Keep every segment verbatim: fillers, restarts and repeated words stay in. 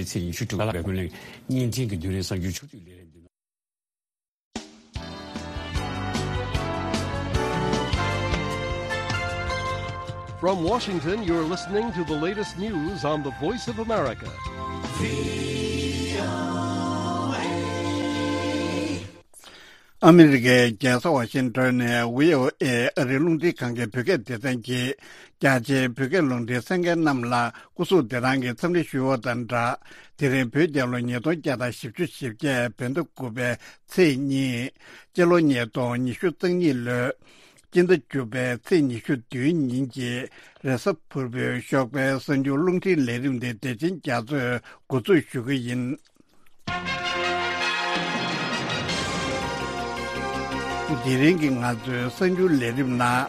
ཚེས་ཉི་ཤུ་དྲུག་ལ་ཀུན་གླེང་བརྙན་འཕྲིན་གྱི་བརྒྱུད་རིམ་གསར་འགྱུར་ཕྱོགས་བསྡུས་ལས་རིམ་འདི། From Washington, you're listening to the latest news on the Voice of America. ཨ་མི་རི་ཀའི་རྒྱལ་ས་ཝ་ཤིང་ཏོན་ནས་བྷི་ཨོ་ཨེ་ཨ་རིའི་རླུང་འཕྲིན་ཁང་གི་བོད་སྐད་སྡེ་ཚན་གྱིས། རྒྱ་ཆེའི་བོད་སྐད་རླུང་འཕྲིན་གསན་མཁན་རྣམས་ལ་སྐུ་གཟུགས་བདེ་ཐང་གི་འཚམས་འདྲི་ཞུ་བ་དང་སྦྲགས། དེ་རིང་བོད་རྒྱལ་ལོ་ཉིས་སྟོང་བརྒྱ་དང་བཞི་བཅུ་ཞེ་བརྒྱད་བོད་ཟླ་དགུ་པའི་ཚེས་གཉིས། སྤྱི་ལོ་ཉིས་སྟོང་ཉི་ཤུ་རྩ་གཉིས་ལོའི་སྤྱི་ཟླ་བཅུ་པའི་ཚེས་ཉི་ཤུ་བདུན་ཉིན་གྱི་རེས་གཟའ་ཕུར་བུའི་ཞོགས་པའི་གསར་འགྱུར་རླུང་འཕྲིན་ལས་རིམ་དེ་བདེ་ཆེན་རྒྱ་མཚོས་འགོ་འཛུགས་ཞུ་གི་ཡིན། དེ་རིང་གི་ང་ཚོའི་གསར་འགྱུར་ལས་རིམ་ནང་།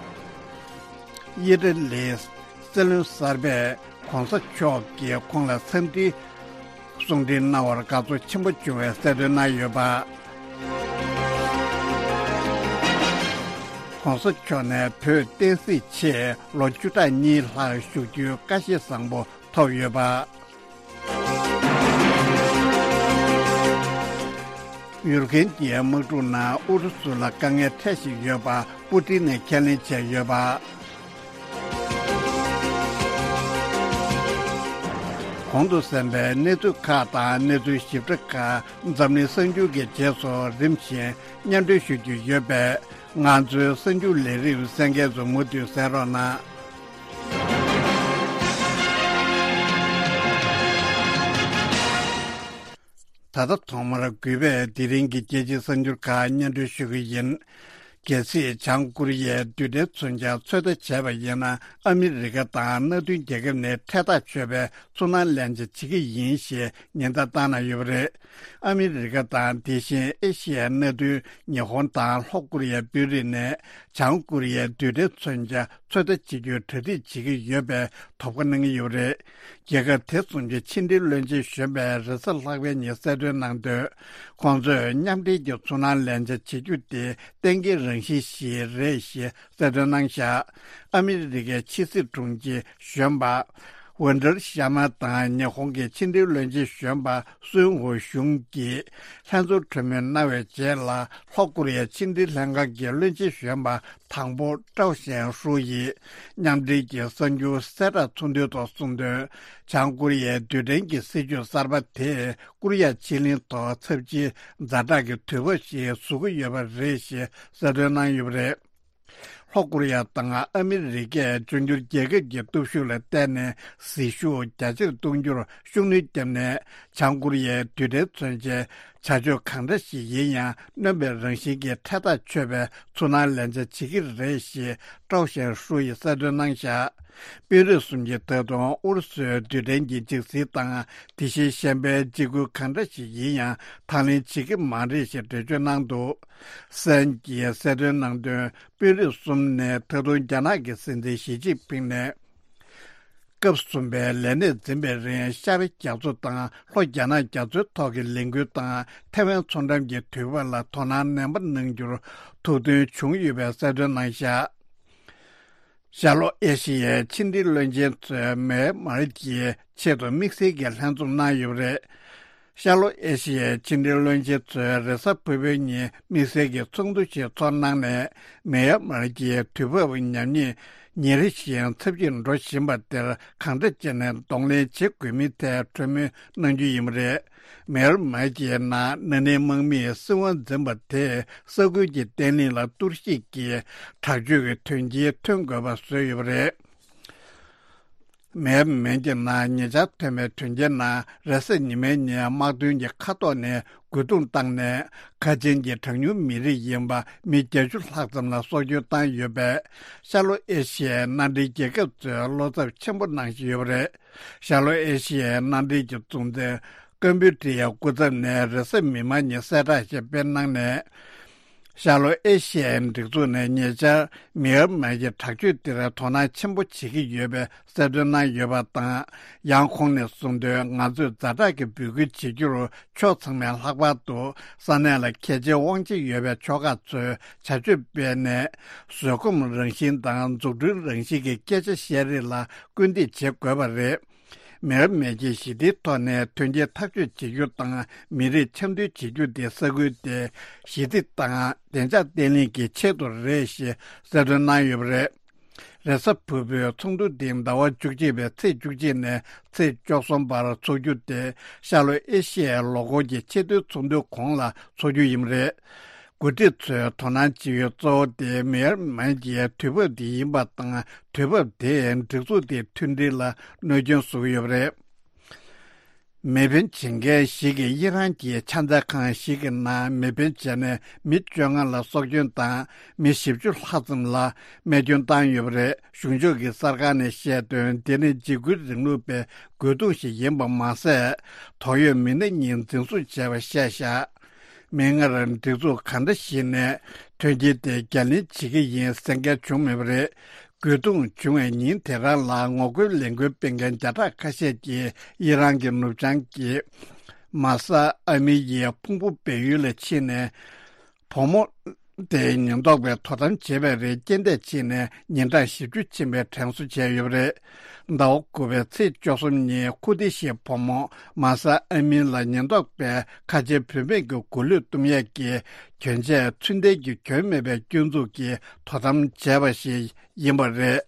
དབྱི་ཐ་ལིའི་སྲིད་བློན་གསར་པས་༧གོང་ས་མཆོག་གིས་ཁོང་ལ་འཚམས་འདྲི་གསུང་འཕྲིན་གནང་བར་དགའ་ཚོར་ཆེན་པོ་བྱུང་བའི་གསལ་སྟོན་གནང་ཡོད་པ། ༧གོང་ས་མཆོག་ནས་བོད་བསྟན་སྲིད་ཆེད་ལོ་བཅུ་ཕྲག་གཉིས་ལྷག་བཞུགས་རྒྱུའི་བཀའ་བཞེས་བཟང་པོ་ཐོབ་ཡོད་པ། ཡུར་གན་གྱི་དམག་འཁྲུག་ནང་ཨུ་རུ་སུ་ལ་དཀའ་ངལ་འཕྲད་བཞིན་ཡོད་པ་པུ་ཏིན་ནས་ཁས་ལེན་བྱས་ཡོད་པ། གོང་དུ་གསན་པའི་གནས་ཚུལ་ཁག་དང་གནས་ཚུལ་ཞིབ་ཕྲ་ཁག་འཛམ་གླིང་གསར་འགྱུར་གྱི་རྗེས་སུ་རིམ་བཞིན་སྙན་སྒྲོན་ཞུ་རྒྱུ་ཡོད་པས། ང་ཚོའི་གསར་འགྱུར་ལས་རིམ་གསན་མཁན་ཚོ་མུ་མཐུད་གསན་རོགས་གནང་། ད་ལྟ་ཐོག་མར་གུས་པས་དེ་རིང་གི་རྒྱལ་སྤྱིའི་གསར་འགྱུར་ཁག་སྙན་སྒྲོན་ཞུ་གི་ཡིན། གལ་སྲིད་བྱང་ཀོ་རི་ཡས་རྡུལ་ཕྲན་མཚོན་ཆ་ཚོད་ལྟ་བྱས་པ་ཡིན་ན། ཨ་མི་རི་ཀ་དང་མནའ་མཐུན་རྒྱལ་ཁབ་ནས་འཕྲལ་ཐག་ཆོད་པའི་ཚུར་སྣང་ལན་ཆ་བྱེད་ཀྱི་ཡིན་ཞེས་ཉེན་བརྡ་བཏང་གནང་ཡོད་པ་རེད། ཨ་མི་རི་ཀ་དང་དེ་བཞིན་ཨེ་ཤི་ཡའི་མནའ་མཐུན་ཉི་ཧོང་དང་ལྷོ་ཀོ་རི་ཡའི་དཔོན་རིགས་ནས་བྱང་ཀོ་རི་ཡའི་རྡུལ་ཕྲན་མཚོན་ཆ་ཚོད་ལྟ་བྱེད་རྒྱུའི་གྲ་སྒྲིག་བྱེད་ཀྱི་ཡོད་པའི་དོགས་པ་གནང་གི་ཡོད་པ་རེད། རྒྱལ་ཁབ་དེ་གསུམ་གྱི་ཕྱི་འབྲེལ་བློན་ཆེན་གཞོན་པས་རེས་གཟའ་ལྷག་པའི་ཉིན་གསལ་སྟོན་གནང་དོན། ཁོང་ཚོས་མཉམ་འབྲེལ་གྱི་ཚུར་སྣང་ལན་ཆ་བྱེད་རྒྱུ་དེ་གཏན་འཁེལ་རང་བཞིན་ཞིག་རེད་ཞེས་གསལ་སྟོན་གནང་བཞག་ཨ་མི་རི་ཀའི་ཕྱི་སྲིད་དྲུང་ཆེ་གཞོན་པ་ཝན་ཏར་ཤར་མ་དང་ཉི་ཧོང་གི་ཕྱི་འབྲེལ་བློན་ཆེན་གཞོན་པ་སུན་ཧུ་ཞུང་གིས་ལྷན་ཚོགས་གྲོས་མོལ་གནང་བའི་རྗེས་ལ། ལྷོ་ཀོ་རི་ཡའི་ཕྱི་འབྲེལ་ལྷན་ཁང་གི་བློན་ཆེན་གཞོན་པ་དང་པོ་ཀྲའོ་ཞན་ཧྲུའུ་ཡིས་མཉམ་འབྲེལ་གྱི་གསར་འགྱུར་གསལ་བསྒྲགས་ཚོགས་འདུའི་ཐོག་གསུངས་དོན། བྱང་ཀོ་རི་ཡའི་རྡུལ་ཕྲན་གྱི་སྲིད་ཇུས་གསར་པ་དེས་ཀོ་རི་ཡ་ཕྱེད་གླིང་ཐོག་ཚབས་ཆེའི་ཛ་དྲག་གི་དུས་བབ་ཞིག་བཟོ་གི་ཡོད་པ་རེད་ཞེས་གསལ་སྟོན་གནང་ཡོད་པ་རེད། ལྷོ་ཀོ་རི་ཡ་དང་ཨ་མི་རི་ཀས་འབྱུང་འགྱུར་རྒྱལ་ཁབ་ཀྱི་སྟོབས་ཤུགས་ལ་བརྟེན་ནས་ཟིལ་ཤུགས་རྒྱ་ཆེར་གཏོང་རྒྱུར་ཤུགས་སྣོན་བརྒྱབ་ནས། བྱང་ཀོ་རི་ཡའི་རྡུལ་ཕྲན་མཚོན་ཆའི་བྱ་སྤྱོད་གང་འདྲ་ཞིག་ཡིན་ཡང་། སྣོན་པའི་རང་བཞིན་གྱི་འཕྲལ་ཐག་ཆོད་པའི་ཚུར་སྣང་ལན་ཆ་བྱེད་ཀྱི་རེད་ཞེས་ཀྲའོ་ཞན་ཧྲུའུ་ཡིས་གསལ་སྟོན་གནང་བཞག་དཔོན་རིགས་གསུམ་གྱིས་ད་དུང་ཨུ་རུ་སུའི་རྡུལ་ཕྲན་གྱི་འཇིགས་སྲིད་དང་། དེ་བཞིན་གཞན་པའི་འཇིགས་སྐུལ་གང་འདྲ་ཞིག་ཡིན་ཡང་དང་ལེན་བྱེད་ཀྱི་མ་རེད་ཞེས་འགྲེལ་བརྗོད་གནང་འདུག་སན་གྱིས་གསལ་སྟོན་གནང་དོན། དཔོན་རིགས་གསུམ་ནས་ད་དུང་རྒྱ་ནག་གི་སྲིད་འཛིན་ཞི་ཅིན་ཕིང་ནས། སྐབས་གསུམ་པའི་ལས་གནས་འཛིན་པའི་རིང་ཤར་པའི་རྒྱ་མཚོ་དང་ལྷོ་རྒྱ་ནག་རྒྱ་མཚོའི་ཐོག་གི་ལས་འགུལ་དང་ཐེ་ཝན་མཚོ་འགྲམ་གྱི་དུས་བབ་ལ་དོ་སྣང་ནན་པོ་གནང་རྒྱུར་ཐུགས་འདུན་བྱུང་ཡོད་པའི་གསལ་སྟོན་གནང་བཞག་ཤར་ལྷོ་ཨེ་ཤི་ཡའི་ཕྱི་འབྲེལ་བློན་ཆེན་ཚོས་མེན་མར་གྱི་ཆེད་དུ་དམིགས་བསལ་གྱི་ལྷན་འཛོམས་གནང་ཡོད་པ་རེད། ཤར་ལྷོ་ཨེ་ཤི་ཡའི་ཕྱི་འབྲེལ་བློན་ཆེན་ཚོས་རེས་གཟའ་ཕུར་བུའི་ཉིན་དམིགས་བསལ་གྱི་ཚོགས་འདུ་ཞིག་ཚོགས་གནང་ནས། མེན་མར་གྱི་དུས་བབ་ཉམས་ཉེས་ཉིན་རེ་བཞིན་ཚབས་ཆེར་འགྲོ་བཞིན་པ་དེར་གང་འདྲ་བྱས་ནས་གདོང་ལེན་བྱེད་དགོས་མིན་ཐད་གྲོས་མོལ་གནང་རྒྱུ་ཡིན་པ་རེད། མེན་མར་གྱི་ནང་ན་ནིང་དམག་མིས་སྲིད་དབང་འཛིན་པ་དེས་ས་ཁུལ་གྱི་བརྟན་ལྷིང་ལ་གཏོར་བཤིག་གིས་དྲག་སྤྱོད་ཀྱི་དོན་རྐྱེན་ཐོན་དགོས་པ་བཟོས་ཡོད་པ་རེད། མེན་མར་གྱི་ནང་ཉེ་ཆར་ཐོན་པའི་དོན་རྐྱེན་ནང་། རེས་གཟའ་ཉི་མའི་ཉིན་དམག་དོན་གྱི་མཁའ་ཐོག་ནས་རྒོལ་རྡུང་བཏང་ནས། ཁ་ཆེན་གྱི་གྲངས་ཉུང་མི་རིགས་ཡིན་པ་མི་བརྒྱད་ཅུ་ལྷག་ཙམ་ལ་སྲོག་སྐྱོན་བཏང་ཡོད་པས། ཤར་ལྷོ་ཨེ་ཤི་ཡའི་མནའ་འབྲེལ་རྒྱལ་ཁབ་ཚོས་བློ་འཚབ་ཆེན་པོ་གནང་བཞིན་ཡོད་པ་རེད། ཤར་ལྷོ་ཨེ་ཤི་ཡའི་མནའ་འབྲེལ་གྱི་གཙོ་འཛིན་ཀམ་པུ་ཏྲི་ཡའི་སྐུ་ཚབ་ནས་རེས་གཟའ་མིག་དམར་ཉིན་གསལ་བསྒྲགས་ཤིག་སྤེལ་གནང་ནས། ཤར་ལྷོ་ཨེ་ཤི་ཡའི་སྒྲིག་འཛུགས་ནས་ཉེ་ཆར་མེན་མར་གྱི་དྲག་སྤྱོད་དེར་དོ་སྣང་ཆེན་པོ་བྱེད་ཀྱི་ཡོད་པའི་གསལ་སྟོན་གནང་ཡོད་པ་དང་། ཡང་ཁོང་ནས་གསུངས་དོན། ང་ཚོས་ཛ་དྲག་གི་འབོད་སྐུལ་བྱེད་རྒྱུར་ཕྱོགས་ཚང་མས་ལྷག་པར་དུ་ས་གནས་ལ་གལ་ཆེའི་དབང་ཆ་ཡོད་པའི་ཕྱོགས་ཁག་ཚོས་བྱ་སྤྱོད་སྤེལ་ནས། བཟོད་སྒོམ་རང་བཞིན་དང་འཛུགས་སྐྲུན་རང་བཞིན་གྱི་སྐད་ཆ་བཤད་རེས་ལ་སྐུལ་འདེད་བྱེད་དགོས་པ་རེད། མེར་མེ་ཀྱི་ཞི་བདེའི་ཐོག་ནས་དོན་རྐྱེན་ཐག་གཅོད་བྱེད་རྒྱུ་དང་མི་རིགས་འཆམ་མཐུན་བྱེད་རྒྱུ་དེ་ས་ཁུལ་དེ་ཞི་བདེ་དང་བདེ་འཇགས་བརྟན་ལྷིང་གི་ཆེད་དུ་རེད་ཞེས་གསལ་སྟོན་གནང་ཡོད་པ་རེད། རེས་གཟའ་ཕུར་བུའི་ཚོགས་འདུ་འདི་ཟླ་བ་བཅུ་གཅིག་པའི་ཚེས་བཅུ་གཅིག་ནས་ཚེས་བཅུ་གསུམ་བར་འཚོགས་རྒྱུ་དེ་ཤར་ལྷོ་ཨེ་ཤི་ཡའི་ལོ་འཁོར་གྱི་ཆེས་མཐོའི་ཚོགས་འདུའི་གོང་ལ་འཚོགས་རྒྱུ་ཡིན་པ་རེད། འགོ་ཁྲིད་ཚོས་དོ་སྣང་བྱེད་ཡུལ་གཙོ་བོ་དེ་མེར་མེ་ཀྱི་དུས་བབ་འདི་ཡིན་པ་དང་། དུས་བབ་དེས་སྒྲིག་འཛུགས་དེའི་མཐུན་སྒྲིལ་ལ་གནོད་སྐྱོན་བཟོ་གི་ཡོད་པ་རེད། མེ་འཕེན་བྱེད་མཁན་ཞིག་གིས་དབྱི་རན་གྱི་ཕྱག་འཚལ་ཁང་ཞིག་གི་ནང་མེ་འཕེན་བྱས་ནས་མི་བཅོ་ལྔ་ལ་སྲོག་སྐྱོན་དང་མི་བཞི་བཅུ་ལྷག་ཙམ་ལ་རྨས་སྐྱོན་བཏང་ཡོད་པ་རེད། གཞུང་ཕྱོགས་ཀྱི་གསར་ཁང་ནས་བཤད་དོན། དེ་ནི་འཇིགས་སྐུལ་རིང་ལུགས་པའི་རྒོལ་རྡུང་ཞིག་ཡིན་པ་མ་ཟད། དོགས་ཡོད་མི་སྣ་གཉིས་འཛིན་བཟུང་བྱས་པ་བཤད་བཞག་མིག་སྔར་སྒྲིག་འཛུགས་གང་འདྲ་ཞིག་ནས་མཐུན་རྐྱེན་དེ་རྒྱ་ལེན་བྱེད་ཀྱི་ཡིན་གསལ་ཁ་བྱུང་མེད་པ་རེད། རྒོལ་རྡུང་བྱུང་བའི་ཉིན་དེ་རང་ལ་ངོ་རྒོལ་ལས་འགུལ་སྤེལ་མཁན་བརྒྱ་ཕྲག་ཁ་ཤས་ཀྱིས་དབྱི་རན་གྱི་ནུབ་བྱང་གི་མ་ས་ཨ་མི་ཡི་ཕུང་པོ་སྦས་ཡུལ་ལ་ཕྱིན་ནས། བུ་མོ་དེའི་ཉེན་རྟོག་པས་དོ་དམ་བྱས་པའི་རིང་རྐྱེན་འདས་ཕྱིན་ནས་ཉིན་གྲངས་བཞི་བཅུ་ཕྱིན་པའི་དྲན་གསོ་བྱས་ཡོད་པ་རེད། ཟླ་བ་དགུ་པའི་ཚེས་བཅུ་གསུམ་ཉིན་ཁུ་ཏི་ཤི་བུ་མོ་མ་ས་ཨ་མིན་ལ་ཉེན་རྟོག་པས་ཁ་ཆེ་བུད་མེད་ཀྱི་མགོ་ལུས་གཏུམ་ཡས་ཀྱི་གྱོན་ཆས་ཚུན་ལྡན་གྱི་གྱོན་མེད་པའི་སྐྱོན་འཛུགས་ཀྱིས་དོ་དམ་བྱས་པ་ཞིག་ཡིན་པ་རེད།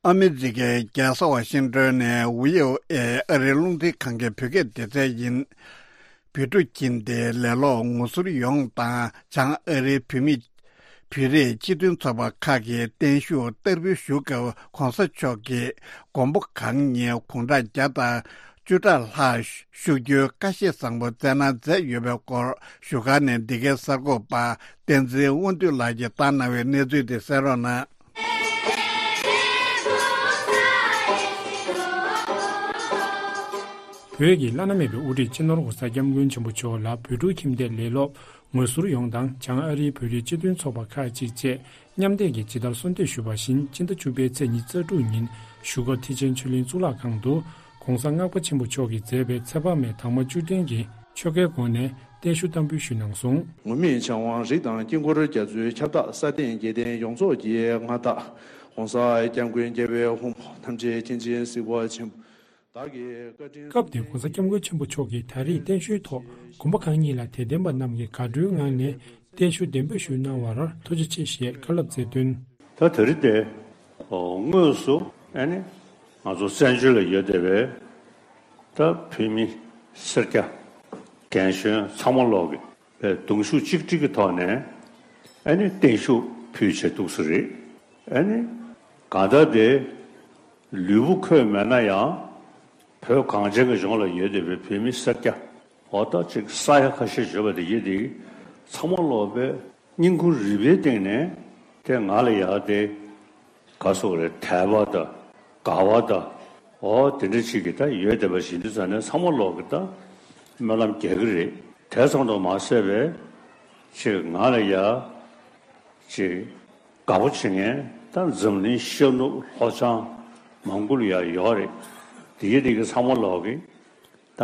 ཨ་མི་རི་ཀའི་རྒྱལ་ས་ཝ་ཤིང་ཏོན་ནས་ཝི་ཨོ་ཨེ་ཨ་རིའི་རླུང་འཕྲིན་ཁང་གི་བོད་སྐད་སྡེ་ཚན་ཡིན། བོད་ཕྲུག་ཁྱིམ་སྡེའི་ལས་སློབ་ངོ་ཟུར་ཡོངས་དང་བྱང་ཨ་རིའི་བོད་མི། བོད་རིགས་སྤྱི་མཐུན་ཚོགས་པ་ཁག་གིས་བརྟན་བཞུགས་བསྟར་འབུལ་ཞུ་སྐབས་གོང་ས་མཆོག་གིས་མགོན་པོ་གང་ཉིད་དགུང་གྲངས་བརྒྱ་དང་བཅུ་ཕྲག་ལྷག་བཞུགས་རྒྱུའི་བཀའ་བཞེས་བཟང་པོ་བསྩལ་གནང་མཛད་ཡོད་པའི་སྐོར་བཞུགས་སྒར་ནས་འདི་གའི་གསར་འགོད་པ་བསྟན་འཛིན་དབང་འདུས་ལགས་ཀྱིས་བཏང་གནང་བའི་གནས་ཚུལ་དེ་གསན་རོགས་གནང་། བོད་ཀྱི་བླ་ན་མེད་པའི་དབུ་ཁྲིད་སྤྱི་ནོར་༸གོང་ས་༸སྐྱབས་མགོན་ཆེན་པོ་མཆོག་ལ་བོད་ཕྲུག་ཁྱིམ་སྡེ་ལས་སློབ་ངོ་ཟུར་ཡོངས་དང་བྱང་ཨ་རིའི་བོད་རིགས་སྤྱི་མཐུན་ཚོགས་པ་ཁག་ཅིག་བཅས་མཉམ་འདེགས་ཀྱིས་ཇི་ལྟར་གསོལ་འདེབས་ཞུས་པ་བཞིན་སྤྱི་ཟླ་བཅུ་པའི་ཚེས་ཉི་ཤུ་རྩ་དྲུག་ཉིན་བཞུགས་སྒར་ཐེག་ཆེན་ཆོས་གླིང་གཙུག་ལག་ཁང་དུ་གོང་ས་ལྔ་པ་ཆེན་པོ་མཆོག་གིས་མཛད་པའི་ཚེ་དཔག་མེད་དྭངས་མ་བཅུ་བདུན་གྱི་ཆོ་གའི་སྒོ་ནས་བརྟན་བཞུགས་བསྟར་འབུལ་ཞུས་གནང་སོང་། ངུར་སྨྲིག་ཕྱག་དབང་རིགས་དང་དཀྱིལ་འཁོར་རྒྱ་མཚོའི་ཁྱབ་བདག་ས་སྟེང་རྒྱལ་བསྟན་ཡོངས་རྫོགས་ཀྱི་མངའ་བདག་༸གོང་ས་༸སྐྱབས་མགོན་རྒྱལ་བའི་དབང་པོ་ཐམས་ཅད་མཁྱེན་ཅིང་གཟིགས་པ་ཆེན་པོ། བདག་གིས་བཀའ་དྲིན། སྐབས་དེར་༸གོང་ས་༸སྐྱབས་མགོན་ཆེན་པོ་མཆོག་གིས་ད་རེས་བརྟན་བཞུགས་ཐོག་མགོན་པོ་གང་ཉིད་ལ་དད་ལྡན་པ་རྣམས་ཀྱིས་དགའ་སྤྲོའི་ངང་ནས་བརྟན་བཞུགས་གདན་འབོད་ཞུས་གནང་བར་ཐུགས་རྗེ་ཆེ་ཞེས་བཀའ་སློབ་སྩལ་དོན། ད་དེ་རིང་དེ་དངོས་སུ་ཨ་ནི་ང་ཚོ་བཙན་བྱོལ་ལ་ཡོད་བསྡད་པའི་ད་བོད་མི་སེར་སྐྱ་རྒན་གཞོན་ཚང་མ་ལོག་གི་པའི་གདུང་ཤུགས་གཅིག་སྒྲིལ་གྱི་ཐོག་ནས་ཨ་ནི་བརྟན་བཞུགས་ཕུལ་བྱས་འདུག་ས་རེད། ཨ་ནི་གང་ལྟར་དེ་ལུས་པོ་འཁོད་མེད་ན་ཡང་བོད་གངས་ཅན་གྱི་ལྗོངས་ལ་ཡོད་བསྡད་པའི་བོད་མི་སེར་སྐྱ་འོ་ད་ཅིག་ས་ཡ་ཁ་ཤས་ཡོད་པ་དེ་ཡིན་དེ་ཚང་མ་ལོག་པའི་སྙིང་ཁུང་རུས་པའི་སྟེང་ནས་དེ་ང་ལ་ཡག་དེ་ག་སོགས་རེད་དད་པ་དང་དགའ་བ་དང་། འོ་དེ་འདྲ་ཅིག་གི་ད་ཡོད་བསྡད་པ་ཞིག་འདི་ཙང་ནས་ཚང་མ་ལོག་གི་ད་སྨོན་ལམ་རྒྱག་གི་རེད། དེ་ཙམ་དུ་མ་ཟད་པའི་ཅིག་ང་ལ་ཡ་ཅིག་དགའ་པོ་བྱེད་མཁན་ད་འཛམ་གླིང་ཤར་ནུབ་ལྷོ་བྱང་མང་པོ་ལ་ཡ་ཡོད་རེད། དེ་གི་དེ་གི་ཚང་མ་ལོག་གི་ད་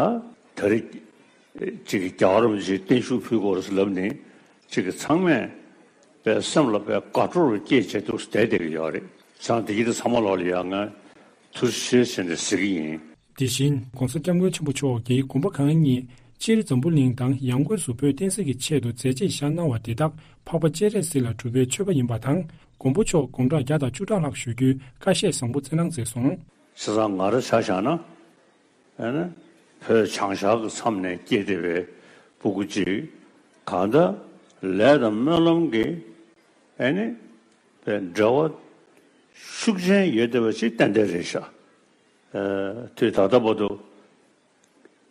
ད་རེས་ཅིག་གི་རྒྱལ་བ་རིན་པོ་ཆེའི་བརྟན་བཞུགས་ཕུལ་དགོས་རེད་ལབ་ནས་ཅིག་གི་ཚང་མས་པའི་སེམས་ལ་པའི་དགའ་སྤྲོ་རུ་སྐྱེས་བྱས་འདུག་བསྡད་བསྡད་ཀྱི་ཡོད་རེད། ཙང་དེ་གི་དེ་ཚང་མ་ལོག་ལ་ཡ་ང་ཐུགས་རྗེ་ཆེ་ཟེར་ནས་ཟེར་གྱི་ཡིན། དེ་བཞིན་༸གོང་ས་༸སྐྱབས་མགོན་ཆེན་པོ་མཆོག་གིས་དགོན་པ་གང་ཉིད་སྤྱིར་འཛམ་བུ་གླིང་དང་ཡང་སྒོས་སུ་བོད་བསྟན་སྲིད་ཀྱི་ཆེད་དུ་མཛད་རྗེས་བཞག་གནང་བ་དེ་དག་འཕགས་པ་སྤྱན་རས་གཟིགས་ལ་སྒྲུབ་པའི་མཆོད་པ་ཡིན་པ་དང་། མགོན་པོ་མཆོག་དགུང་གྲངས་བརྒྱ་དང་བཅུ་ཕྲག་ལྷག་བཞུགས་རྒྱུའི་བཀའ་བཞེས་བཟང་པོ་བསྩལ་གནང་མཛད་སོང་། བྱས་ཙང་ང་རང་ཆ་བཞག་ན། ཨ་ནི་བོད་བྱང་ཤར་གྱི་མཚམས་ནས་སྐྱེས་བསྡད་པའི་སྤུ་གུ་གཅིག་གང་ལྟར་ལས་དང་སྨོན་ལམ་གྱི་ཨ་ནི་བའི་འབྲེལ་བ་ཤུགས་ཆེན་ཡོད་བསྡད་པ་ཅིག་ཏན་ཏན་རེད་ཤག་ཨ་དུས་ད་ལྟ་བར་དུ་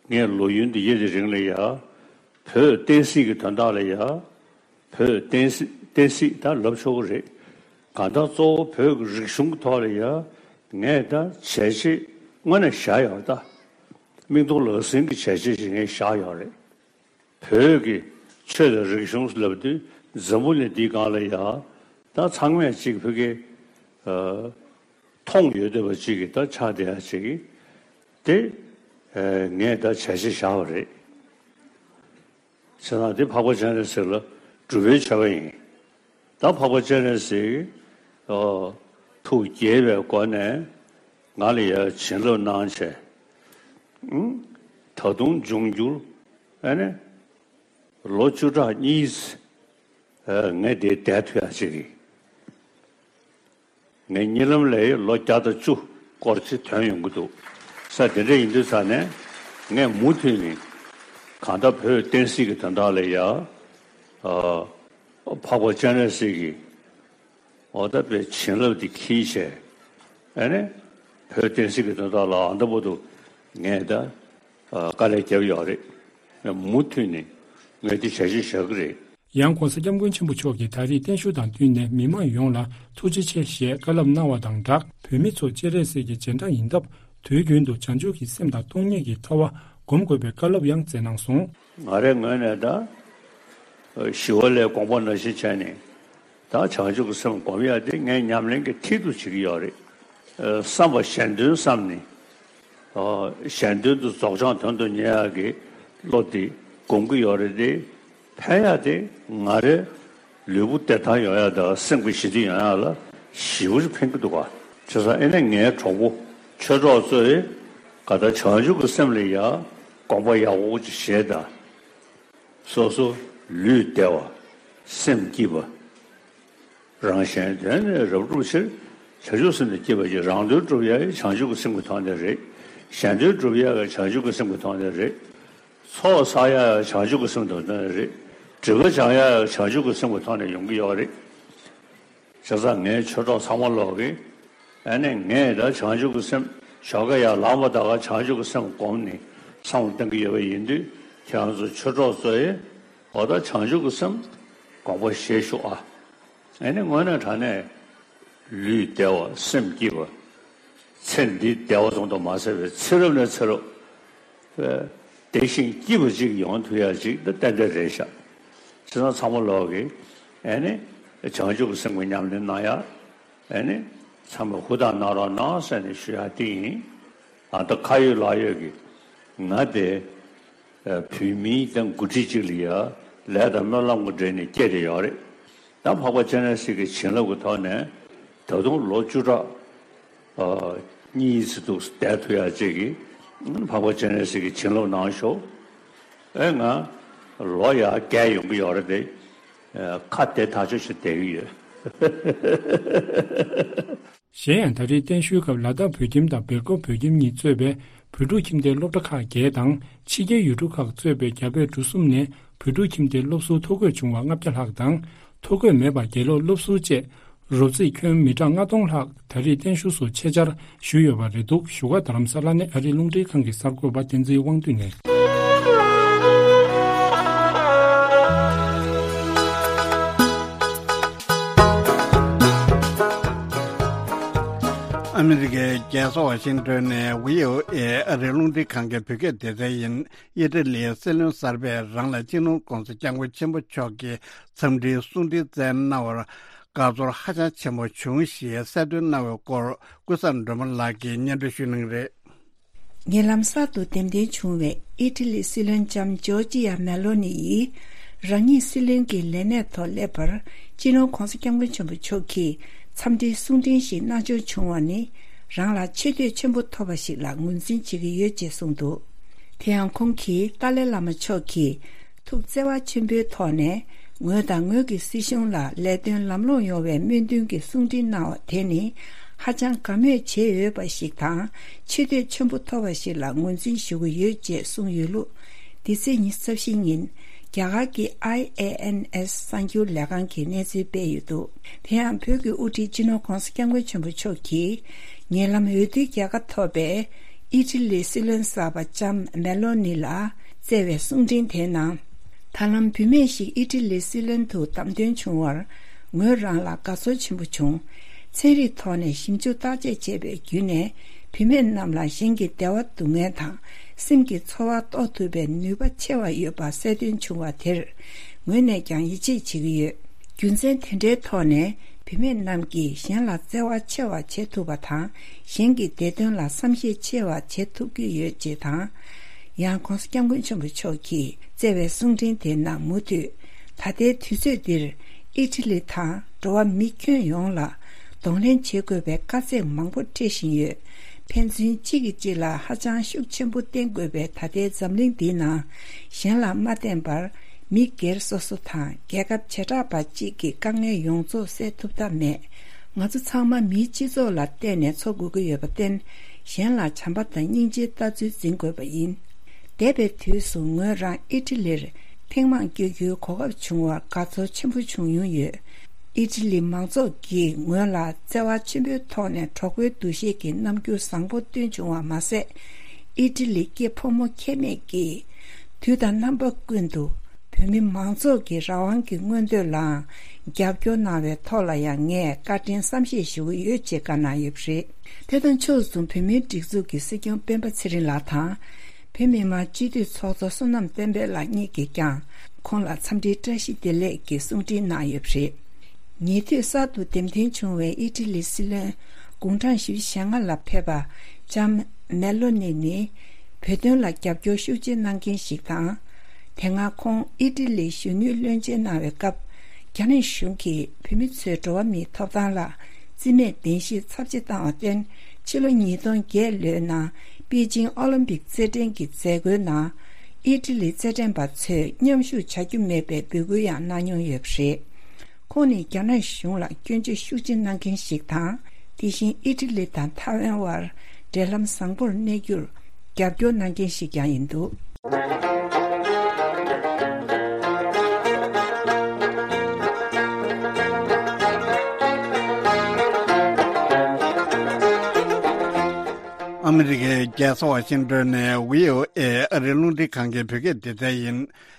ངས་ལོ་ཡུན་འདི་ཡི་དེ་རིང་ལ་ཡ་བོད་བསྟན་སྲིད་ཀྱི་དོན་དག་ལ་ཡ་བོད་བསྟན་སྲིད་བསྟན་སྲིད་ད་ལབ་ཆོག་གི་རེད། གང་ལྟར་གཙོ་བོ་བོད་ཀྱི་རིག་གཞུང་གི་ཐོག་ལ་ཡ་ངས་ད་བྱས་རྗེས་དངོས་གནས་བཞག་ཡོད་རེད་ད། མིག་མཐོང་ལག་ཟིན་གྱི་བྱས་རྗེས་ཞིག་ངས་བཞག་ཡོད་རེད། བོད་ཀྱི་ཆོས་དང་རིག་གཞུང་ལབ་དུས་འཛམ་བུ་གླིང་འདིའི་སྒང་ལ་ཡ་ད་ཚང་མས་གཅིག་བོད་ཀྱི་ཨ་མཐོང་ཡོད་བསྡད་པ་གཅིག་གི་ད་ཆགས་བསྡད་ཡ་གཅིག་གི་དེ་ཨ་ངས་ད་བྱས་རྗེས་བཞག་པ་རེད། བྱས་ཙང་དེ་འཕགས་པ་སྤྱན་རས་གཟིགས་ལ་སྒྲུབ་པའི་མཆོད་པ་ཡིན། ད་འཕགས་པ་སྤྱན་རས་གཟིགས་ཨོ་ཐུགས་དགྱེས་པའི་སྒོ་ནས་ང་ལ་ཡ་བྱིན་རླབས་གནང་བྱས། ཨང་། ད་དུང་འབྱུང་འགྱུར་ཨ་ནི་ལོ་བཅུ་ཕྲག་གཉིས་ཨ་ངས་དེ་བསྡད་ཐུབ་ཡ་ཅིག་གི། ངའི་གཉིད་ལམ་ལས་ལོ་བརྒྱ་དང་བཅུ་སྐོར་ཅིག་ཐོན་ཡོང་གི་འདུག་ས། དེ་འདྲ་ཡིན་དུས་ས་ནས་ངས་མུ་མཐུད་ནས་གང་ལྟར་བོད་བསྟན་སྲིད་ཀྱི་དོན་དག་ལ་ཡ་ཨ་འཕགས་པ་སྤྱན་རས་གཟིགས་ཀྱི་འོ་ད་པའི་བྱིན་རླབས་དེ་འཁྱེར་བྱས་ཨ་ནི་བོད་བསྟན་སྲིད་ཀྱི་དོན་དག་ལ་ཨ་འདྲ་པོ་འདུག་ངས་ད་ཨ་དཀའ་ལས་བརྒྱབ་ཡོད་རེད། ངས་མུ་མཐུད་ནས་ངས་དེ་བྱ་ཞིག་བྱ་གི་རེད། ཡང་༧གོང་ས་༧སྐྱབས་མགོན་ཆེན་པོ་མཆོག་གིས་ད་རེས་བརྟན་བཞུགས་དང་བསྟུན་ནས་མི་མང་ཡོངས་ལ་ཐུགས་རྗེ་ཆེ་ཞེས་བཀའ་སློབ་གནང་བ་དང་སྦྲགས། བོད་མི་ཚོ་སྤྱན་རས་གཟིགས་ཀྱི་རྗེས་འབྲང་ཡིན་སྟབས། དུས་རྒྱུན་དུ་བྱང་ཆུབ་ཀྱི་སེམས་དང་སྟོང་ཉིད་ཀྱི་ཐར་པ་སྒོམ་དགོས་པའི་བཀའ་སློབ་ཡང་སྩལ་གནང་སོང་། ང་རའི་ངོས་ནས་ད་ཞི་བ་ལྷའི་དགོངས་པ་ནང་བཞིན་བྱས་ནས་ད་བྱང་ཆུབ་ཀྱི་སེམས་སྒོམ་ཡ་དེ་ངའི་ཉམས་ལེན་གྱི་མཐིལ་དུ་བྱེད་ཀྱི་ཡོད་རེད། བསམ་པ་གཞན་དོན་བསམ་ནས། གཞན་དོན་དུ་རྫོགས་བྱང་དོན་དུ་གཉེར་ཡག་གི་བློ་དེ་སྒོམ་གྱི་ཡོད་རེད་དེ། ཕན་ཡག་དེ་ང་རའི་ལུས་པོ་བདེ་ཐང་ཡོང་ཡག་དང་སེམས་ཀྱི་ཞི་བདེ་ཡོང་ཡག་ལ་ཞེ་པོ་ཅིག་ཕན་གྱི་འདུག་ག་བྱས་ཙང་ཨེ་ནས་ངའི་གྲོགས་པོ་ཆོས་གྲོགས་ཚོས་ག་ད་བྱང་ཆུབ་ཀྱི་སེམས་ལ་ཡ་དགོངས་པ་ཡག་པོ་ཅིག་བཞེས་དང་། སོ་སོ་ལུས་བདེ་བ། སེམས་སྐྱིད་པ། རང་གཞན་དོན་ནི་རབ་བསྒྲུབ་ཕྱིར། བྱང་ཆུབ་སེམས་ནི་སྐྱིད་པ་ཡིས། རང་དོན་སྒྲུབ་ཡ་ཡི་བྱང་ཆུབ་ཀྱི་སེམས་ཀྱི་ཐོག་ནས་རེད། གཞན་དོན་སྒྲུབ་ཡ་ཡི་བྱང་ཆུབ་ཀྱི་སེམས་ཀྱི་ཐོག་ནས་རེད། ཚོགས་བསགས་ཡ་ཡི་བྱང་ཆུབ་ཀྱི་སེམས་ཀྱི་ཐོག་ནས་རེད། སྒྲིབ་པ་སྦྱང་ཡ་ཡི་བྱང་ཆུབ་ཀྱི་སེམས་ཀྱི་ཐོག་ནས་ཡོང་གི་ཡོད་རེད། བྱས་ཙང་ངའི་ཆོས་གྲོགས་ཚང་མ་ལོག་གིས་ཨ་ནི་ངས་ད་བྱང་ཆུབ་ཀྱི་སེམས་ཞོགས་ཀ་ཡར་ལངས་པ་ད་ག་བྱང་ཆུབ་ཀྱི་སེམས་བསྒོམས་ནས་བསམ་བློ་གཏོང་གི་ཡོད་པ་ཡིན་དུས། ཁྱེད་རང་ཚོ་ཆོས་གྲོགས་ཚོ་ཡིས་འོ་ད་བྱང་ཆུབ་ཀྱི་སེམས་དགོངས་པ་བཞེས་ཤོག་ཨ། ཨ་ནི་དངོས་གནས་དྲང་གནས་ལུས་བདེ་བ་སེམས་སྐྱིད་པ། ཚེ་འདི་བདེ་བ་ཙམ་དུ་མ་ཟད་པའི་ཚེ་རབས་ནས་ཚེ་རབས་བདེ་ཞིང་སྐྱིད་པ་ཅིག་ཡོང་ཐུབ་ཡ་ཅིག་ད་ཏན་ཏན་རེད་ཤག་བྱས་ཙང་ཚང་མ་ལོག་གིས་ཨ་ནི་བྱང་ཆུབ་ཀྱི་སེམས་ཀྱི་ཉམས་ལེན་གནང་ཡ། ཨ་ནི་ཚང་མས་ཧུར་ཐག་གནང་རོགས་གནང་ཟེར་ནས་ཞུ་ཡ་དེ་ཡིན། ཨ་ད་ཁ་ཡོད་ལག་ཡོད་ཀྱི་ང་དེ་བོད་མིའི་དང་འགོ་ཁྲིད་ཅིག་ལ་ཡ་ལས་དང་སྨོན་ལམ་གྱི་འབྲེལ་ནས་སྐྱེས་ཏེ་ཡོད་རེད། ད་འཕགས་པ་སྤྱན་རས་གཟིགས་ཀྱི་བྱིན་རླབས་ཀྱི་ཐོག་ནས་ད་དུང་ལོ་བཅུ་ཕྲག་གཉིས་ཙམ་འདུག་བསྡད་ཐུབ་ཡ་ཅིག་གིས་འཕགས་པ་སྤྱན་རས་གཟིགས་ཀྱི་བྱིན་རླབས་གནང་ཤོག་ཨེ་ང་ལོ་ཡ་བརྒལ་ཡོང་གི་ཡོད་རེད་དེ། ཁ་བདེ་ཐག་ཆོད་ཞིག་བསྡད་ཀྱི་ཡོད། གཞན་ཡང་ད་རེས་བརྟན་བཞུགས་སྐབས་ལ་དྭགས་བོད་ཁྱིམ་དང་སྦེལ་ཀོབ་བོད་ཁྱིམ་གཉིས་གཙོས་པའི་བོད་ཕྲུག་ཁྱིམ་སྡེའི་སློབ་གྲྭ་ཁག་བརྒྱད་དང་ཕྱི་རྒྱལ་ཡུལ་གྲུ་ཁག་གཙོས་པའི་རྒྱ་བལ་འབྲུག་གསུམ་ནས་བོད་ཕྲུག་ཁྱིམ་སྡེའི་སློབ་ཟུར་ཐོ་འགོད་བྱུང་བ་ལྔ་བརྒྱ་ལྷག་དང་། ཐོ་འགོད་མེད་པ་དགེ་སློབ་སློབ་ཟུར་བཅས་རོབ་རྩིས་ཁྱོན་མི་གྲངས་ལྔ་སྟོང་ལྷག་ད་རེས་བརྟན་བཞུགས་སུ་ཆེད་བཅར་ཞུས་ཡོད་པ་རེད་འདུག་བཞུགས་སྒར་རྡ་རམ་ས་ལ་ནས་ཨ་རིའི་རླུང་འཕྲིན་ཁང་གི་གསར་འགོད་པ་བསྟན་འཛིན་དབང་འདུས་ནས། ཨ་མི་རི་ཀའི་རྒྱལ་ས་ཝ་ཤིང་ཏོན་ནས་བྷི་ཨོ་ཨེ་ཨ་རིའི་རླུང་འཕྲིན་ཁང་གི་བོད་སྐད་སྡེ་ཚན་ཡིན། ཨི་ཊ་ལིའི་སྲིད་བློན་གསར་པས་རང་ལ་སྤྱི་ནོར་༧གོང་ས་༧སྐྱབས་མགོན་ཆེན་པོ་མཆོག་གིས་འཚམས་འདྲིའི་གསུང་འཕྲིན་བསྩལ་གནང་བར་དགའ་ཚོར་ཧ་ཅང་ཆེན་པོ་བྱུང་ཞེས་གསལ་སྟོན་གནང་བའི་སྐོར་ཀུན་བཟང་སྒྲོལ་མ་ལགས་ཀྱིས་སྙན་སྒྲོན་ཞུ་གནང་རེད། ཉེ་ལམ་གསར་དུ་འདེམས་ཐོན་བྱུང་བའི་ཨི་ཊ་ལིའི་སྲིད་བློན་ལྕམ་ཇོར་ཇི་ཡ་མེ་ལོ་ནི་ཡིས་རང་ཉིད་སྲིད་བློན་གྱི་ལས་གནས་ཐོག་སླེབས་པར་སྤྱི་ནོར་༧གོང་ས་༧སྐྱབས་མགོན་ཆེན་པོ་མཆོག་གིས་འཚམས་འདྲིའི་གསུང་འཕྲིན་ཞིག་གནང་འབྱོར་བྱུང་བ་ནི་རང་ལ་ཆེ་བསྟོད་ཆེན་པོ་ཐོབ་པ་ཞིག་ལ་ངོས་འཛིན་བྱེད་ཀྱི་ཡོད་ཅེས་གསུངས་འདུག་དེ་ཡང་ཁོང་གིས་ཏཱ་ལའི་བླ་མ་མཆོག་གིས་ཐུགས་བརྩེ་བ་ཆེན་པོའི་ཐོག་ནས་ངོས་དང་ངོས་ཀྱི་སྲིད་གཞུང་ལ་ལས་དོན་ལམ་ལྷོང་ཡོང་བའི་སྨོན་འདུན་གྱི་གསུང་འཕྲིན་གནང་བ་དེ་ནི་ཧ་ཅང་དགའ་མོས་བྱེད་འོས་པ་ཞིག་དང་ཆེ་བསྟོད་ཆེན་པོ་ཐོབ་པ་ཞིག་ལ་ངོས་འཛིན་ཞུ་གི་ཡོད་ཅེས་གསུངས་ཡོད་ལུགས། འདི་ཚེས་ཉི་ཤུ་རྩ་བཞི་ཉིན་རྒྱ་གར་གྱི་ཨའི་ཨེ་ཨེན་ཨེས་གསར་འགྱུར་ལས་ཁང་གིས་གནས་ཚུལ་སྤེལ་ཡོད་འདུག་དེ་ཡང་བོད་ཀྱི་དབུ་ཁྲིད་སྤྱི་ནོར་༧གོང་ས་༧སྐྱབས་མགོན་ཆེན་པོ་མཆོག་གིས་ཉེ་ལམ་འོས་བསྡུའི་རྒྱལ་ཁ་ཐོབ་པའི་ཨི་ཊ་ལིའི་སྲིད་བློན་གསར་པ་ལྕམ་མེ་ལོ་ནི་ལ་བསྩལ་བའི་གསུང་འཕྲིན་དེའི་ནང་། ད་ལམ་བུད་མེད་ཞིག་ཨི་ཊ་ལིའི་སྲིད་བློན་དུ་བདམས་ཐོན་བྱུང་བར་ངོས་རང་ལ་དགའ་ཚོར་ཆེན་པོ་བྱུང་། ཚན་རིག་ཐོག་ནས་ཞིབ་འཇུག་བརྟག་དཔྱད་བྱས་པའི་བརྒྱུད་ནས་བུད་མེད་རྣམས་ལ་གཞན་གྱི་བདེ་བ་སྡུག་བསྔལ་དང་སེམས་ཀྱི་ཚོར་བ་རྟོགས་ཐུབ་པའི་ནུས་པ་ཆེ་བ་ཡོད་པ་གསལ་སྟོན་བྱུང་བ་དེར་ངོས་ནས་ཀྱང་ཡིད་ཆེས་བྱེད་ཀྱི་ཡོད། རྒྱུ་མཚན་དེ་འདྲའི་ཐོག་ནས་བུད་མེད་རྣམས་ཀྱིས་གཞན་ལ་བརྩེ་བ་ཆེ་བ་བྱེད་ཐུབ་པ་དང་གཞན་གྱི་བདེ་དོན་ལ་བསམ་ཤེས་ཆེ་བ་བྱེད་ཐུབ་ཀྱི་ཡོད་ཅེས་དང་། ཡང་༧གོང་ས་༧སྐྱབས་མགོན་ཆེན་པོ་མཆོག་གིས་བསྩལ་བའི་གསུང་འཕྲིན་དེའི་ནང་མུ་མཐུད། ད་ལྟའི་དུས་ཚོད་འདིར་ ཨི་ཊ་ལི་དང་འགྲོ་བ་མི་ཁྱོན་ཡོངས་ལ་གདོང་ལེན་བྱེད་དགོས་པའི་དཀའ་ཚེགས་མང་པོ་འཕྲད་བཞིན་ཡོད། ཕན་ཚུན་གཅིག་གིས་གཅིག་ལ་ཧ་ཅང་ཤུགས་ཆེན་པོ་བསྟེན་དགོས་པའི་ད་ལྟའི་འཛམ་གླིང་འདིའི་ནང་གཞན་ལ་མ་བརྟེན་པར་མི་སྒེར་སོ་སོ་དང་རྒྱལ་ཁབ་བྱེ་བྲག་པ་གཅིག་གི་དཀའ་ངལ་ཡོངས་རྫོགས་སེལ་ཐུབ་ཐབས་མེད། ང་ཚོ་ཚང་མ་མིའི་སྤྱི་ཚོགས་ལ་བརྟེན་ནས་འཚོ་དགོས་ཀྱི་ཡོད་པར་བརྟེན། གཞན་ལ་བྱམས་པ་དང་སྙིང་རྗེའི་ལྟ་ཚུལ་འཛིན་དགོས་པ་ཡིན། འདས་པའི་དུས་སུ་ངོས་རང་ཨི་ཊ་ལིར་ཐེངས་མང་བསྐྱོད་རྒྱུའི་གོ་སྐབས་བྱུང་བར་དགའ་ཚོར་ཆེན་པོ་བྱུང་མྱོང་ཡོད། ཨི་ཊ་ལི་མང་ཚོགས་ཀྱིས་ངོས་ལ་བརྩེ་བ་ཆེན་པོའི་ཐོག་ནས་གྲོགས་པོའི་འདུ་ཤེས་ཀྱི་རྣམ་འགྱུར་བཟང་པོ་སྟོན་བྱུང་བ་མ་ཟད། ཨི་ཊ་ལི་སྐྱེས་ཕོ་མོ་ཁྱད་མེད་ཀྱིས་དུས་དང་རྣམ་པ་ཀུན་ཏུ་བོད་མི་མང་ཚོགས་ཀྱི་རང་དབང་གི་མངོན་འདོད་ལའང་རྒྱབ་སྐྱོར་གནང་བའི་ཐོག་ལ་ཡང་ངས་བཀའ་དྲིན་བསམ་ཤེས་ཞུ་གི་ཡོད་ཅེས་བཀའ་གནང་ཡོད་པ་རེད། དེ་དང་ཕྱོགས་མཚུངས་བོད་མིའི་སྒྲིག་འཛུགས་ཀྱི་སྲིད་སྐྱོང་སྤེན་པ་ཚེ་རིང་ལགས་དང་། བོད་མི་མང་སྤྱི་འཐུས་ཚོགས་གཙོ་བསོད་ནམས་བསྟན་འཕེལ་ལགས་གཉིས་ཀྱིས་ཀྱང་ཁོང་ལ་འཚམས་འདྲིའི་བཀྲ་ཤིས་བདེ་ལེགས་ཀྱི་གསུང་འཕྲིན་གནང་ཡོད་པ་རེད། ཉེ་དུས་གསར་དུ་འདེམས་ཐོན་བྱུང་བའི་ཨི་ཊ་ལིའི་སྲིད་བློན་དགུང་གྲངས་བཞི་བཅུ་ཞེ་ལྔ་ལ་ཕེབས་པ་ལྕམ་མེ་ལོ་ནི་ནི་བོད་དོན་ལ་རྒྱབ་སྐྱོར་ཤུགས་ཆེ་གནང་མཁན་ཞིག་དང་། དེ་སྔ་ཁོང་ཨི་ཊ་ལིའི་གཞོན་ནུའི་བློན་ཆེན་གནང་བའི་སྐབས། རྒྱ་ནག་གཞུང་གིས་བོད་མི་ཚོའི་འགྲོ་བ་མིའི་ཐོབ་ཐང་ལ་རྩིས་མེད་བདེན་བཞིའི་ཚབས་ཆེ་བཏང་བར་བརྟེན། ཕྱི་ལོ་ཉིས་སྟོང་བརྒྱད་ལོའི་ནང་པེ་ཅིང་ཨོ་ལིམ་པིག་རྩེད་འགྲན་གྱི་མཛད་སྒོའི་ནང་། ཨི་ཊ་ལིའི་རྩེད་འགྲན་པ་ཚོས་མཉམ་ཞུགས་བྱ་རྒྱུ་མེད་པའི་འབོད་སྐུལ་ཡང་གནང་མྱོང་ཡོད་པ་རེད། ཁོང་ནི་རྒྱ་ནག་གཞུང་ལ་སྐྱོན་བརྗོད་ཤུགས་ཆེ་གནང་མཁན་ཞིག་དང་། དེ་བཞིན་ཨི་ཊ་ལི་དང་ཐའེ་ཝན་དབར་འབྲེལ་ལམ་བཟང་པོར་གནས་རྒྱུར་རྒྱབ་སྐྱོར་གནང་མཁན་ཞིག་ཀྱང་ཡིན་འདུག་ཨ་མི་རི་ཀའི་རྒྱལ་ས་ཝ་ཤིང་ཏོན་ནས་བྷི་ཨོ་ཨེ་ཨ་རིའི་རླུང་འཕྲིན་ཁང་གི་བོད་སྐད་སྡེ་ཚན་ཡིན།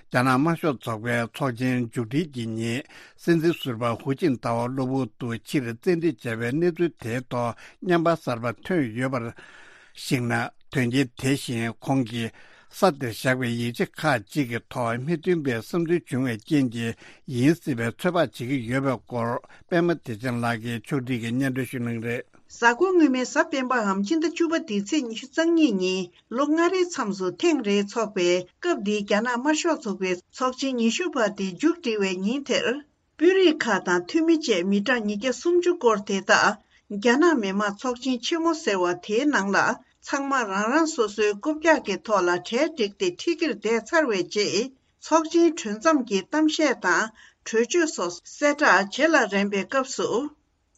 རྒྱ་ནག་དམར་ཤོག་ཚོགས་པའི་ཚོགས་ཆེན་མཇུག་སྒྲིལ་གྱི་ཉིན། སྲིད་འཛིན་ཟུར་པ་ཧུའུ་ཅིན་ཐའོ་གློ་བུར་དུ་ཕྱིར་བཙན་ཁྲིད་བྱས་པའི་གནས་ཚུལ་དེའི་ཐོག་རྔན་པ་གསར་པ་ཐོན་ཡོད་པར་གཞིགས་ན། དོན་རྐྱེན་དེ་བཞིན་ཁོང་གིས་ས་དེར་བཞག་པའི་ཡིག་ཆ་ཁག་ཅིག་གི་ཐོག་མི་མཐུན་པའི་བསམ་ཚུལ་བྱུང་བའི་རྐྱེན་གྱིས་ཡིན་སྲིད་པའི་ཚོད་དཔག་བྱེད་ཀྱི་ཡོད་པའི་སྐོར། པད་མ་བདེ་ཆེན་ལགས་ཀྱིས་ཕྱོགས་སྒྲིག་གིས་སྙན་སྒྲོན་ཞུ་གནང་གི་རེད། གཟའ་འཁོར་སྔོན་མའི་གཟའ་སྤེན་པའམ་ཕྱི་ཟླ་བཅུ་པ་འདིའི་ཚེས་ཉི་ཤུ་རྩ་གཉིས་ཉིན་ལོ་ལྔ་རེའི་མཚམས་སུ་ཐེངས་རེ་འཚོགས་པའི་སྐབས་འདིའི་རྒྱ་ནག་དམར་ཤོག་ཚོགས་པའི་ཚོགས་ཆེན་ཉི་ཤུ་པ་དེ་མཇུག་སྒྲིལ་བའི་ཉིན་དེར། དཔོན་རིགས་ཁག་དང་འཐུས་མི་བཅས་མི་གྲངས་ཉིས་བརྒྱ་སུམ་ཅུ་སྐོར་དེ་དག་རྒྱ་ནག་མི་དམངས་ཚོགས་ཆེན་ཆེན་མོ་ཟེར་བ་དེའི་ནང་ལ་ཚང་མ་རང་རང་སོ་སོའི་རྐུབ་བཀྱག་གི་ཐོག་ལ་གྲལ་བསྒྲིགས་ཏེ་ཁྲི་དཀྱིལ་བསྡད་ཚར་བའི་རྗེས། ཚོགས་ཆེན་གྲོལ་མཚམས་ཀྱི་གཏམ་བཤད་དང་གྲོས་ཆོད་སོགས་གསལ་བསྒྲགས་བྱེད་ལ་རན་པའི་སྐབས་སུ།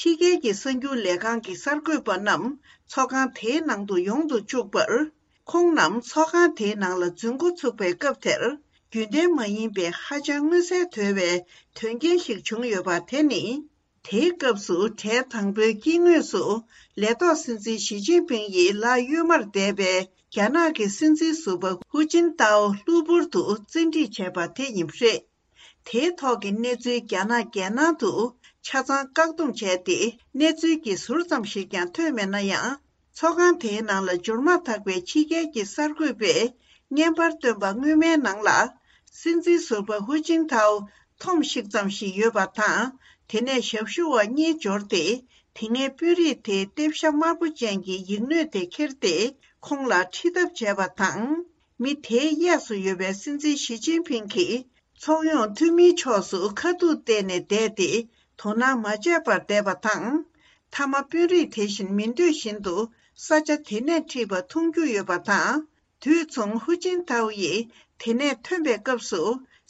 ཕྱི་རྒྱལ་གྱི་གསར་འགྱུར་ལས་ཁང་གི་གསར་འགོད་པ་རྣམས་ཚོགས་ཁང་དེའི་ནང་དུ་ཡོང་དུ་བཅུག་པར། ཁོང་རྣམས་ཚོགས་ཁང་དེའི་ནང་ལ་འཛུལ་འགོ་ཚུགས་པའི་སྐབས་དེར། རྒྱུན་ལྡན་མ་ཡིན་པའི་ཧ་ཅང་མངོན་གསལ་དོད་པའི་དོན་རྐྱེན་ཞིག་བྱུང་ཡོད་པ་དེ་ནི། དེའི་སྐབས་སུ་གྲལ་དང་པོའི་དཀྱིལ་ངོས་སུ་ལས་ཐོག་སྲིད་འཛིན་ཞི་ཅིན་ཕིང་ཡི་ལག་གཡོན་མར་བསྡད་པའི་རྒྱ་ནག་གི་སྲིད་འཛིན་ཟུར་པ་ཧུའུ་ཅིན་ཏའོ་གློ་བུར་དུ་བཙན་ཁྲིད་བྱས་པ་དེ་ཡིན་པ་རེད། དེའི་ཐོག་གི་གནས་ཚུལ་རྒྱ་ནག་རྒྱལ་ནང་དུ་ཆ་ཚང་བཀག་སྡོམ་བྱས་ཏེ། གནས་ཚུལ་གྱི་ཟུར་ཙམ་ཞིག་ཀྱང་ཐོན་མེད་ན་ཡང་། ཚོགས་ཁང་དེའི་ནང་ལ་འབྱོར་མ་ཐག་པའི་ཕྱི་རྒྱལ་གྱི་གསར་འགོད་པས་བརྙན་པར་བཏོན་པ་སྔོན་མའི་ནང་ལ། སྲིད་འཛིན་ཟུར་པ་ཧུའུ་ཅིན་ཐའོ་འཐོམ་ཤིག་ཙམ་ཞིག་ཡོད་པ་དང་། དེ་ནས་ཞབས་ཞུ་བ་གཉིས་འབྱོར་ཏེ། དེ་སྔའི་དཔོན་རིགས་དེའི་ལྟེབ་ཤ་དམར་པོ་ཅན་གྱི་ཡིག་སྣོད་དེ་ཁྱེར་ཏེ། ཁོང་ལ་ཁྲིད་ཐབས་བྱས་པ་དང་། མི་དེའི་གཡས་སུ་ཡོད་པའི་སྲིད་འཛིན་ཞི་ཅིན་ཕིང་གིས་ཚོགས་ཡོང་འཐུས་མིའི་ཕྱོགས་སུ་ཁ་ཐུག་བལྟས་ནས་བསྡད་དེ་དོ་སྣང་མ་བྱས་པར་བསྡད་པ་དང་། མཐའ་མ་དཔོན་རིགས་དེ་བཞིན་མི་འདོད་བཞིན་དུ་ས་ཆ་དེ་ནས་ཁྲིད་པ་མཐོང་རྒྱུ་ཡོད་པ་དང་། དུས་མཚུངས་ཧུའུ་ཅིན་ཐའོ་ཡིས་དེ་ནས་ཐོན་པའི་སྐབས་སུ་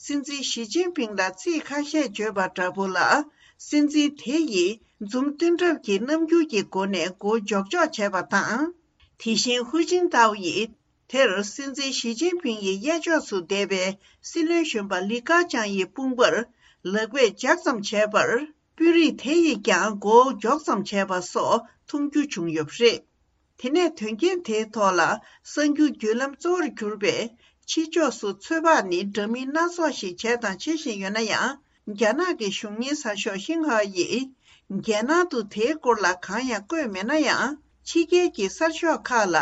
སྲིད་འཛིན་ཞི་ཅིན་ཕིང་ལ་ཚིག་ཁ་ཤས་བརྗོད་པ་འདྲ་པོ་ལ། སྲིད་འཛིན་དེ་ཡིས་འཛུམ་བསྟན་གྲབས་ཀྱི་རྣམ་འགྱུར་གྱི་སྒོ་ནས་མགོ་འཇོག་འཇོག་བྱས་པ་དང་། དེ་བཞིན་ཧུའུ་ཅིན་ཐའོ་ཡིས། དེར་སྲིད་འཛིན་ཞི་ཅིན་ཕིང་ཡི་གཡས་ཕྱོགས་སུ་བསྡད་པའི་སྲིད་བློན་གཞོན་པ་ལི་ཁ་ཆང་ཡི་དཔུང་པར་ལག་པས་ལྗགས་ཙམ་བྱས་པར། དཔོན་རིགས་དེ་ཡིས་ཀྱང་མགོ་བོ་འཇོག་ཙམ་བྱས་པ་སོགས་མཐོང་རྒྱུ་བྱུང་ཡོད་པ་རེད། དེ་ནས་དོན་རྐྱེན་དེའི་ཐོག་ལ་གསར་འགྱུར་བརྒྱུད་ལམ་གཙོ་བོར་གྱུར་པའི་ཕྱི་ཕྱོགས་སུ་ཚོད་དཔག་ནི་འདྲ་མིན་སྣ་ཚོགས་ཤིག་བྱས་དང་བྱེད་བཞིན་ཡོད་ན་ཡང་། རྒྱ་ནག་གི་གཞུང་ཉེན་གསར་ཤོག་ཤིན་ཧྭ་ཡིས་རྒྱལ་ནང་དུ་དེའི་སྐོར་ལ་གང་ཡང་བཀོད་མེད་ན་ཡང་། ཕྱི་རྒྱལ་གྱི་གསར་ཤོག་ཁག་ལ།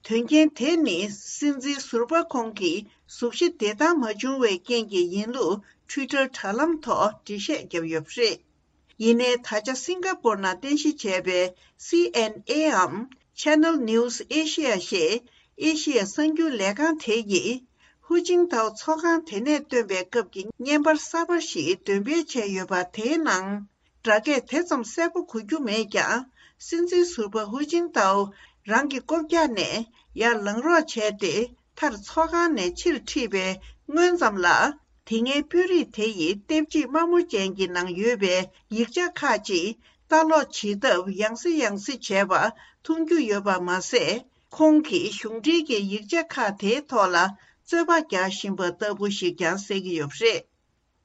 དོན་རྐྱེན་དེ་ནི་སྲིད་འཛིན་ཟུར་པ་ཁོང་གི་གཟུགས་གཞི་བདེ་ཐང་མ་བྱུང་བའི་རྐྱེན་གྱིས་ཡིན་ལུགས་Twitter་དྲ་ལམ་ཐོག་འགྲེལ་བཤད་བརྒྱབ་ཡོད་པ་རེད། ཡིན་ནའི་ད་ཆ་སིང་ག་པོར་ནང་རྟེན་གཞི་བྱས་པའི་སི་ཨེན་ཨེའམ་Channel News Asia་ཞེས་ཨེ་ཤི་ཡ་གསར་འགྱུར་ལས་ཁང་དེ་ཡིས། ཧུའུ་ཅིན་ཐའོ་ཚོགས་ཁང་དེ་ནས་བཏོན་པའི་སྐབས་ཀྱི་བརྙན་པར་གསར་པ་ཞིག་འདོན་སྤེལ་བྱས་ཡོད་པ་དེའི་ནང་། སྒྲ་སྐད་དེ་ཙམ་གསལ་པོ་གོ་རྒྱུ་མེད་ཀྱང་། སྲིད་འཛིན་ཟུར་པ་ཧུའུ་ཅིན་ཐའོ་རང་གི་རྐུབ་བཀྱག་ནས་ཡར་ལངས་རོགས་བྱས་ཏེ། མཐར་ཚོགས་ཁང་ནས་ཕྱིར་ཁྲིད་པའི་སྔོན་ཙམ་ལ། དེ་སྔའི་དཔོན་རིགས་དེ་ཡི་ལྟེབ་གཅིག་དམར་མོ་ཅན་གྱི་ནང་ཡོད་པའི་ཡིག་ཆ་ཁག་ཅིག་ལྟ་ཀློག་བྱེད་སྟབས་ཡང་སེ་ཡང་སེ་བྱས་པ་མཐོང་རྒྱུ་ཡོད་པ་མ་ཟད། ཁོང་གིས་གཞུང་འབྲེལ་གྱི་ཡིག་ཆ་ཁག་དེའི་ཐོག་ལ་རྩོད་པ་རྒྱག་བཞིན་པ་ལྟ་བུ་ཞིག་ཀྱང་གསལ་གྱི་ཡོད་པ་རེད།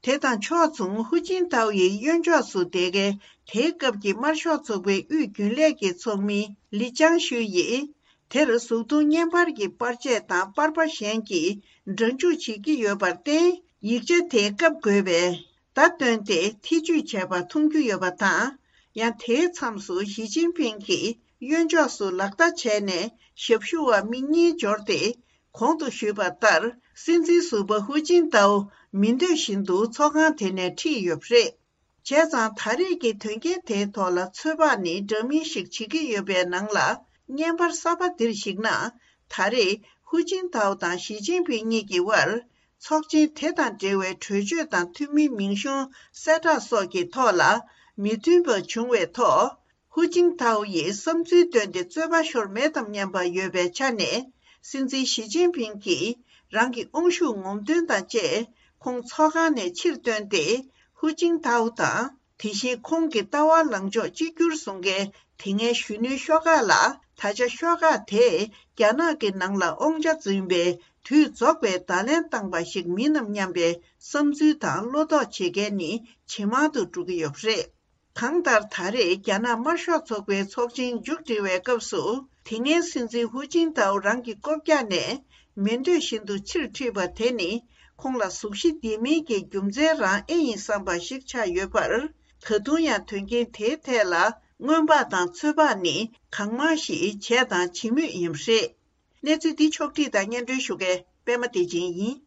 དེ་དང་ཕྱོགས་མཚུངས་ཧུའུ་ཅིན་ཐའོ་ཡི་གཡོན་ཕྱོགས་སུ་བསྡད་མཁན་དེའི་སྐབས་ཀྱི་དམར་ཤོག་ཚོགས་པའི་དབུས་རྒྱུན་ལས་ཀྱི་ཚོགས་མི་ལི་ཅང་ཤུའེ་ཡིས། དེར་གཟུགས་མཐོང་བརྙན་པར་གྱི་པར་ཆས་དང་པར་པ་གཞན་གྱིས་འདྲ་འཇུག་བྱེད་ཀྱི་ཡོད་པར་བརྟེན། ཡིག་ཆ་དེའི་སྐབས་དགོས་པའི་བརྡ་བཏོན་ཏེ་ཐེ་ཇུས་བྱས་པ་མཐོང་རྒྱུ་ཡོད་པ་དང་། ཡང་དེའི་མཚམས་སུ་ཞི་ཅིན་ཕིང་གིས་གཡོན་ཕྱོགས་སུ་ལག་བརྡ་བྱས་ནས་ཞབས་ཞུ་བ་མི་གཉིས་འབྱོར་ཏེ། གོང་དུ་ཞུས་པ་ལྟར། སྲིད་འཛིན་ཟུར་པ་ཧུའུ་ཅིན་ཐའོ་མི་འདོད་བཞིན་དུ་ཚོགས་ཁང་དེ་ནས་ཁྲིད་ཡོད་པ་རེད། བྱས་ཙང་ད་རེས་ཀྱི་དོན་རྐྱེན་དེའི་ཐོག་ལ་ཚོད་དཔག་ནི་འདྲ་མིན་ཞིག་བྱེད་ཀྱི་ཡོད་པའི་ནང་ལ། བརྙན་པར་གསར་པ་འདིར་གཞིགས་ན། ད་རེས་ཧུའུ་ཅིན་ཐའོ་དང་ཞི་ཅིན་ཕིང་གཉིས་ཀྱི་དབར། ཚོགས་ཆེན་དེ་དང་འབྲེལ་བའི་གྲོས་ཆོད་དང་འཐུས་མིའི་མིང་གཞུང་གསལ་བསྒྲགས་སོགས་ཀྱི་ཐོག་ལ་མི་མཐུན་པ་བྱུང་བའི་ཐོག་ཧུའུ་ཅིན་ཐའོ་ཡིས་བསམ་ཚུལ་བཏོན་ཏེ་རྩོད་པ་ཤོར་མེད་དམ་སྙམ་པ་ཡོད་པའི་ཆ་ནས། སྲིད་འཛིན་ཞི་ཅིན་ཕིང་གིས་རང་གི་དབང་ཤུགས་ངོམ་སྟོན་དང་བཅས་ཁོང་ཚོགས་ཁང་ནས་ཕྱིར་བཏོན་ཏེ། ཧུའུ་ཅིན་ཐའོ་དང་། དེ་བཞིན་ཁོང་གི་ལྟ་བ་ལངས་ཕྱོགས་གཅིག་གྱུར་བཟུང་མཁན་དེ་སྔའི་གཞོན་ནུའི་ཤོག་ཁག་ལ། ད་ཆ་ཤོག་ཁག་དེས་རྒྱ་ནག་གི་ནང་ལ་དབང་ཆ་འཛིན་པའི་དུས་རྫོགས་པའི་བརྡ་ལན་བཏང་པ་ཞིག་མིན་ནམ་སྙམ་པའི་བསམ་ཚུལ་དང་བློ་དོགས་བྱེད་མཁན་ནི་ཇེ་མང་དུ་འགྲོ་གི་ཡོད་པ་རེད། གང་ལྟར། ད་རེས་རྒྱ་ནག་དམར་ཤོག་ཚོགས་པའི་ཚོགས་ཆེན་མཇུག་སྒྲིལ་བའི་སྐབས་སུ། དེ་སྔའི་སྲིད་འཛིན་ཧུའུ་ཅིན་ཐའོ་རང་གི་རྐུབ་བཀྱག་ནས་མི་འདོད་བཞིན་དུ་ཕྱིར་ཁྲིད་པ་དེ་ནི། ཁོང་ལ་གཟུགས་གཞི་ལྡན་མིན་གྱི་རྒྱུ་མཚན་རང་ཨེ་ཡིན་བསམ་པ་ཞིག་ཆགས་ཡོད་པར། ད་དུང་ཡང་དོན་རྐྱེན་དེའི་ཐད་ལ་སྔོན་དཔག་དང་ཚོད་དཔག་ནི་གང་མང་ཞིག་བྱས་དང་བྱེད་མུས་ཡིན་པ་རེད། གནས་ཚུལ་འདི་ཕྱོགས་བསྒྲིགས་དང་སྙན་སྒྲོན་ཞུ་མཁན་པད་མ་བདེ་ཆེན་ཡིན།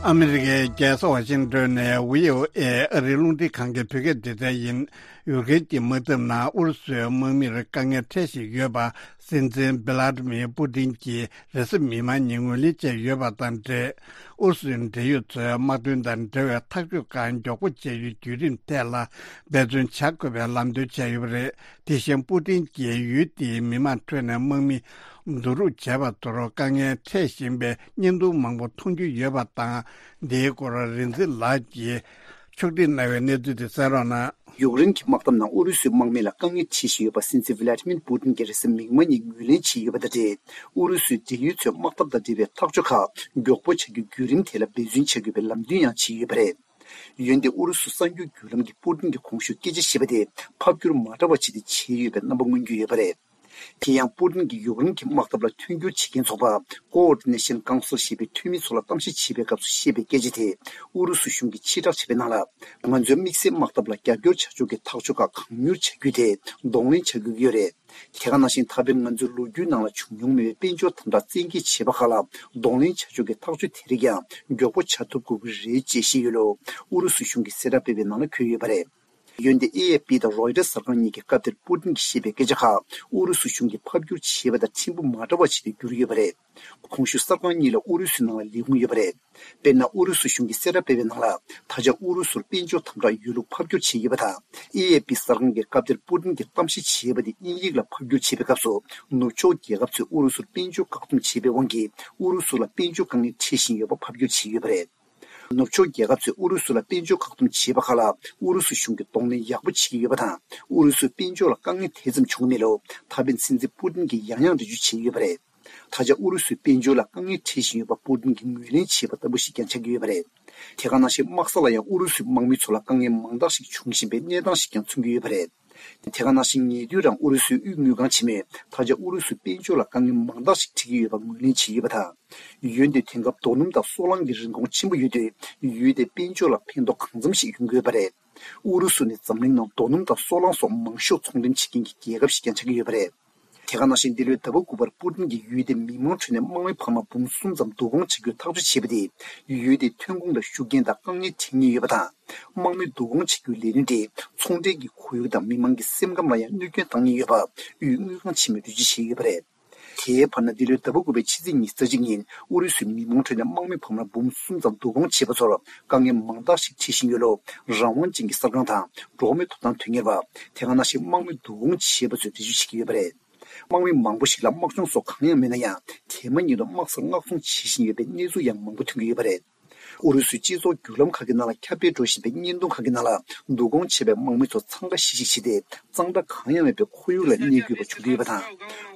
ཨ་མི་རི་ཀའི་རྒྱལ་ས་ཝ་ཤིང་ཏོན་ནས་བྷི་ཨོ་ཨེ་ཨ་རིའི་རླུང་འཕྲིན་ཁང་གི་བོད་སྐད་སྡེ་ཚན་ཡིན། ཡུཀ་རེན་གྱི་དམག་འཐབ་ནང་ཨུ་རུ་སུའི་དམག་མིར་དཀའ་ངལ་འཕྲད་བཞིན་ཡོད་པ་སྲིད་འཛིན་བི་ལ་ཏི་མིར་པུ་ཏིན་གྱིས་རེས་གཟའ་མིག་དམར་ཉིན་ངོས་ལེན་བྱས་ཡོད་པ་དང་འབྲེལ། ཨུ་རུ་སུའི་འབྲེལ་ཡོད་ཚོས་དམག་དོན་དང་འབྲེལ་བའི་ཐག་གཅོད་ཁག་མགྱོགས་པོ་བྱ་རྒྱུའི་བརྒྱུད་རིམ་ཐད་ལ་འབད་བརྩོན་བྱ་དགོས་པའི་ལམ་སྟོན་བྱས་ཡོད་པ་རེད། དེ་བཞིན་པུ་ཏིན་གྱིས་ཡུལ་དེའི་མི་མང་ཁྲོད་ནས་དམག་མི་བསྡུ་རུབ་བྱས་པ་དེར་དཀའ་ངལ་འཕྲད་བཞིན་པའི་བརྙན་ཐུང་མང་པོ་མཐོང་རྒྱུ་ཡོད་པ་དང་། འདིའི་སྐོར་རིག་འཛིན་ལགས་ཀྱིས་ཕྱོགས་སྒྲིག་གནང་བའི་གནས་ཚུལ་དེ་གསན་རོགས་གནང་། ཡུཀ་རེན་གྱི་དམག་འཐབ་ནང་ཨུ་རུ་སུའི་དམག་མི་ལ་དཀའ་ངལ་འཕྲད་བཞིན་ཡོད་པ་སྲིད་འཛིན་ཝི་ལ་ཏི་མིར་པུ་ཏིན་གྱིས་རེས་གཟའ་མིག་དམར་ཉིན་ངོས་ལེན་བྱས་ཡོད་པ་དང་འབྲེལ། ཨུ་རུ་སུའི་འབྲེལ་ཡོད་ཚོས་དམག་འཐབ་དང་འབྲེལ་བའི་ཐག་གཅོད་ཁག་མགྱོགས་པོ་བྱ་རྒྱུའི་བརྒྱུད་རིམ་དེ་ལ་འབད་བརྩོན་བྱ་དགོས་པའི་ལམ་སྟོན་ཡང་བྱས་ཡོད་པ་རེད། འོན་ཏེ་ཨུ་རུ་སུ་གསར་འགྱུར་བརྒྱུད་ལམ་གྱིས་པུ་ཏིན་གྱིས་གོང་ཞུས་སྐད་ཆ་བཤད་པ་དེ་ཕབ་བསྒྱུར་མ་འདྲ་བ་བྱས་ཏེ་བྱས་ཡོད་པའི་རྣམ་པ་མངོན་གྱི་ཡོད་པ་རེད། དེ་ཡང་པུ་ཏིན་གྱིས་ཡུཀ་རེན་གྱི་དམག་འཐབ་ལ་མཐུན་འགྱུར་བྱེད་མཁན་ཚོགས་པ་Coordination Council ཞེས་པའི་འཐུས་མི་ཚོ་ལ་གཏམ་བཤད་བྱས་པའི་སྐབས་སུ་བཤད་པའི་སྐད་ཆ་དེ། ཨུ་རུ་སུ་གཞུང་གིས་ཕྱིར་བསྒྲགས་བྱས་པའི་ནང་ལ། ང་ཚོའི་དམིགས་བསལ་དམག་འཐབ་ལ་རྒྱབ་སྐྱོར་བྱ་ཕྱོགས་ཀྱི་ཐག་གཅོད་ཁག་གང་མྱུར་བྱ་རྒྱུ་དེ་གདོང་ལེན་བྱ་དགོས་ཀྱི་ཡོད་རེད། དེ་ག་ནང་བཞིན་ད་ཕན་ང་ཚོའི་ལོ་རྒྱུས་ནང་ལ་བྱུང་མྱོང་མེད་པའི་དཔལ་འབྱོར་དམ་དྲག་བཙན་འགེལ་བྱས་པ་ཁག་ལ་གདོང་ལེན་བྱ་ཕྱོགས་ཀྱི་ཐག་གཅོད་དེ་རིགས་ཀྱང་མགྱོགས་པོ་བྱ་ཐུབ་དགོས་ཀྱི་རེད་ཅེས་བཤད་ཡོད་ལུགས་ཨུ་རུ་སུ་གཞུང་གི་གསལ་བསྒྲགས་སྤེལ་བའི་ནང་ལ་འཁོད་ཡོད་པ་རེད། འོན་ཏེ་ཨེ་ཨེ་པི་དང་རོའི་ཊར་གསར་ཁང་གཉིས་ཀྱི་སྐབས་དེར་པུ་ཏིན་གྱིས་བཤད་པའི་སྐད་ཆ་ཁག་ཨུ་རུ་སུ་གཞུང་གིས་ཕབ་བསྒྱུར་བྱས་པ་དང་ཕྲན་བུ་མ་འདྲ་བ་ཞིག་ཏུ་གྱུར་ཡོད་པ་རེད། གོང་ཞུས་གསར་ཁང་གཉིས་ལ་ཨུ་རུ་སུའི་ནང་ལ་ལས་ཁུངས་ཡོད་པ་རེད། དཔེར་ན། ཨུ་རུ་སུ་གཞུང་གིས་གསལ་བསྒྲགས་སྤེལ་བའི་ནང་ལ། ད་ཆ་ཨུ་རུ་སུར་དཔལ་འབྱོར་དམ་དྲག་ཡོད་ལུགས་ཕབ་བསྒྱུར་བྱས་ཡོད་པ་དང་། ཨེ་ཨེ་པི་གསར་ཁང་གི་སྐབས་དེར་པུ་ཏིན་གྱིས་གཏམ་བཤད་བྱས་པ་དེ་དབྱིན་ཡིག་ལ་ཕབ་བསྒྱུར་བྱས་པའི་སྐབས་སུ། ནུབ་ཕྱོགས་རྒྱལ་ཁབ་ཚོས་ཨུ་རུ་སུར་དཔལ་འབྱོར་བཀག་སྡོམ་བྱས་པའི་དབང་གིས། ཨུ་རུ་སུ་ལ་དཔལ་འབྱོར་དཀའ་ངལ་འཕྲད་བཞིན་ཡོད་པ་ཕབ་བསྒྱུར་བྱས་ཡོད་པ་རེད། ནུབ་ཕྱོགས་རྒྱལ་ཁབ་ཚོས་ཨུ་རུ་སུ་ལ་དཔལ་འབྱོར་བཀག་སྡོམ་བྱས་པ་ཁག་ལ་ཨུ་རུ་སུ་གཞུང་གིས་གདོང་ལེན་ཡག་པོ་བྱེད་ཀྱི་ཡོད་པ་དང་། ཨུ་རུ་སུའི་དཔལ་འབྱོར་ལ་དཀའ་ངལ་དེ་ཙམ་བྱུང་གི་མེད་ལུགས་ད་ཕན་སྲིད་འཛིན་པུ་ཏིན་གྱིས་ཡང་ཡང་འགྲེལ་བརྗོད་བྱས་ཡོད་པ་རེད། ད་ཆ་ཨུ་རུ་སུའི་དཔལ་འབྱོར་ལ་དཀའ་ངལ་འཕྲད་བཞིན་ཡོད་པ་པུ་ཏིན་གྱིས་ངོས་ལེན་བྱས་པ་ལྟ་བུ་ཞིག་ཀྱང་ཆགས་ཀྱི་ཡོད་པ་རེད། དེ་ག་ནང་བཞིན་དམག་ས་ལ་ཡང་ཨུ་རུ་སུའི་དམག་མི་ཚོ་ལ་དཀའ་ངལ་མང་དག་ཞིག་འབྱུང་བཞིན་པའི་གནས་སྟངས་ཤིག་ཀྱང་མཚོན་གྱི་ཡོད་པ་རེད། དེ་ག་ནང་བཞིན་ཉེ་དུས་རང་ཨུ་རུ་སུའི་དབུས་དངུལ་ཁང་ཆེན་མོས་ད་ཆ་ཨུ་རུ་སུའི་དཔལ་འབྱོར་ལ་དཀའ་ངལ་མང་དག་ཞིག་འཕྲད་ཀྱི་ཡོད་པ་ངོས་ལེན་བྱས་ཡོད་པ་དང་། འོན་ཏེ་དེང་སྐབས་རྡོ་སྣུམ་དང་སོལ་རླངས་ཀྱི་རིན་གོང་ཆེན་པོ་ཡོད་དུས། ཡུལ་དེའི་དཔལ་འབྱོར་ལ་ཕན་ཐོགས་གང་འཚམ་ཞིག་ཡོང་གི་ཡོད་པ་རེད། ཨུ་རུ་སུ་ནི་འཛམ་གླིང་ནང་རྡོ་སྣུམ་དང་སོལ་རླངས་སོགས་མང་ཤོས་ཚོང་འགྲེམས་བྱེད་མཁན་གྱི་རྒྱལ་ཁབ་ཞིག་ཀྱང་ཆགས་ཀྱི་ཡོད་པ་རེད། དེ་ག་ནང་བཞིན་འདི་ལོའི་ཟླ་བ་དགུ་པར་པུ་ཏིན་གྱིས་ཡུལ་དེའི་མི་མང་ཁྲོད་ནས་དམག་མི་འཕར་མ་འབུམ་གསུམ་ཙམ་བསྡུ་སྐོང་བྱེད་རྒྱུའི་ཐག་གཅོད་བྱས་པ་དེས་ཡུལ་དེའི་ཐོན་ཁུངས་ལ་ཤུགས་རྐྱེན་དང་དཀའ་ངལ་འཕྲད་ངེས་ཡོད་པ་དང་། དམག་མི་བསྡུ་སྐོང་བྱེད་རྒྱུའི་ལས་དོན་དེས་ཚོང་འབྲེལ་གྱི་ཁོར་ཡུག་དང་མི་མང་གི་སེམས་ཁམས་ལ་ཡང་གནོད་སྐྱོན་བཏང་ངེས་ཡོད་པ་དབུས་དངུལ་ཁང་ཆེན་མོས་འགྲེལ་བརྗོད་བྱས་ཡོད་པ་རེད། དེའི་བར་ན་འདི་ལོའི་ཟླ་བ་དགུ་པའི་ཕྱི་ཚེས་ཉི་ཤུ་རྩ་གཅིག་ཉིན་ཨུ་རུ་སུའི་མི་མང་ཁྲོད་ནས་དམག་མི་འཕར་མ་འབུམ་གསུམ་ཙམ་བསྡུ་སྐོང་བྱས་པ་ཚོར་དཀའ་ངལ་མང་དག་ཞིག་འཕྲད་བཞིན་ཡོད་ལུགས་རང་དབང་ཅན་གྱི་གསར་ཁང་དང་འགྲོ་བ་མིའི་ཐོབ་ཐང་དོན་གཉེར་བ། དེ་ག་ནང་བཞིན་དམག་མི་བསྡུ་སྐོང་བྱས་པ་ཚོས་འགྲེལ་བརྗོད་བྱེད་ཀྱི་ཡོད་པ་རེད། དམག་མི་མང་པོ་ཞིག་ལ་དམག་སྦྱོང་སོགས་གང་ཡང་མེད་ན་ཡང་། དེ་མ་ཉིད་དུ་དམག་སར་མངགས་གཏོང་བྱེད་བཞིན་ཡོད་པའི་གནས་ཚུལ་ཡང་མང་པོ་ཐོན་གྱི་ཡོད་པ་རེད། ཨུ་རུ་སུའི་སྤྱི་ཚོགས་བརྒྱུད་ལམ་ཁག་གི་ནང་ལ་ཁྱབ་སྤེལ་འགྲོ་བཞིན་པའི་བརྙན་ཐུང་ཁག་གི་ནང་ལ། བསྡུ་སྐོང་བྱས་པའི་དམག་མི་ཚོ་འཚང་ཁ་ཤིག་ཤིག་བྱས་ཏེ། གཙང་སྦྲ་གང་ཡང་མེད་པའི་ཁོར་ཡུག་ལ་གནས་དགོས་པ་བྱུང་གི་ཡོད་པ་དང་།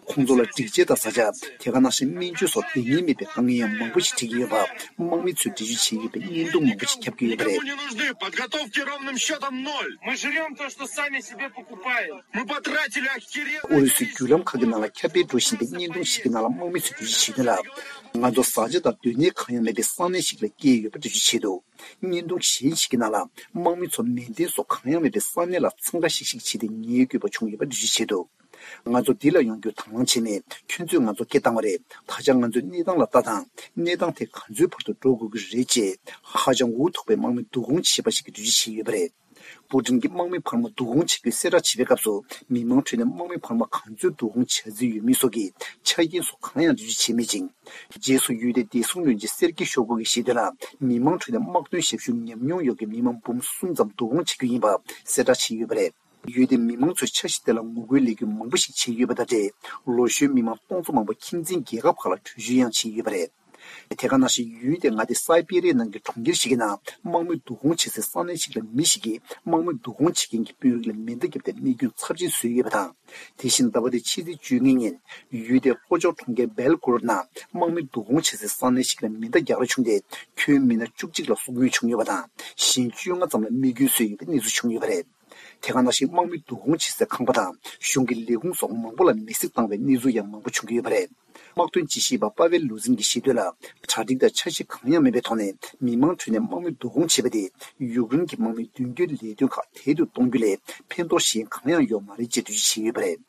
ཁོང་ཚོ་ལ་སྒྲིག་ཆས་དང་བཟའ་བཅའ། དེ་ག་ནང་བཞིན་སྨན་བཅོས་སོགས་འདང་ངེས་མེད་པའི་དཀའ་ངལ་ཡང་མང་པོ་ཞིག་འཕྲད་ཀྱི་ཡོད་པ། དམག་མི་ཚོས་འགྲེལ་བརྗོད་བྱས་ཡོད་པའི་བརྙན་ཐུང་མང་པོ་ཞིག་ཁྱབ་ཀྱི་ཡོད་པ་རེད། Мы жрём то, что сами себе покупаем. Мы потратили охере- ཨུ་རུ་སུའི་བརྒྱུད་ལམ་ཁག་གི་ནང་ལ་ཁྱབ་སྤེལ་འགྲོ་བཞིན་པའི་བརྙན་ཐུང་ཞིག་གི་ནང་ལ་དམག་མི་ཚོས་འགྲེལ་བརྗོད་བྱས་དོན་ལ། ང་ཚོ་བཟའ་བཅའ་དང་སྡོད་གནས་གང་ཡང་མེད་པའི་ས་གནས་ཤིག་ལ་སྐྱེས་ཡོད་པ་འགྲེལ་བརྗོད་བྱས་འདུག་བརྙན་ཐུང་གཞན་ཞིག་གི་ནང་ལ་དམག་མི་ཚོ་མལ་གདན་སོགས་གང་ཡང་མེད་པའི་ས་གནས་ལ་འཚང་ཁ་ཤིག་ཤིག་བྱས་ཏེ་ཉལ་དགོས་པ་བྱུང་ཡོད་པ་འགྲེལ་བརྗོད་བྱས་འདུག་ང་ཚོ་འདི་ལ་ཡོང་རྒྱུ་དང་བླངས་བྱས་ནས་ཁྱོད་ཚོས་ང་ཚོ་སྐད་བཏང་བ་རེད། ད་ཆ་ང་ཚོའི་གནས་སྟངས་ལ་ལྟ་དང་། གནས་སྟངས་དེ་ག་ཚོད་བར་དུ་འགྲོ་དགོས་ཀྱི་རེད་ཅེས་ཧ་ཅང་འུ་ཐུག་པའི་དམག་མི་བསྡུ་སྐོང་བྱས་པ་ཞིག་གིས་འགྲེལ་བརྗོད་བྱས་ཡོད་པ་རེད། པུ་ཏིན་གྱིས་དམག་མི་འཕར་མ་བསྡུ་སྐོང་བྱེད་རྒྱུའི་གསལ་བསྒྲགས་བྱེད་པའི་སྐབས་སུ་མི་མང་ཁྲོད་ནས་དམག་མི་འཕར་མ་ག་ཚོད་བསྡུ་སྐོང་བྱ་རྩིས་ཡོད་མེད་སོགས་ཀྱི་ཆ་རྐྱེན་སོགས་གང་ཡང་འགྲེལ་བརྗོད་བྱས་མེད་ཅིང་། རྗེས་སུ་ཡུལ་དེའི་བདེ་སྲུང་བློན་ཆེན་སེར་ཀི་ཤོ་གུ་གིས་བཤད་དོན་ལ། མི་མང་ཁྲོད་ནས་དམག་དོན་ཞབས་ཞུ་ཉམས་མྱོང་ཡོད་པའི་མི་མང་འབུམ་གསུམ་ཙམ་བསྡུ་སྐོང་བྱེད་རྒྱུ་ཡིན་པ་གསལ་བསྒྲགས་བྱས་ཡོད་པ་རེད། ཡུལ་དེའི་མི་མང་ཚོས་འཆར་གཞི་དེ་ལ་ངོ་རྒོལ་ལས་འགུལ་མང་པོ་ཞིག་བྱས་ཡོད་པ་དང་འབྲེལ། ལོ་གཞོན་མི་མང་སྟོང་ཚོ་མང་པོ་ཁྱིམ་མཚེས་རྒྱལ་ཁབ་ཁག་ལ་བྲོས་བྱོལ་ཡང་བྱས་ཡོད་པ་རེད། དེ་ག་ནང་བཞིན་ཡུལ་དེའི་མངའ་སྡེ་སའི་པེ་རི་ཡའི་ནང་གི་གྲོང་ཁྱེར་ཞིག་གི་ནང་དམག་མི་བསྡུ་སྐོང་བྱེད་སའི་ས་གནས་ཤིག་ལ་མི་ཞིག་གིས་དམག་མི་བསྡུ་སྐོང་བྱེད་མཁན་གྱི་དཔོན་རིགས་ལ་མེ་མདའ་བརྒྱབ་སྟེ་རྨས་སྐྱོན་ཚབས་ཆེན་བཟོས་ཡོད་པ་དང་། དེ་བཞིན་ཟླ་བ་འདིའི་ཕྱི་ཚེས་བཅོ་ལྔ་ཉིན་ཡུལ་དེའི་ལྷོ་ཕྱོགས་གྲོང་ཁྱེར་སྦེལ་གོ་རོད་ནང་དམག་མི་བསྡུ་སྐོང་བྱེད་སའི་ས་གནས་ཤིག་ལ་མེ་མདའ་རྒྱག་རེས་བྱུང་སྟེ། ཁྱོན་མི་སྣ་བཅུ་གཅིག་ལ་སོགས་ཉེན་བྱུང་ཡོད་པ་དང་། གཞན་བཅོ་ལྔ་ཙམ་ལ་རྨས་སྐྱོན་བཟོས་ཡོད་པའི་གནས་ཚུལ་བྱུང་ཡོད་པ་རེད། དེ་ག་ནང་བཞིན་དམག་མི་བསྡུ་སྐོང་བྱེད་སའི་ཁང་པ་དང་གཞུང་གི་ལས་ཁུངས་སོགས་མང་པོ་ལ་མེ་བསྲེགས་བཏང་བའི་གནས་ཚུལ་ཡང་མང་པོ་བྱུང་གི་ཡོད་པ་རེད། དམག་དོན་དཔྱད་ཞིབ་པ་པ་ཝེལ་ལུ་ཛིན་གྱིས་བཤད་དོན་ལ། གྲ་སྒྲིག་དང་འཆར་གཞི་གང་ཡང་མེད་པའི་ཐོག་ནས་མི་མང་ཁྲོད་ནས་དམག་མི་བསྡུ་སྐོང་བྱས་པ་དེས་ཡུཀ་རེན་གྱི་དམག་མིའི་མདུན་སྐྱོད་ལས་དོན་ཁག་དལ་དུ་གཏོང་རྒྱུ་ལས་ཕན་ཐོགས་གཞན་གང་ཡང་ཡོད་མ་རེད་ཅེས་འགྲེལ་བརྗོད་བྱས་ཡོད་པ་རེད།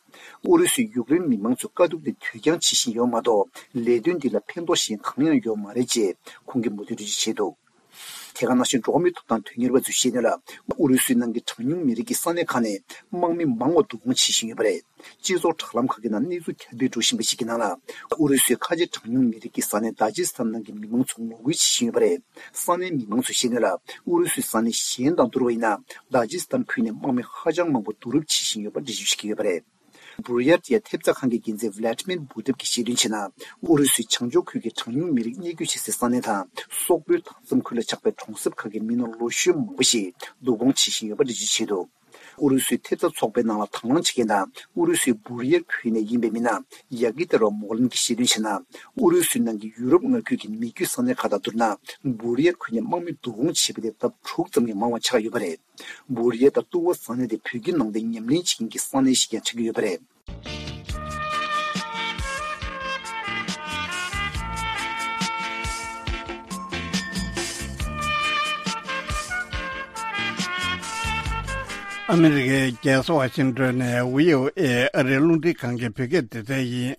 ཨུ་རུ་སུས་ཡུཀ་རེན་མི་མང་ཚོའི་དཀའ་སྡུག་དེ་དུས་འགྱངས་བྱེད་བཞིན་ཡོད་མ་གཏོགས། ལས་དོན་འདི་ལ་ཕན་ཐོགས་གཞན་གང་ཡང་ཡོད་མ་རེད་ཅེས་ཁོང་གིས་མུ་མཐུད་འགྲེལ་བརྗོད་བྱས་འདུག་དེ་ག་ནང་བཞིན་འགྲོ་བ་མིའི་ཐོབ་ཐང་དོན་གཉེར་བ་ཚོས་བཤད་དོན་ལ། ཨུ་རུ་སུའི་ནང་གི་གྲངས་ཉུང་མི་རིགས་ཀྱི་ས་གནས་ཁག་ནས་དམག་མི་མང་བ་བསྡུ་སྐོང་བྱེད་བཞིན་ཡོད་པ་རེད། སྤྱི་ཚོགས་དྲ་ལམ་ཁག་གི་ནང་གནས་ཚུལ་ཁྱབ་སྤེལ་འགྲོ་བཞིན་པ་ཞིག་གི་ནང་ལ། ཨུ་རུ་སུའི་ཁ་ཆེ་གྲངས་ཉུང་མི་རིགས་ཀྱི་ས་གནས་དཱ་ཇི་སི་ཐན་ནང་གི་མི་མང་ཚོ་ངོ་རྒོལ་བྱེད་བཞིན་ཡོད་པ་རེད། ས་གནས་མི་མང་ཚོས་བཤད་དོན་ལ། ཨུ་རུ་སུའི་ས་གནས་གཞན་དང་བསྡུར་བ་ཡིན་ན། དཱ་ཇི་སི་ཐན་ཁུལ་ནས་དམག་མི་ཧ་ཅང་མང་པོ་བསྡུ་རུབ་བྱེད་བཞིན་ཡོད་པ་འགྲེལ་བརྗོད་བྱེད་ཀྱི་ཡོད་པ་རེད། བུར་ཡར་ཏི་ཡ་ཐེབས་རྩ་ཁང་གི་འགན་འཛིན་ཝི་ལ་ཏི་མིར་བུ་ཏེབ་ཀྱིས་བཤད་དོན་བྱས་ན། ཨུ་རུ་སུའི་བྱང་ཕྱོགས་ཁུལ་གྱི་གྲངས་ཉུང་མི་རིགས་གནས་སྡོད་བྱེད་སའི་ས་གནས་དང་། སོག་པོའི་མཐའ་མཚམས་ཁུལ་ལ་ཆགས་པའི་གྲོང་གསེབ་ཁག་གི་མི་སྣ་ལོ་གཞོན་མང་པོ་ཞིག་བསྡུ་སྐོང་བྱེད་བཞིན་ཡོད་པ་འགྲེལ་བརྗོད་བྱས་འདུག་ཨུ་རུ་སུའི་ཐེབས་རྩ་ཚོགས་པའི་ནང་ལ་དང་བླངས་བྱེད་མཁན་དང་། ཨུ་རུ་སུའི་བུར་ཡར་ཁུལ་ནས་ཡིན་པའི་མི་སྣ་ཡ་ཀི་ཏེ་རོ་མོག་ལིན་གྱིས་བཤད་དོན་བྱས་ན། ཨུ་རུ་སུའི་ནང་གི་ཡུ་རོབ་མངའ་ཁུལ་གྱི་མི་རྒྱུད་ས་གནས་ཁག་དང་བསྡུར་ན། བུར་ཡར་ཁུལ་ནས་དམག་མི་བསྡུ་སྐོང་བྱས་པ་དེ་ལྡབ་དྲུག་ཙམ་གྱིས་མང་བ་ཆགས་ཡོད་པ་རེད། བུར་ཡེ་དང་ཏུ་ཝོ་ས་གནས་དེ་བོད་ཀྱི་ནང་བསྟན་ཉམས་ལེན་བྱེད་མཁན་གྱི་ས་གནས་ཤིག་ཀྱང་ཆགས་ཀྱི་ཡོད་པ་རེད། ཨ་མི་རི་ཀའི་རྒྱལ་ས་ཝ་ཤིང་ཏོན་ནས་བྷི་ཨོ་ཨེ་ཨ་རིའི་རླུང་འཕྲིན་ཁང་གི་བོད་སྐད་སྡེ་ཚན་ཡིན།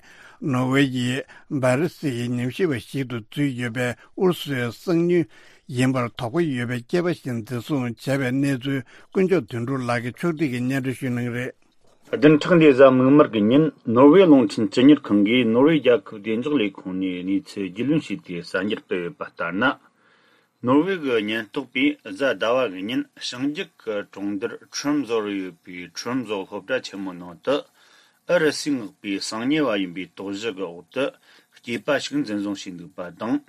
ནོར་ཝེ་ཡི་སྦར་སིལ་ཉམས་ཞིབ་པ་ཞིག་ཏུ་འཛུལ་ཡོད་པའི་ཨུ་རུ་སུའི་གསང་ཉུལ་ཡིན་པར་དོགས་པ་ཡོད་པའི་སྐྱེས་པ་ཞིག་འཛིན་བཟུང་བྱས་པའི་གནས་ཚུལ་ཀུན་མཆོག་དོན་གྲུབ་ལགས་ཀྱིས་ཕྱོགས་སྒྲིག་གིས་སྙན་སྒྲོན་ཞུ་གནང་གི་རེད། བདུན་ཕྲག་འདིའི་གཟའ་མིག་དམར་གྱི་ཉིན་ནོར་ཝེ་རླུང་འཕྲིན་སྤྱི་གཉེར་ཁང་གིས་ནོར་ཝེ་རྒྱལ་ཁབ་བདེ་འཇགས་ལས་ཁུངས་ནས་གནས་ཚུལ་རྒྱུས་ལོན་བྱས་ཏེ་གསར་འགྱུར་སྤེལ་ཡོད་པ་ལྟར་ན། ནོར་ཝེ་གི་ཉེན་རྟོག་པས་གཟའ་ཟླ་བ་གི་ཉིན་ཞིང་འཇུག་གི་གྲོང་རྡལ་ཁྲོམ་བཟོ་རུ་ཡོད་པའི་ཁྲོམ་བཟོ་སློབ་གྲྭ་ཆེན་མོའི་ནང་དུ་ཨུ་རུ་སུས་མངགས་པའི་གསང་ཉུལ་བ་ཡིན་པའི་དོགས་གཞི་གི་འོག་ཏུ་སྐྱེས་པ་ཞིག་འཛིན་བཟུང་བྱས་འདུག་པ་དང་།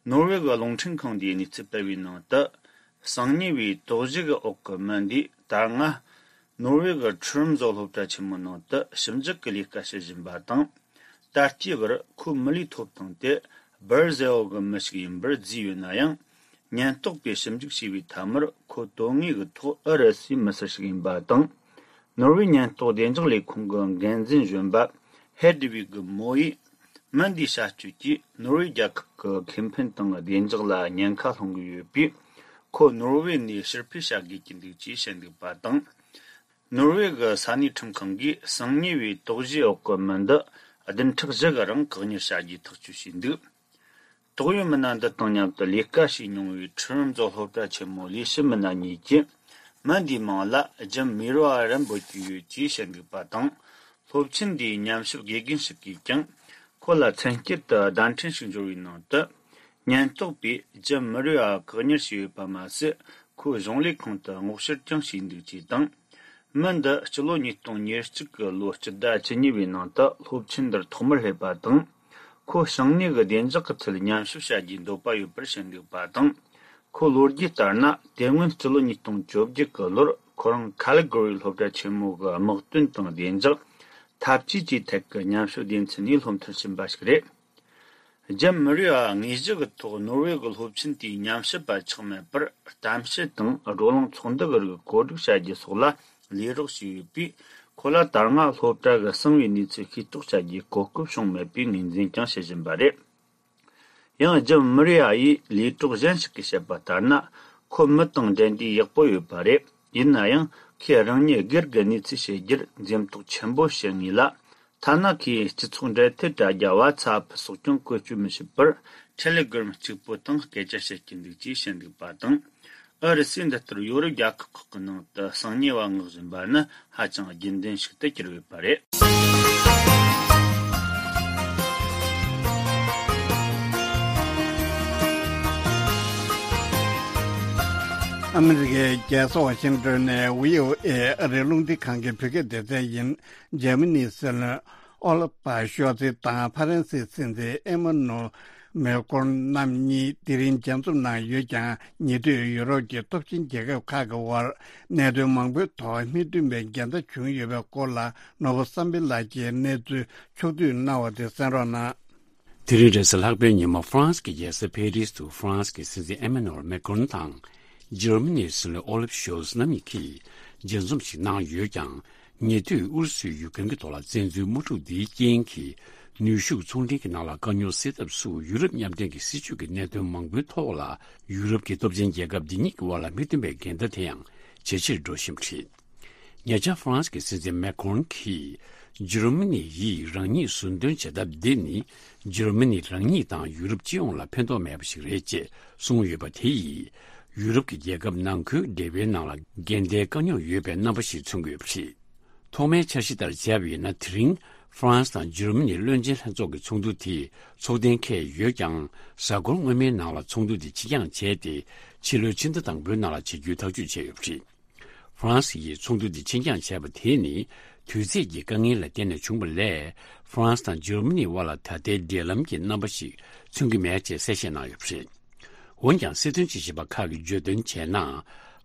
ནོར་ཝེ་གི་རླུང་འཕྲིན་ཁང་འདིས་གནས་ཚུལ་སྤེལ་བའི་ནང་དུ། གསང་ཉུལ་བའི་དོགས་གཞི་གི་འོག་གི་མི་འདིས་ད་སྔ་ནོར་ཝེ་གི་ཁྲོམ་བཟོ་སློབ་གྲྭ་ཆེན་མོའི་ནང་དུ་ཞིབ་འཇུག་གི་ལས་ཀ་བྱེད་བཞིན་པ་དང་། ད་ལྟའི་བར་ཁོའི་མི་ལུས་ཐོབ་ཐང་དེ་སྦར་ཟེ་ཨོ་གི་མི་ཞིག་ཡིན་པར་བརྫིས་ཡོད་ན་ཡང་། ཉེན་རྟོག་པས་ཞིབ་འཇུག་བྱས་པའི་མཐའ་མར་ཁོ་དོན་དངོས་ཀྱི་ཐོག་ཨུ་རུ་སུའི་མི་སེར་ཞིག་ཡིན་པ་དང་། ནོར་ཝེ་ཉེན་རྟོག་བདེ་འཇགས་ལས་ཁུངས་ཀྱི་འགན་འཛིན་གཞོན་པ་ཧེ་ཌི་ཝིག་གི་མོ་ཡིས། མི་འདིའི་བྱ་སྤྱོད་ཀྱིས་ནོར་ཝེ་རྒྱལ་ཁབ་ཀྱི་ཁེ་ཕན་དང་བདེ་འཇགས་ལ་ཉེན་ཁ་སློང་གི་ཡོད་པས། ཁོ་ནོར་ཝེ་ནས་ཕྱིར་འཕུད་བྱ་དགོས་ཀྱི་འདུག་ཅེས་བཤད་འདུག་པ་དང་། ནོར་ཝེ་གི་ས་གནས་ཁྲིམས་ཁང་གིས་གསང་ཉུལ་བའི་དོགས་གཞིའི་འོག་གི་མི་འདི་བདུན་ཕྲག་བཞི་གི་རིང་བཀག་ཉར་བྱ་རྒྱུའི་ཐག་གཅོད་བྱས་འདུག། དོགས་ཡོད་མི་སྣ་འདི་དང་མཉམ་དུ་ལས་ཀ་བྱས་མྱོང་བའི་ཁྲི་རུམ་ཛོ་སློབ་གྲྭ་ཆེན་མོའི་ལས་བྱེད་མི་སྣ་གཉིས་ཀྱིས། མི་འདིའི་མིང་ལ་ཇིམ་མི་རོ་ཨ་རན་པོ་ཅིག་ཡོད་ཅེས་བཤད་འདུག་པ་དང་། སློབ་ཆེན་འདིའི་ཉམས་ཞིབ་དགེ་རྒན་ཞིག་གིས་ཀྱང་། ཁོ་ལ་མཚན་སྐྱུར་དུ་བརྡ་འཕྲིན་ཞིག་འབྱོར་བའི་ནང་དུ། ཉེན་རྟོག་པས་ཇིམ་མི་རོ་ཨ་བཀག་ཉར་བྱས་ཡོད་པ་མ་ཟད། ཁོའི་གཞུང་ལས་ཁང་དུ་སྔོག་བཤེར་ཀྱང་བྱས་འདུག་ཅེས་དང་། མི་འདི་སྤྱི་ལོ་ཉིས་སྟོང་ཉེར་གཅིག་གི་ལོ་སྤྱི་ཟླ་བཅུ་གཉིས་པའི་ནང་དུ་སློབ་ཆེན་འདིར་ཐོག་མར་སླེབས་པ་དང་། ཁོ་ཞིང་ནས་ཀྱི་བདེ་འཇགས་ཀྱི་ཐད་ཉམས་ཞིབ་བྱ་རྒྱུའི་འདོད་པ་ཡོད་པར་བཤད་འདུག་པ་དང་། ཁོའི་ལོ་རྒྱུས་ལྟར་ན། དེ་སྔོན་སྤྱི་ལོ་ཉིས་སྟོང་བཅོ་བརྒྱད་ཀྱི་ལོར་ཁོ་རང་ཁ་ལི་གྷོ་རི་སློབ་གྲྭ་ཆེན་མོ་གི་དམག་དོན་དང་བདེ་འཇགས་འཐབ་ཇུས་ཀྱི་ཐད་ཀྱི་ཉམས་ཞིབ་སྡེ་ཚན་ནས་སློབ་མཐར་ཕྱིན་པ་ཞིག་རེད། ཇིམ་མི་རི་ཨ་དངོས་གཞི་གི་ཐོག་ནོར་ཝེ་གི་སློབ་ཆེན་དེའི་ཉམས་ཞིབ་པ་ཆགས་མེད་པར། གཏམ་བཤད་དང་བགྲོ་གླེང་ཚོགས་འདུ་གི་རིགས་བཀོད་སྒྲིག་བྱ་རྒྱུ་སོགས་ལ་ལས་རོགས་བྱས་ཡོད་པས། ཁོ་ལ་ད་སྔ་སློབ་གྲྭ་གི་གསང་བའི་གནས་ཚུལ་ཤེས་རྟོགས་བྱ་རྒྱུའི་གོ་སྐབས་བྱུང་མེད་པའི་ངོས་འཛིན་ཀྱང་བྱེད་བཞིན་པ་རེད། ཡང་ཇིམ་མི་རི་ཨ་ཡིས་ལས་གྲོགས་གཞན་ཞིག་གིས་བཤད་པ་ལྟར་ན། ཁོ་མི་དང་འབྲེལ་འདྲིས་ཡག་པོ་ཡོད་པ་རེད། ཡིན་ན་ཡང་། ཁོས་རང་ཉིད་སྒེར་གྱི་གནས་ཚུལ་བཤད་རྒྱུར་འཛེམ་དོགས་ཆེན་པོ་བྱེད་ངེས་ལ། ཐ་ན་ཁོས་སྤྱི་ཚོགས་འབྲེལ་མཐུད་དྲ་རྒྱ་བ་ཚ་ཕུ་སོགས་ཀྱང་བཀོལ་སྤྱོད་མི་བྱེད་པར། ཊེ་ལེ་གྷི་རམ་གཅིག་པུ་དང་སྐད་ཆ་བཤད་ཀྱི་འདུག་ཅེས་བཤད་འདུག་པ་དང་། ཨུ་རུ་སུས་འདི་ལྟར་ཡོ་རོབ་རྒྱལ་ཁབ་ཁག་གི་ནང་དུ་གསང་ཉུལ་བ་མངགས་བཞིན་པ་ནི་ཧ་ཅང་རྒྱུན་ལྡན་ཞིག་ཏུ་གྱུར་ཡོད་པ་རེད། ཨ་མི་རི་ཀའི་རྒྱལ་ས་ཝ་ཤིང་ཏོན་ནས་བྷི་ཨོ་ཨེ་ཨ་རིའི་རླུང་འཕྲིན་ཁང་གི་བོད་སྐད་སྡེ་ཚན་ཡིན། འཇར་མ་ནིའི་སྲིད་བློན་ཨོ་ལ་ཕ་ཤོལ་ཚི་དང་ཧྥ་རན་སིའི་སྲིད་འཛིན་ཨེ་མ་ནུ་མེ་ཀོན་རྣམ་གཉིས་དེ་རིང་མཇལ་འཛོམས་གནང་ཡོད་ཀྱང་། ཉེ་དུས་ཡུ་རོབ་ཀྱི་སྟོབས་ཆེན་རྒྱལ་ཁབ་ཁག་གི་དབར་གནད་དོན་མང་པོའི་ཐོག་མིག་མཐུན་པའི་འགལ་ཟླ་བྱུང་ཡོད་པའི་སྐོར་ལ། ནོར་བུ་བསམ་འཕེལ་ལགས་ཀྱིས་གནས་ཚུལ་ཕྱོགས་བསྡུས་གནང་བ་དེ་གསན་རོགས་གནང་། དེ་རིང་རེས་གཟའ་ལྷག་པའི་ཉིན་མོ། ཧྥ་རན་སི་གི་རྒྱལ་ས་ཕེ་རིས་དུ་ཧྥ་རན་སི་གི་སྲིད་འཛིན་ཨེ་མ་ནུ་ཨེལ་མེ་ཀོན་དང་། འཇར་མ་ནིའི་སྲིད་བློན་ཨོ་ལབ་ཤོལ་ཚ་རྣམ་གཉིས་ཀྱིས་མཇལ་འཛོམས་ཤིག་གནང་ཡོད་ཀྱང་། ཉེ་དུས་ཨུ་རུ་སུས་ཡུཀ་རེན་གྱི་ཐོག་ལ་བཙན་འཛུལ་དམག་འཁྲུག་འདིའི་རྐྱེན་གྱིས། ནུས་ཤུགས་ཚོང་འབྲེལ་གྱི་ནང་ལ་དཀའ་རྙོག་སེལ་ཐབས་སུ། ཡུ་རོབ་མཉམ་འབྲེལ་གྱི་སྲིད་ཇུས་ཀྱི་གནད་དོན་མང་པོའི་ཐོག་ལ། ཡུ་རོབ་ཀྱི་སྟོབས་ཆེན་རྒྱལ་ཁབ་འདི་གཉིས་ཀྱི་དབར་ལ་མིག་མཐུན་པའི་འགལ་ཟླ་དེ་ཡང་ཇེ་ཆེར་འགྲོ་བཞིན་པ་རེད། ཉེ་ཆར་ཧྥ་རན་སི་གི་སྲིད་འཛིན་མེ་ཀོན་གྱིས། འཇར་མ་ནི་ཡིས་རང་ཉིད་ཟུར་འདོན་བྱེད་ཐབས་འདི་ནི། འཇར་མ་ནི་རང་ཉིད་དང་ཡུ་རོབ་སྤྱི་ཡོངས་ལ་ཕན་ཐོགས་མེད་པ་ཞིག་རེད་ཅེས་གསུངས་ཡོད་པ་དེ་ཡིས། ཡུ་རོབ་ཀྱི་རྒྱལ་ཁབ་ནང་ཁུལ་འབྲེལ་བའི་ནང་ལ་འགལ་ཟླའི་དཀའ་རྙོག་ཡོད་པའི་རྣམ་པ་ཞིག་མཚོན་གྱི་ཡོད་པ་རེད། ཐོག་མའི་འཆར་གཞི་ལྟར་བྱས་པ་ཡིན་ན། དེ་རིང་ཧྥ་རན་སི་དང་འཇར་མ་ནི་བློན་ཆེན་ལྷན་ཚོགས་ཀྱི་ཚོགས་འདུ་དེ་ཚོགས་གཏན་འཁེལ་ཡོད་ཀྱང་། གཟའ་འཁོར་སྔོན་མའི་ནང་ལ་ཚོགས་འདུ་དེ་ཕྱིར་འགྱངས་བྱས་ཏེ། ཕྱི་ལོའི་ཕྱི་ཟླ་དང་པོའི་ནང་ལ་བྱེད་རྒྱུའི་ཐག་གཅོད་བྱས་ཡོད་པ་རེད། ཧྥ་རན་སི་ཡིས་ཚོགས་འདུ་དེ་ཕྱིར་འགྱངས་བྱས་པ་དེ་ནི། དུས་ཚོད་ཀྱི་དཀའ་ངལ་ལ་བརྟེན་ནས་བྱུང་བ་ལས། ཧྥ་རན་སི་དང་འཇར་མ་ནིའི་དབར་ལ་ད་ལྟའི་འབྲེལ་ལམ་གྱི་རྣམ་པ་ཞིག་མཚོན་གྱི་མེད་ཅེས་གསལ་བཤད་གནང་ཡོད་པ་རེད། འོན་ཀྱང་། སྲིད་དོན་དཔྱད་ཞིབ་པ་ཁག་གིས་བརྗོད་དོན་བྱས་ན།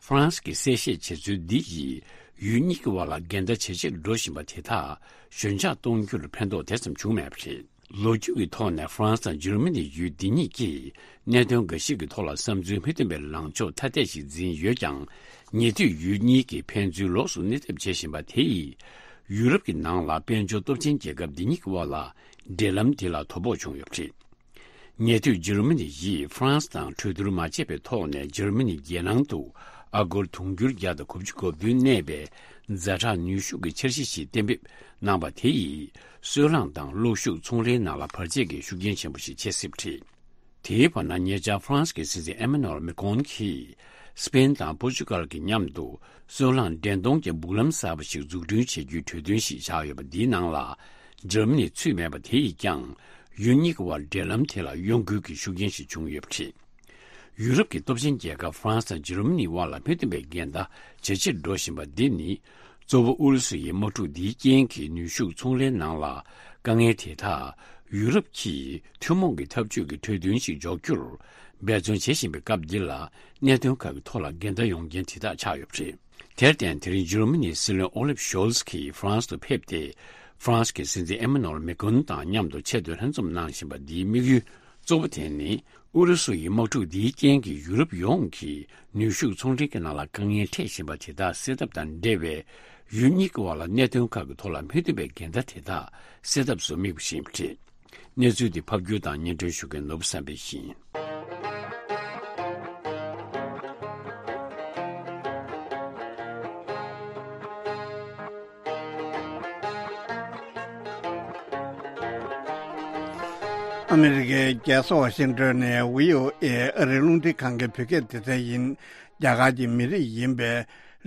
ཧྥ་རན་སི་གིས་གསལ་བཤད་བྱེད་ཚུལ་འདི་ཡིས་ཡུལ་གཉིས་ཀྱི་དབར་ལ་འགལ་ཟླ་ཇེ་ཆེར་འགྲོ་བཞིན་པ་དེ་དག་ཞོད་འཇགས་གཏོང་རྒྱུར་ཕན་ཐོགས་དེ་ཙམ་བྱུང་མེད་པ་རེད། ལོ་རྒྱུས་ཀྱི་ཐོག་ནས་ཧྥ་རན་སི་དང་འཇར་མ་ནི་ཡུལ་འདི་གཉིས་ཀྱིས་གནད་དོན་འགའ་ཞིག་གི་ཐོག་ལ་བསམ་ཚུལ་མི་མཐུན་པའི་ལངས་ཕྱོགས་ཐ་དད་ཞིག་འཛིན་ཡོད་ཀྱང་། ཉེ་དུས་ཡུལ་གཉིས་ཀྱིས་ཕན་ཚུན་ལོགས་སུ་གནོད་ཐེབས་བྱེད་བཞིན་པ་དེ་ཡིས། ཡུ་རོབ་ཀྱི་ནང་ལ་དཔལ་འབྱོར་སྟོབས་ཆེན་རྒྱལ་ཁབ་འདི་གཉིས་ཀྱི་དབར་ལ་འབྲེལ་ལམ་དེ་ལ་དོ་ཕོག་བྱུང་ཡོད་པ་རེད། ཉེ་དུས་འཇར་མ་ནི་ཡིས་ཧྥ་རན་སི་དང་གྲོས་བསྡུར་མ་བྱས་པའི་ཐོག་ནས་འཇར་མ་ནི་རྒྱལ་ནང་དུ་ཨ་སྒོར་དུང་ཕྱུར་བརྒྱ་དང་དགུ་བཅུ་གོ་བདུན་གནས་པའི་ཛ་དྲག་ནུས་ཤུགས་ཀྱི་འཆར་གཞི་ཞིག་གཏན་འབེབས་གནང་པ་དེ་ཡིས། སོལ་རླངས་དང་གློག་ཤུགས་ཚོང་ལས་ནང་ལ་བར་ཆད་ཀྱི་ཤུགས་རྐྱེན་ཆེན་པོ་ཞིག་བྱེད་སྲིད་པ་རེད། དེའི་བར་ན། ཉེ་ཆར་ཧྥ་རན་སི་གི་སྲིད་འཛིན་ཨེ་མ་ནུ་ཨེལ་མེ་ཀོན་གྱིས་སི་པེན་དང་པོར་ཅུ་གལ་གྱི་མཉམ་དུ་སོལ་རླངས་འདྲེན་གཏོང་གི་སྦུག་ལམ་གསར་པ་ཞིག་འཛུགས་སྐྲུན་བྱེད་རྒྱུའི་གྲོས་མཐུན་ཞིག་བཞག་ཡོད་པ། འདིའི་ནང་ལ་འཇར་མ་ནི་ཚུད་མེད་པ་དེ་ཡིས་ཀྱང་། ཡུལ་གཉིས་ཀྱི་དབར་འབྲེལ་ལམ་དེ་ལ་གཡོ་འགུལ་གྱི་ཤུགས་རྐྱེན་ཞིག་བྱུང་ཡོད་པ་རེད། ཡུ་རོབ་ཀྱི་སྟོབས་ཆེན་རྒྱལ་ཁབ་ཧྥ་རན་སི་དང་འཇར་མ་ནིའི་དབར་ལ་མི་མཐུན་པའི་འགལ་ཟླ་ཇེ་ཆེར་འགྲོ་བཞིན་པ་འདི་ནི། གཙོ་བོ་ཨུ་རུ་སུ་ཡི་དམག་འཁྲུག་འདིའི་རྐྱེན་གྱིས་ནུས་ཤུགས་ཚོང་ལས་ནང་ལ་དཀའ་ངལ་དེ་དག་ཡུ་རོབ་ཀྱིས་ཐུན་མོང་གི་འཐབ་ཇུས་ཀྱི་གྲོས་མཐུན་ཞིག་འཇོག་རྒྱུར་འབད་བརྩོན་བྱེད་བཞིན་པའི་སྐབས་འདི་ལ། གནད་དོན་ཁག་གི་ཐོག་ལ་འགལ་ཟླ་ཡོང་རྐྱེན་དེ་དག་ཆགས་ཡོད་པ་རེད། དེར་བརྟེན། དེ་རིང་འཇར་མ་ནིའི་སྲིད་བློན་ཨོ་ལིབ་ཤོལ་ཚ་གིས་ཧྥ་རན་སི་དུ་ཕེབས་ཏེ། ཧྥ་རན་སི་གི་སྲིད་འཛིན་ཨེ་མ་ནུ་ཨེལ་མེ་ཀོན་དང་མཉམ་དུ་ཆེད་དུ་ལྷན་འཛོམས་གནང་བཞིན་པ་འདིའི་དམིགས་ཡུལ་གཙོ་བོ་དེ་ནི། ཨུ་རུ་སུ་ཡི་དམག་འཁྲུག་འདིའི་རྐྱེན་གྱིས་ཡུ་རོབ་ཡོངས་ཀྱི་ནུས་ཤུགས་ཚོང་འབྲེལ་གྱི་ནང་ལ་དཀའ་ངལ་འཕྲད་བཞིན་པ་དེ་དག་སེལ་ཐབས་དང་འབྲེལ་བའི། ཡུལ་གཉིས་ཀྱི་དབར་ལ་གནད་དོན་ཁག་གི་ཐོག་ལ་མི་མཐུན་པའི་འགལ་ཟླ་དེ་དག་སེལ་ཐབས་སུ་དམིགས་པ་ཞིག་ཡིན་པ་རེད། གནས་ཚུལ་འདི་ཕབ་སྒྱུར་དང་སྙན་སྒྲོན་ཞུ་མཁན་ནོར་བུ་བསམ་འཕེལ་ཡིན། ཨ་མི་རི་ཀའི་རྒྱལ་ས་ཝ་ཤིང་ཏོན་ནས་བྷི་ཨོ་ཨེ་ཨ་རིའི་རླུང་འཕྲིན་ཁང་གི་བོད་སྐད་སྡེ་ཚན་ཡིན། རྒྱ་གར་གྱི་མི་རིགས་ཡིན་པའི་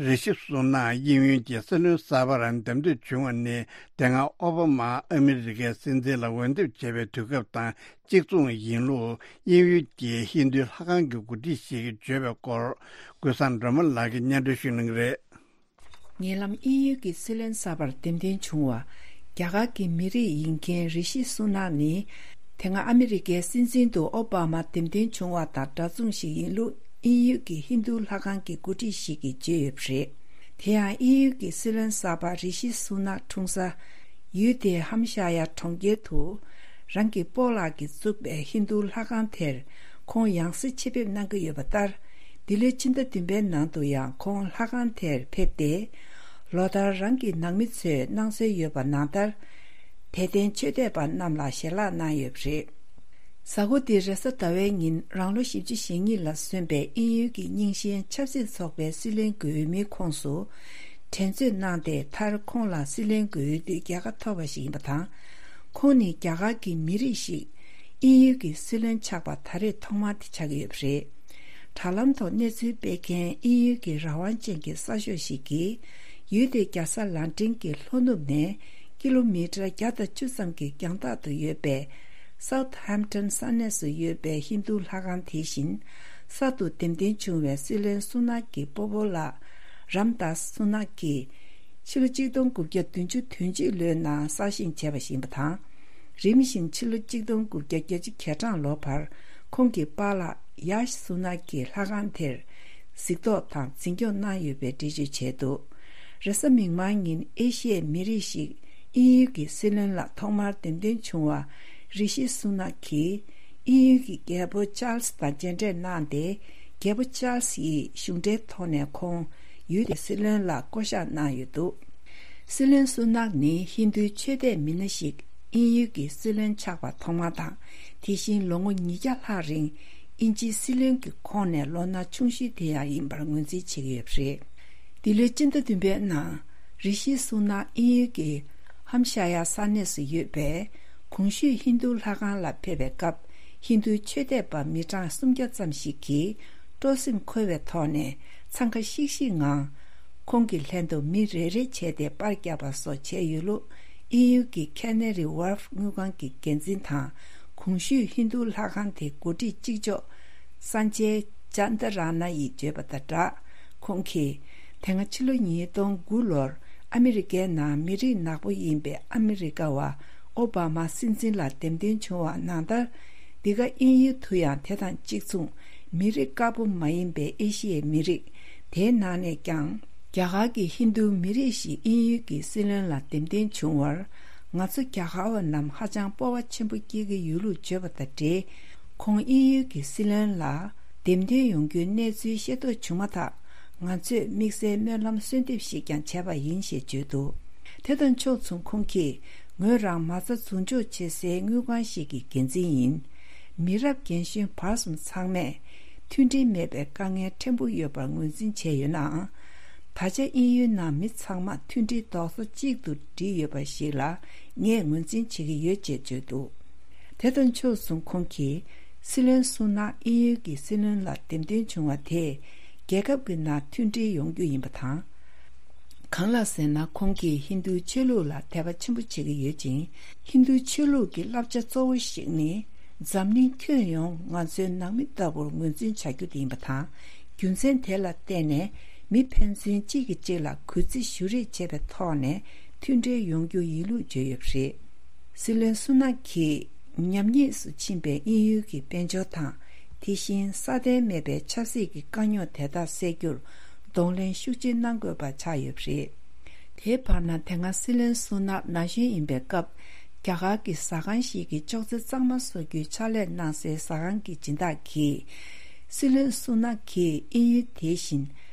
རི་ཤི་སུ་ནག་དབྱིན་ཡུལ་གྱི་སྲིད་བློན་གསར་པར་འདེམས་ཐོན་བྱུང་བ་ནི། དེ་སྔ་ཨོ་བྷ་མ་ཨ་མི་རི་ཀའི་སྲིད་འཛིན་ལ་འོས་འདེམས་བྱས་པའི་དུས་སྐབས་དང་གཅིག་མཚུངས་ཡིན་ལུགས། དབྱིན་ཡུལ་གྱི་ཧིན་རྡུའི་ལྷ་ཁང་གི་འགོ་ཁྲིད་ཞིག་གིས་བརྗོད་པའི་སྐོར། ཀུན་བཟང་སྒྲོལ་མ་ལགས་ཀྱིས་སྙན་སྒྲོན་ཞུ་གནང་གི་རེད། ཉེ་ལམ་དབྱིན་ཡུལ་གྱི་སྲིད་བློན་གསར་པར་འདེམས་ཐོན་བྱུང་བ། རྒྱ་གར་གྱི་མི་རིགས་ཡིན་མཁན་རི་ཤི་སུ་ནག་ནི། དེ་སྔ་ཨ་མི་རི་ཀའི་སྲིད་འཛིན་དུ་ཨོ་བྷ་མ་འདེམས་ཐོན་བྱུང་བ་དང་འདྲ་མཚུངས་ཤིག་ཡིན་ལུགས། དབྱིན་ཡུལ་གྱི་ཧིན་རྡུ་ལྷ་ཁང་གི་འགོ་ཁྲིད་ཞིག་གིས་བརྗོད་ཡོད་པ་རེད། དེ་ཡང་དབྱིན་ཡུལ་གྱི་སྲིད་བློན་གསར་པ་རི་ཤི་སུ་ནག་འཁྲུངས་ས། ཡུལ་དེའི་ཧམ་ཤ་ཡ་གྲོང་ཁྱེར་དུ། རང་གི་སྤོ་ལགས་ཀྱིས་བཙུགས་པའི་ཧིན་རྡུ་ལྷ་ཁང་དེར། ཁོང་ཡང་སེ་ཆེད་ཕེབས་གནང་གི་ཡོད་པ་ལྟར། འདི་ལོའི་ཕྱི་ཟླ་བདུན་པའི་ནང་དུ་ཡང་ཁོང་ལྷ་ཁང་དེར་ཕེབས་ཏེ། ལོ་ལྟར་རང་གི་ནང་མི་ཚོས་གནང་སྲོལ་ཡོད་པ་ནང་ལྟར། དད་ལྡན་ཆོས་དད་པ་རྣམས་ལ་ཞལ་ལག་གནང་ཡོད་པ་རེད། གཟའ་འཁོར་འདིའི་རེས་གཟའ་ཟླ་བའི་ཉིན་རང་ལོ་བཞི་བཅུ་ཞེ་གཉིས་ལ་སོན་པའི་དབྱིན་ཡུལ་གྱི་རྙིང་ཞེན་ཆབ་སྲིད་ཚོགས་པའི་སྲིད་བློན་དགུའི་མིའི་ཁོངས་སུ། འགྲན་རྩོད་གནང་སྟེ་མཐར་ཁོང་ལ་སྲིད་བློན་དགུའི་དུས་རྒྱལ་ཁ་ཐོབ་པ་ཞིག་ཡིན་པ་དང་། ཁོང་ནི་རྒྱ་གར་གྱི་མི་རིགས་ཤིག་དབྱིན་ཡུལ་གྱི་སྲིད་བློན་ཆགས་པ་ད་རེས་ཐོག་མ་དེ་ཆགས་ཀྱི་ཡོད་པ་རེད། དྲ་ལམ་ཐོག་གནས་ཚུལ་སྤེལ་མཁན་དབྱིན་ཡུལ་གྱི་རང་དབང་ཅན་གྱི་གསར་ཤོག་ཞིག་གིས། ཡུལ་དེའི་རྒྱལ་ས་ལན་ཀྲན་གྱི་ལྷོ་ནུབ་ནས་ཀི་ལོ་མི་ཊར་བརྒྱ་དང་བཅུ་ཙམ་གྱི་རྒྱང་ཐག་ཏུ་ཡོད་པའི་སའུ་ཐ་ཧེམ་ཊོན་ས་གནས་སུ་ཡོད་པའི་ཧིན་རྡུ་ལྷ་ཁང་དེ་བཞིན། གསར་དུ་འདེམས་ཐོན་བྱུང་བའི་སྲིད་བློན་སུ་ནག་གི་སྤོ་བོ་ལགས་རམ་དཱས་སུ་ནག་གིས། ཕྱི་ལོ་གཅིག་སྟོང་དགུ་བརྒྱ་བདུན་ཅུ་དོན་གཅིག་ལོའི་ནང་གསར་བཞེངས་བྱས་པ་ཞིག་ཡིན་པ་དང་། རིམ་བཞིན་ཕྱི་ལོ་གཅིག་སྟོང་དགུ་བརྒྱ་བརྒྱད་ཅུ་གྱ་གྲངས་ལོ་བར་ཁོང་གི་པཱ་ལགས་ཡཱཤ་སུ་ནག་གིས་ལྷ་ཁང་དེར་གཟིགས་རྟོག་དང་འཛིན་སྐྱོང་གནང་ཡོད་པའི་འགྲེལ་བརྗོད་བྱས་འདུག་རེས་གཟའ་མིག་དམར་ཉིན་ཨེ་ཤི་ཡའི་མི་རིགས་ཤིག་དབྱིན་ཡུལ་གྱི་སྲིད་བློན་ལ་ཐོག་མར་འདེམས་ཐོན་བྱུང་བ་རི་ཤི་སུ་ནག་གིས་དབྱིན་ཡུལ་གྱི་རྒྱལ་པོ་ཅཱལ་སི་དང་མཇལ་འཕྲད་གནང་སྟེ། རྒྱལ་པོ་ཅཱལ་སི་ཡིས་གཞུང་འབྲེལ་ཐོག་ནས་ཁོང་ཡུལ་དེའི་སྲིད་བློན་ལ་བསྐོ་གཞག་གནང་ཡོད་འདུག་སྲིད་བློན་སུ་ནག་ནི་ཧིན་རྡུའི་ཆོས་དད་མི་སྣ་ཞིག་དབྱིན་ཡུལ་གྱི་སྲིད་བློན་ཆགས་པ་ཐོག་མ་དང་། དེ་བཞིན་ལོ་ངོ་ཉིས་བརྒྱ་ལྷག་རིང་དབྱིན་ཇིའི་སྲིད་བློན་གྱི་ཁོངས་ནས་ལོ་ན་ཆུང་ཤོས་དེ་ཡང་ཡིན་པར་ངོས་འཛིན་བྱེད་ཀྱི་ཡོད་པ་རེད། འདི་ལོའི་སྤྱི་ཟླ་བདུན་པའི་ནང་། རི་ཤི་སུ་ནག་དབྱིན་ཡུལ་གྱི་ཧམ་ཤ་ཡ་ས་གནས་སུ་ཡོད་པའི་གོང་ཞུས་ཧིན་རྡུ་ལྷ་ཁང་ལ་ཕེབས་པའི་སྐབས། ཧིན་རྡུའི་ཆོས་དད་པ་མི་གྲངས་སུམ་བརྒྱ་ཙམ་ཞིག་གིས་སྤྲོ་སེམས་འཁོལ་བའི་ཐོག་ནས་འཚང་ཁ་ཤིག་ཤིག་ངང་། ཁོང་གི་ལྷན་དུ་མི་རེ་རེ་བྱས་ཏེ་པར་བརྒྱབ་པ་སོགས་བྱས་ཡོད་ལུགས། དབྱིན་ཡུལ་གྱི་ཁེ་ན་རི་ཝརཕ་དངུལ་ཁང་གི་འགན་འཛིན་དང་། གོང་ཞུས་ཧིན་རྡུ་ལྷ་ཁང་དེའི་འགོ་ཁྲིད་གཅིག་ལྕོགས་སན་ཇེ་ཅན་ད་ར་ན་ཡིས་བརྗོད་པ་དང་སྦྲགས། ཁོང་གིས། དེ་སྔ་ཕྱི་ལོ་ཉིས་སྟོང་དགུ་ལོར་ཨ་མི་རི་ཀའི་ནང་མི་རིགས་ནག་པོ་ཡིན་པའི་ཨ་མི་རི་ཀ་བ་ཨོ་བྷ་མ་སྲིད་འཛིན་ལ་འདེམས་ཐོན་བྱུང་བ་ནང་ལྟར། འདི་ག་དབྱིན་ཡུལ་དུ་ཡང་དེ་དང་གཅིག་མཚུངས་མི་རིགས་དཀར་པོ་མ་ཡིན་པའི་ཨེ་ཤི་ཡའི་མི་རིགས། དེའི་ནང་ནས་ཀྱང་རྒྱ་གར་གྱི་ཧིན་རྡུ་མི་རིགས་ཤིག་དབྱིན་ཡུལ་གྱི་སྲིད་བློན་ལ་འདེམས་ཐོན་བྱུང་བར། ང་ཚོ་རྒྱ་གར་བ་རྣམས་ཧ་ཅང་སྤོབས་པ་ཆེན་པོ་སྐྱེ་གི་ཡོད་ལུགས་བརྗོད་པ་དང་འབྲེལ། ཁོང་དབྱིན་ཡུལ་གྱི་སྲིད་བློན་ལ་འདེམས་ཐོན་ཡོང་རྒྱུའི་གནས་ཚུལ་ཤེས་རྟོགས་བྱུང་མ་ཐག་ང་ཚོས་དམིགས་བསལ་སྨོན་ལམ་གསོལ་འདེབས་ཤིག་ཀྱང་བྱས་པ་ཡིན་ཞེས་བརྗོད་འདུག་དེ་དང་ཕྱོགས་མཚུངས་ཁོང་གིས། ངོས་རང་མ་རྩ་འཛུགས་འཇོག་བྱེད་སའི་དངུལ་ཁང་ཞིག་གི་འགན་འཛིན་ཡིན། མི་རབས་རྒན་གཞོན་བར་གསུམ་ཚང་མས་མཐུན་སྒྲིལ་མེད་པའི་དཀའ་ངལ་ཕྲན་བུ་ཡོད་པར་ངོས་འཛིན་བྱས་ཡོད་ནའང་། ད་ཆ་དབྱིན་ཡུལ་ནང་མི་ཚང་མ་མཐུན་སྒྲིལ་རྡོག་རྩ་གཅིག་ཏུ་སྒྲིལ་ཡོད་པ་ཞིག་ལ་ངས་ངོས་འཛིན་བྱེད་ཀྱི་ཡོད་ཅེས་བརྗོད་འདུག་དེ་དང་ཕྱོགས་མཚུངས་ཁོང་གིས་སྲིད་བློན་སུ་ནག་དབྱིན་ཡུལ་གྱི་སྲིད་བློན་ལ་འདེམས་ཐོན་བྱུང་བ་དེས་རྒྱལ་ཁབ་ཀྱི་ནང་མཐུན་སྒྲིལ་ཡོང་རྒྱུ་ཡིན་པ་དང་། གང་ལགས་ཟེར་ན་ཁོང་གིས་ཧིན་རྡུའི་ཆོས་ལུགས་ལ་དད་པ་ཆེན་པོ་བྱེད་ཀྱི་ཡོད་ཅིང་། ཧིན་རྡུའི་ཆོས་ལུགས་ཀྱི་བསླབ་བྱ་གཙོ་བོ་ཞིག་ནི། འཛམ་གླིང་ཁྱོན་ཡོངས་ང་ཚོའི་ནང་མི་ལྟ་བུར་ངོས་འཛིན་བྱ་རྒྱུ་དེ་ཡིན་པ་དང་། རྒྱུ་མཚན་དེ་ལ་བརྟེན་ནས་མི་ཕན་ཚུན་གཅིག་གིས་གཅིག་ལ་གུས་བརྩི་ཞུ་རེས་བྱེད་པའི་ཐོག་ནས་མཐུན་སྒྲིལ་ཡོང་རྒྱུ་ཡིན་ལུགས་བརྗོད་ཡོད་པ་རེད། སྲིད་བློན་སུ་ནག་གིས་ཉམས་ཉེས་སུ་ཕྱིན་པའི་དབྱིན་ཡུལ་གྱི་དཔལ་འབྱོར་དང་། དེ་བཞིན་སྲ་བརྟན་མེད་པའི་ཆབ་སྲིད་ཀྱི་དཀའ་རྙོག་དེ་དག་སེལ་རྒྱུར་གདོང་ལེན་ཤུགས་ཆེ་གནང་དགོས་པ་ཆགས་ཡོད་པ་རེད། དེའི་བར་ན་དེ་སྔ་སྲིད་བློན་སུ་ནག་ན་གཞོན་ཡིན་པའི་སྐབས། རྒྱ་གར་གྱི་ཟ་ཁང་ཞིག་གི་ཅོག་ཙེ་གཙང་མ་བཟོ་རྒྱུའི་ཕྱག་ལས་གནང་སའི་ཟ་ཁང་གི་སྦྱིན་བདག་གིས། སྲིད་བློན་སུ་ནག་གིས་དབྱིན་ཡུལ་དེ་བཞིན་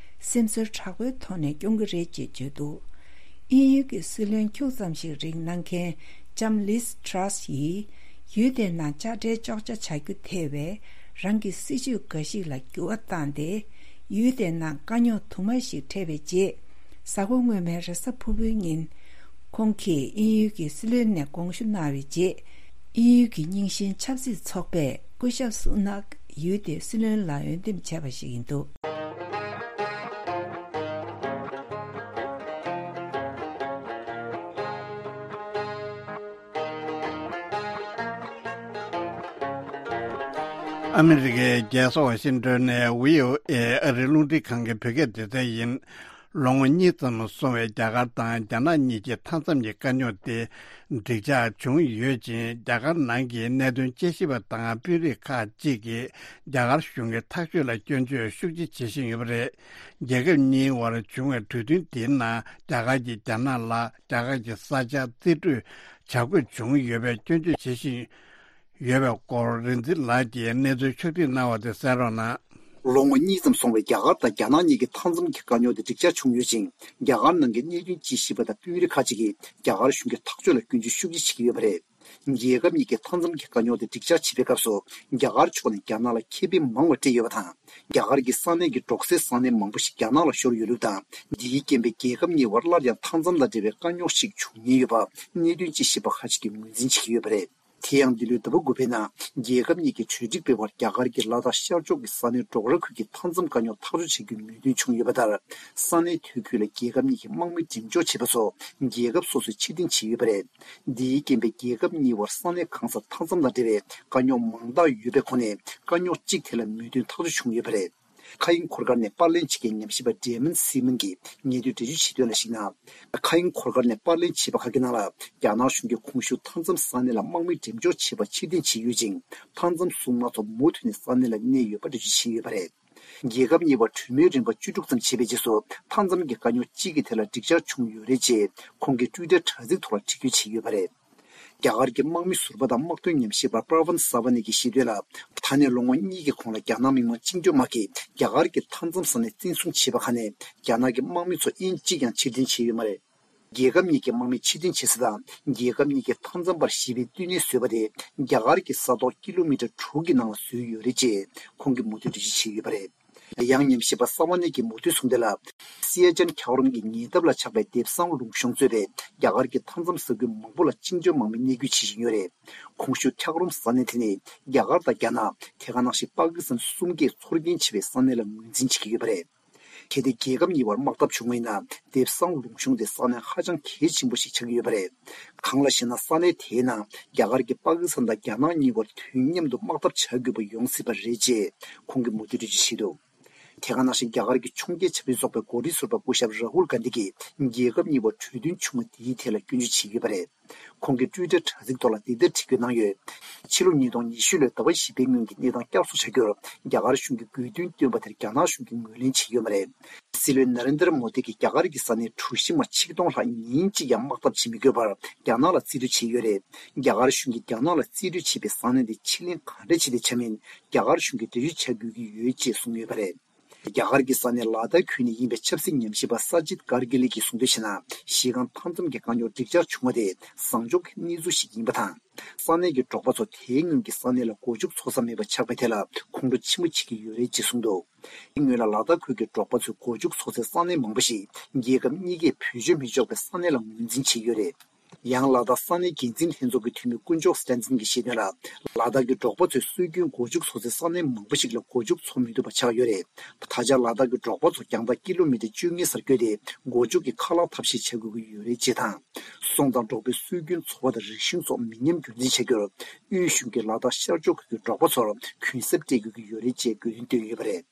སེམས་ཚོར་དྲག་པོའི་ཐོག་ནས་སྐྱོང་གི་རེད་ཅེས་བརྗོད་འདུག་དབྱིན་ཡུལ་གྱི་སྲིད་བློན་ཁྱུག་ཙམ་ཞིག་རིང་གནང་མཁན་ལྕམ་ལིས་ཊྲ་སི་ཡིས། ཡུལ་དེའི་ནང་དཔྱ་ཁྲལ་གཅོག་ཆ་བྱ་རྒྱུ་ཐེ་བའི་རང་གི་སྲིད་ཇུས་འགའ་ཞིག་ལ་འགྱུར་བ་བཏང་སྟེ། ཡུལ་དེའི་ནང་དཀའ་རྙོག་དུ་མ་ཞིག་འཕྲད་པའི་རྗེས། གཟའ་འཁོར་སྔོན་མའི་རེས་གཟའ་ཕུར་བུའི་ཉིན། ཁོང་གིས་དབྱིན་ཡུལ་གྱི་སྲིད་བློན་ནས་དགོངས་ཞུ་གནང་བའི་རྗེས། དབྱིན་ཡུལ་གྱི་རྙིང་ཞེན་ཆབ་སྲིད་ཚོགས་པས་སྐུ་ཞབས་སུ་ནག་ཡུལ་དེའི་སྲིད་བློན་ལ་འོས་འདེམས་བྱས་པ་ཞིག་ཡིན་འདུག་ཨ་མི་རི་ཀའི་རྒྱལ་ས་ཝ་ཤིང་ཏོན་ནས་བྷི་ཨོ་ཨེ་ཨ་རིའི་རླུང་འཕྲིན་ཁང་གི་བོད་སྐད་སྡེ་ཚན་ཡིན། ལོ་ངོ་གཉིས་ཙམ་སོང་བའི་རྒྱ་གར་དང་རྒྱ་ནག་གཉིས་ཀྱི་མཐའ་མཚམས་ཀྱི་དཀའ་རྙོག་དེ་འགྲིག་འཇགས་བྱུང་ཡོད་ཅིང་། རྒྱ་གར་ནང་གི་གནད་དོན་དཔྱད་ཞིབ་པ་དང་དཔོན་རིགས་ཁག་ཅིག་གིས་རྒྱ་གར་གཞུང་གི་ཐག་གཅོད་ལ་སྐྱོན་བརྗོད་ཤུགས་ཆེ་བྱེད་བཞིན་ཡོད་པ་རེད། རྒྱལ་ཁབ་གཉིས་དབར་བྱུང་བའི་གྲོས་མཐུན་དེའི་ནང་རྒྱ་གར་གྱིས་རྒྱ་ནག་ལ་རྒྱ་གར་གྱི་ས་ཆ་རྩིས་སྤྲོད་བྱ་དགོས་བྱུང་ཡོད་པའི་སྐྱོན་བརྗོད་བྱེད་བཞིན་ཡོད་པའི་སྐོར་རིག་འཛིན་ལགས་ཀྱིས་གནས་ཚུལ་ཕྱོགས་སྒྲིག་གནང་བ་དེ་གསན་རོགས་གནང་། ལོ་ངོ་གཉིས་ཙམ་སོང་བའི་རྒྱ་གར་དང་རྒྱ་ནག་གཉིས་ཀྱི་མཐའ་མཚམས་ཀྱི་དཀའ་རྙོག་དེ་འགྲིག་འཇགས་བྱུང་ཡོད་ཅིང་། རྒྱ་གར་ནང་གི་གནད་དོན་དཔྱད་ཞིབ་པ་དང་དཔོན་རིགས་ཁག་ཅིག་གིས་རྒྱ་གར་གཞུང་གི་ཐག་གཅོད་ལ་སྐྱོན་བརྗོད་ཤུགས་ཆེ་བྱེད་ཀྱི་ཡོད་པ་རེད། རྒྱལ་ཁབ་གཉིས་ཀྱི་མཐའ་མཚམས་ཀྱི་དཀའ་རྙོག་དེ་འགྲིག་འཇགས་བྱེད་པའི་སྐབས་སུ། རྒྱ་གར་ཕྱོགས་ནས་རྒྱ་ནག་ལ་ཁེ་ཕན་མང་བ་སྤྲད་ཡོད་པ་དང་། རྒྱ་གར་གྱི་ས་གནས་ཀྱི་འབྲོག་སའི་ས་གནས་མང་པོ་ཞིག་རྒྱ་ནག་ལ་ཤོར་ཡོད་ལུགས་དང་། འདིའི་རྐྱེན་པས་རྒྱལ་ཁབ་གཉིས་བར་སླར་ཡང་མཐའ་མཚམས་དང་འབྲེལ་བའི་དཀའ་རྙོག་ཞིག་འབྱུང་ཉེན་ཡོད་པ། གནད་དོན་དཔྱད་ཞིབ་པ་ཁག་ཅིག་གིས་ངོས་འཛིན་བྱེད་ཀྱི་ཡོད་པ་རེད། དེ་ཡང་འདི་ལོའི་ཟླ་བ་དགུ་པའི་ནང་རྒྱལ་ཁབ་གཉིས་ཀྱི་གྲོས་འགྲིག་པའི་བར་རྒྱ་གར་གྱི་ལ་དྭགས་ཤར་ཕྱོགས་ཀྱི་ས་གནས་འབྲོག་ར་ཁུལ་གྱི་མཐའ་མཚམས་དཀའ་རྙོག་ཐག་གཅོད་བྱ་རྒྱུའི་མོས་མཐུན་བྱུང་ཡོད་པ་ལྟར། ས་གནས་དེ་ཁུལ་ལ་རྒྱལ་ཁབ་གཉིས་ཀྱི་དམག་མི་འགྲེམས་འཇོག་བྱེད་པ་སོགས་རྒྱལ་ཁབ་སོ་སོས་ཕྱིར་འཐེན་བྱས་ཡོད་པ་རེད། འདིའི་རྐྱེན་པས་རྒྱལ་ཁབ་གཉིས་བར་ས་གནས་གང་སར་མཐའ་མཚམས་དང་འབྲེལ་བའི་དཀའ་རྙོག་མང་དག་ཡོད་པའི་ཁོངས་ནས་དཀའ་རྙོག་གཅིག་དེ་ལ་མོས་མཐུན་ཐག་གཅོད་བྱུང་ཡོད་པ་རེད། མཁའ་དབྱིངས་འཁོར་སྐར་ནས་པར་ལེན་བྱེད་མཁན་ཉམས་ཞིབ་པ་ཌེ་མན་སི་མན་གྱིས་ཉེ་དུས་འགྲེལ་བརྗོད་བྱས་དོན་ལ་གཞིགས་ན། མཁའ་དབྱིངས་འཁོར་སྐར་ནས་པར་ལེན་བྱས་པ་ཁག་གི་ནང་ལ། རྒྱ་ནག་གཞུང་གིས་གོང་ཞུས་མཐའ་མཚམས་ས་གནས་ལ་དམག་མི་འགྲེམས་འཇོག་བྱས་པ་ཕྱིར་འཐེན་བྱས་ཡོད་ཅིང་། མཐའ་མཚམས་སྲུང་དམག་ཚོ་མུ་མཐུད་ནས་ས་གནས་ལ་གནས་ཡོད་པ་འགྲེལ་བརྗོད་བྱས་ཡོད་པ་རེད། རྒྱལ་ཁབ་གཉིས་བར་གྲོས་མོལ་རིམ་པ་བཅུ་དྲུག་ཙམ་བྱས་པའི་རྗེས་སུ། མཐའ་མཚམས་ཀྱི་དཀའ་རྙོག་གཅིག་གི་ཐད་ལ་འགྲིག་འཇགས་བྱུང་ཡོད་རེད་ཅེས་ཁོང་གི་ཊུའི་ཊར་དྲ་ཚིགས་ཐོག་ལ་འབྲི་འགོད་བྱས་ཡོད་པ་རེད། རྒྱ་གར་གྱི་དམག་མི་ཟུར་པ་དང་དམག་དོན་ཉམས་ཞིབ་པ་པྲ་ཝན་ས་ཝ་ནི་གྱིས་བཤད་དོན་ལ། ད་ནས་ལོ་ངོ་གཉིས་ཀྱི་གོང་ལ་རྒྱ་ནག་མི་དམངས་བཅིངས་འགྲོལ་དམག་གིས་རྒྱ་གར་གྱི་མཐའ་མཚམས་ས་གནས་བཙན་བཟུང་བྱས་པ་ཁག་ནས་རྒྱ་ནག་གི་དམག་མི་ཚོ་དབྱིན་གཅིག་ཀྱང་ཕྱིར་འཐེན་བྱས་ཡོད་མ་རེད། རྒྱལ་ཁབ་གཉིས་ཀྱི་དམག་མི་ཕྱིར་འཐེན་བྱེད་ས་དང་རྒྱལ་ཁབ་གཉིས་ཀྱི་མཐའ་མཚམས་བར་ཞི་བའི་བསྟི་གནས་བཟོས་པ་དེ་རྒྱ་གར་གྱི་ས་ཐོག་ཀི་ལོ་མི་ཊར་དྲུག་གི་ནང་ལ་བཟོས་ཡོད་རེད་ཅེས་ཁོང་གིས་མུ་མཐུད་འགྲེལ་བརྗོད་བྱས་ཡོད་པ་རེད། ཡང་ཉམས་ཞིབ་པ་ས་ཝ་ནི་གིས་མུ་མཐུད་གསུངས་དོན་ལ། སི་ཨེ་ཅན་འཁྱགས་རོམ་གྱི་ཉེ་འདབས་ལ་ཆགས་པའི་དེབ་སང་ལུང་གཤོང་གཙོས་པའི་རྒྱ་གར་གྱི་མཐའ་མཚམས་ས་ཁུལ་མང་པོ་ལ་བཅིངས་འགྲོལ་དམག་མི་གནས་སྐྱོད་བྱེད་བཞིན་ཡོད་རེད། གོང་ཞུས་འཁྱགས་རོམ་ས་གནས་དེ་ནི་རྒྱ་གར་དང་རྒྱ་ནག་དེ་ག་ནང་བཞིན་པ་ཀི་སི་ཐན་གསུམ་གས་ཚོར་སྐྱེན་ཆེ་བའི་ས་གནས་ལ་ངོས་འཛིན་བྱེད་ཀྱི་ཡོད་པ་རེད། གལ་ཏེ་རྒྱལ་ཁབ་གཉིས་བར་དམག་འཐབ་བྱུང་བ་ཡིན་ན། དེབ་སང་ལུང་གཤོང་དེ་ས་གནས་ཧ་ཅང་གལ་ཆེན་པོ་ཞིག་ཆགས་ཀྱི་ཡོད་པ་རེད། གང་ལགས་ཤེ་ན། ས་གནས་དེའི་ནང་རྒྱ་གར་གྱིས་པ་ཀི་སི་ཐན་དང་རྒྱ་ནག་གཉིས་བར་དུས་མཉམ་དུ་དམག་འཐབ་བྱ་དགོས་པ་ཡོང་སྲིད་པ་རེད་ཅེས་ཁོང་གིས་མུ་མཐུད་འགྲེལ་བརྗོད་བྱས་འདུག་དེ་ག་ནང་བཞིན་རྒྱ་གར་གྱི་འཕྱོངས་རྒྱས་ཆབ་སྲིད་ཚོགས་པའི་འགོ་ཁྲིད་ཟུར་པ་སྐུ་ཞབས་ར་ཧུལ་གྷན་དྷི་གིས་རྒྱལ་ཁབ་གཉིས་བར་གྲོས་མཐུན་བྱུང་བ་དེའི་ཐད་ལ་སྐྱོན་བརྗོད་བྱས་ཡོད་པ་རེད། ཁོང་གིས་ཊུའི་ཊར་དྲ་ཚིགས་ཐོག་ལ་འདི་ལྟར་བྲིས་འགོད་གནང་ཡོད། ཕྱི་ལོ་ཉིས་སྟོང་ཉི་ཤུ་ལོའི་ཟླ་བ་བཞི་པའི་སྔོན་གྱི་གནས་སྟངས་བསྐྱར་གསོ་བྱ་རྒྱུར་རྒྱ་གར་གཞུང་གིས་དགོས་འདུན་བཏོན་པ་དེར་རྒྱ་ནག་གཞུང་གིས་ངོས་ལེན་བྱས་ཡོད་མ་རེད། སྲིད་བློན་ན་རེན་དར་མོ་དི་གིས་རྒྱ་གར་གྱི་ས་གནས་གྲུ་བཞི་མ་ཆིག་སྟོང་ལྷག་ཉིན་གཅིག་ཀྱང་དམག་འཐབ་བྱེད་མི་དགོས་པར་རྒྱ་ནག་ལ་རྩིས་སྤྲོད་བྱས་ཡོད་རེད། རྒྱ་གར་གཞུང་གིས་རྒྱ་ནག་ལ་རྩིས་སྤྲོད་བྱས་པའི་ས་གནས་དེ་ཕྱིར་ལེན་ག་འདྲ་བྱས་ཏེ་བྱས་མིན་རྒྱ་གར་གཞུང་གིས་འགྲེལ་བརྗོད་བྱ་དགོས་ཀྱི་ཡོད་ཅེས་གསུངས་ཡོད་པ་རེད། རྒྱ་གར་གྱི་ས་གནས་ལ་དྭགས་ཁུལ་ནས་ཡིན་པའི་ཆབ་སྲིད་ཉམས་ཞིབ་པ་ས་ཇིད་ཀར་གི་ལི་གིས་གསུངས་དོན་བྱས་ན། གཞི་རྐང་མཐའ་མཚམས་ཀྱི་དཀའ་རྙོག་འགྲིག་འཆར་བྱུང་བ་དེ་བཟང་ཕྱོགས་ཀྱི་གནས་ཚུལ་ཞིག་ཡིན་པ་དང་། ས་གནས་ཀྱི་འབྲོག་པ་ཚོ་དེའི་སྔོན་གྱི་ས་གནས་ལ་སྒོ་ཕྱུགས་འཚོ་ས་མེད་པ་ཆགས་པའི་ཐད་ལ་ཁོང་ཁྲོ་ཆེན་པོ་བྱེད་ཀྱི་ཡོད་རེད་ཅེས་གསུངས་འདུག་དེའི་སྔོན་ལ་ལ་དྭགས་ཁུལ་གྱི་འབྲོག་པ་ཚོས་སྒོ་ཕྱུགས་འཚོ་སའི་ས་གནས་མང་པོ་ཞིག་རྒྱལ་ཁབ་གཉིས་ཀས་བེད་སྤྱོད་མི་ཆོག་པའི་ས་གནས་ལ་ངོས་འཛིན་བྱས་ཡོད་རེད། ཡང་ལ་དྭགས་ས་གནས་འགན་འཛིན་ལྷན་ཚོགས་ཀྱི་འཐུས་མི་དཀོན་མཆོག་སི་ཏན་སན་གྱིས་བཤད་དོན་ལ། ལ་དྭགས་ཀྱི་འབྲོག་པ་ཚོས་སྲོལ་རྒྱུན་སྒོ་ཕྱུགས་འཚོ་སའི་ས་གནས་མང་པོ་ཞིག་ལ་སྒོ་ཕྱུགས་འཚོ་མི་ཐུབ་པ་ཆགས་ཡོད་རེད། ད་ཆ་ལ་དྭགས་ཀྱི་འབྲོག་པ་ཚོ་རྒྱང་ཐག་ཀི་ལོ་མི་ཊར་བཅོ་ལྔའི་སར་བསྐྱོད་དེ་སྒོ་ཕྱུགས་ཀྱི་ཁ་ལག་ཐབས་ཤེས་བྱ་དགོས་ཀྱི་ཡོད་རེད་ཅེས་དང་། སོང་ཙང་འབྲོག་པའི་སྲོལ་རྒྱུན་འཚོ་བ་དང་རིག་གཞུང་སོགས་མི་ཉམས་རྒྱུན་འཛིན་བྱ་རྒྱུར། དབུས་གཞུང་གིས་ལ་དྭགས་ཤར་ཕྱོགས་ཁུལ་གྱི་འབྲོག་པ་ཚོར་གུན་གསབ་སྤྲད་དགོས་ཀྱི་ཡོད་རེད་ཅེས་དགོས་འདུན་བཏོན་ཡོད་པ་རེད།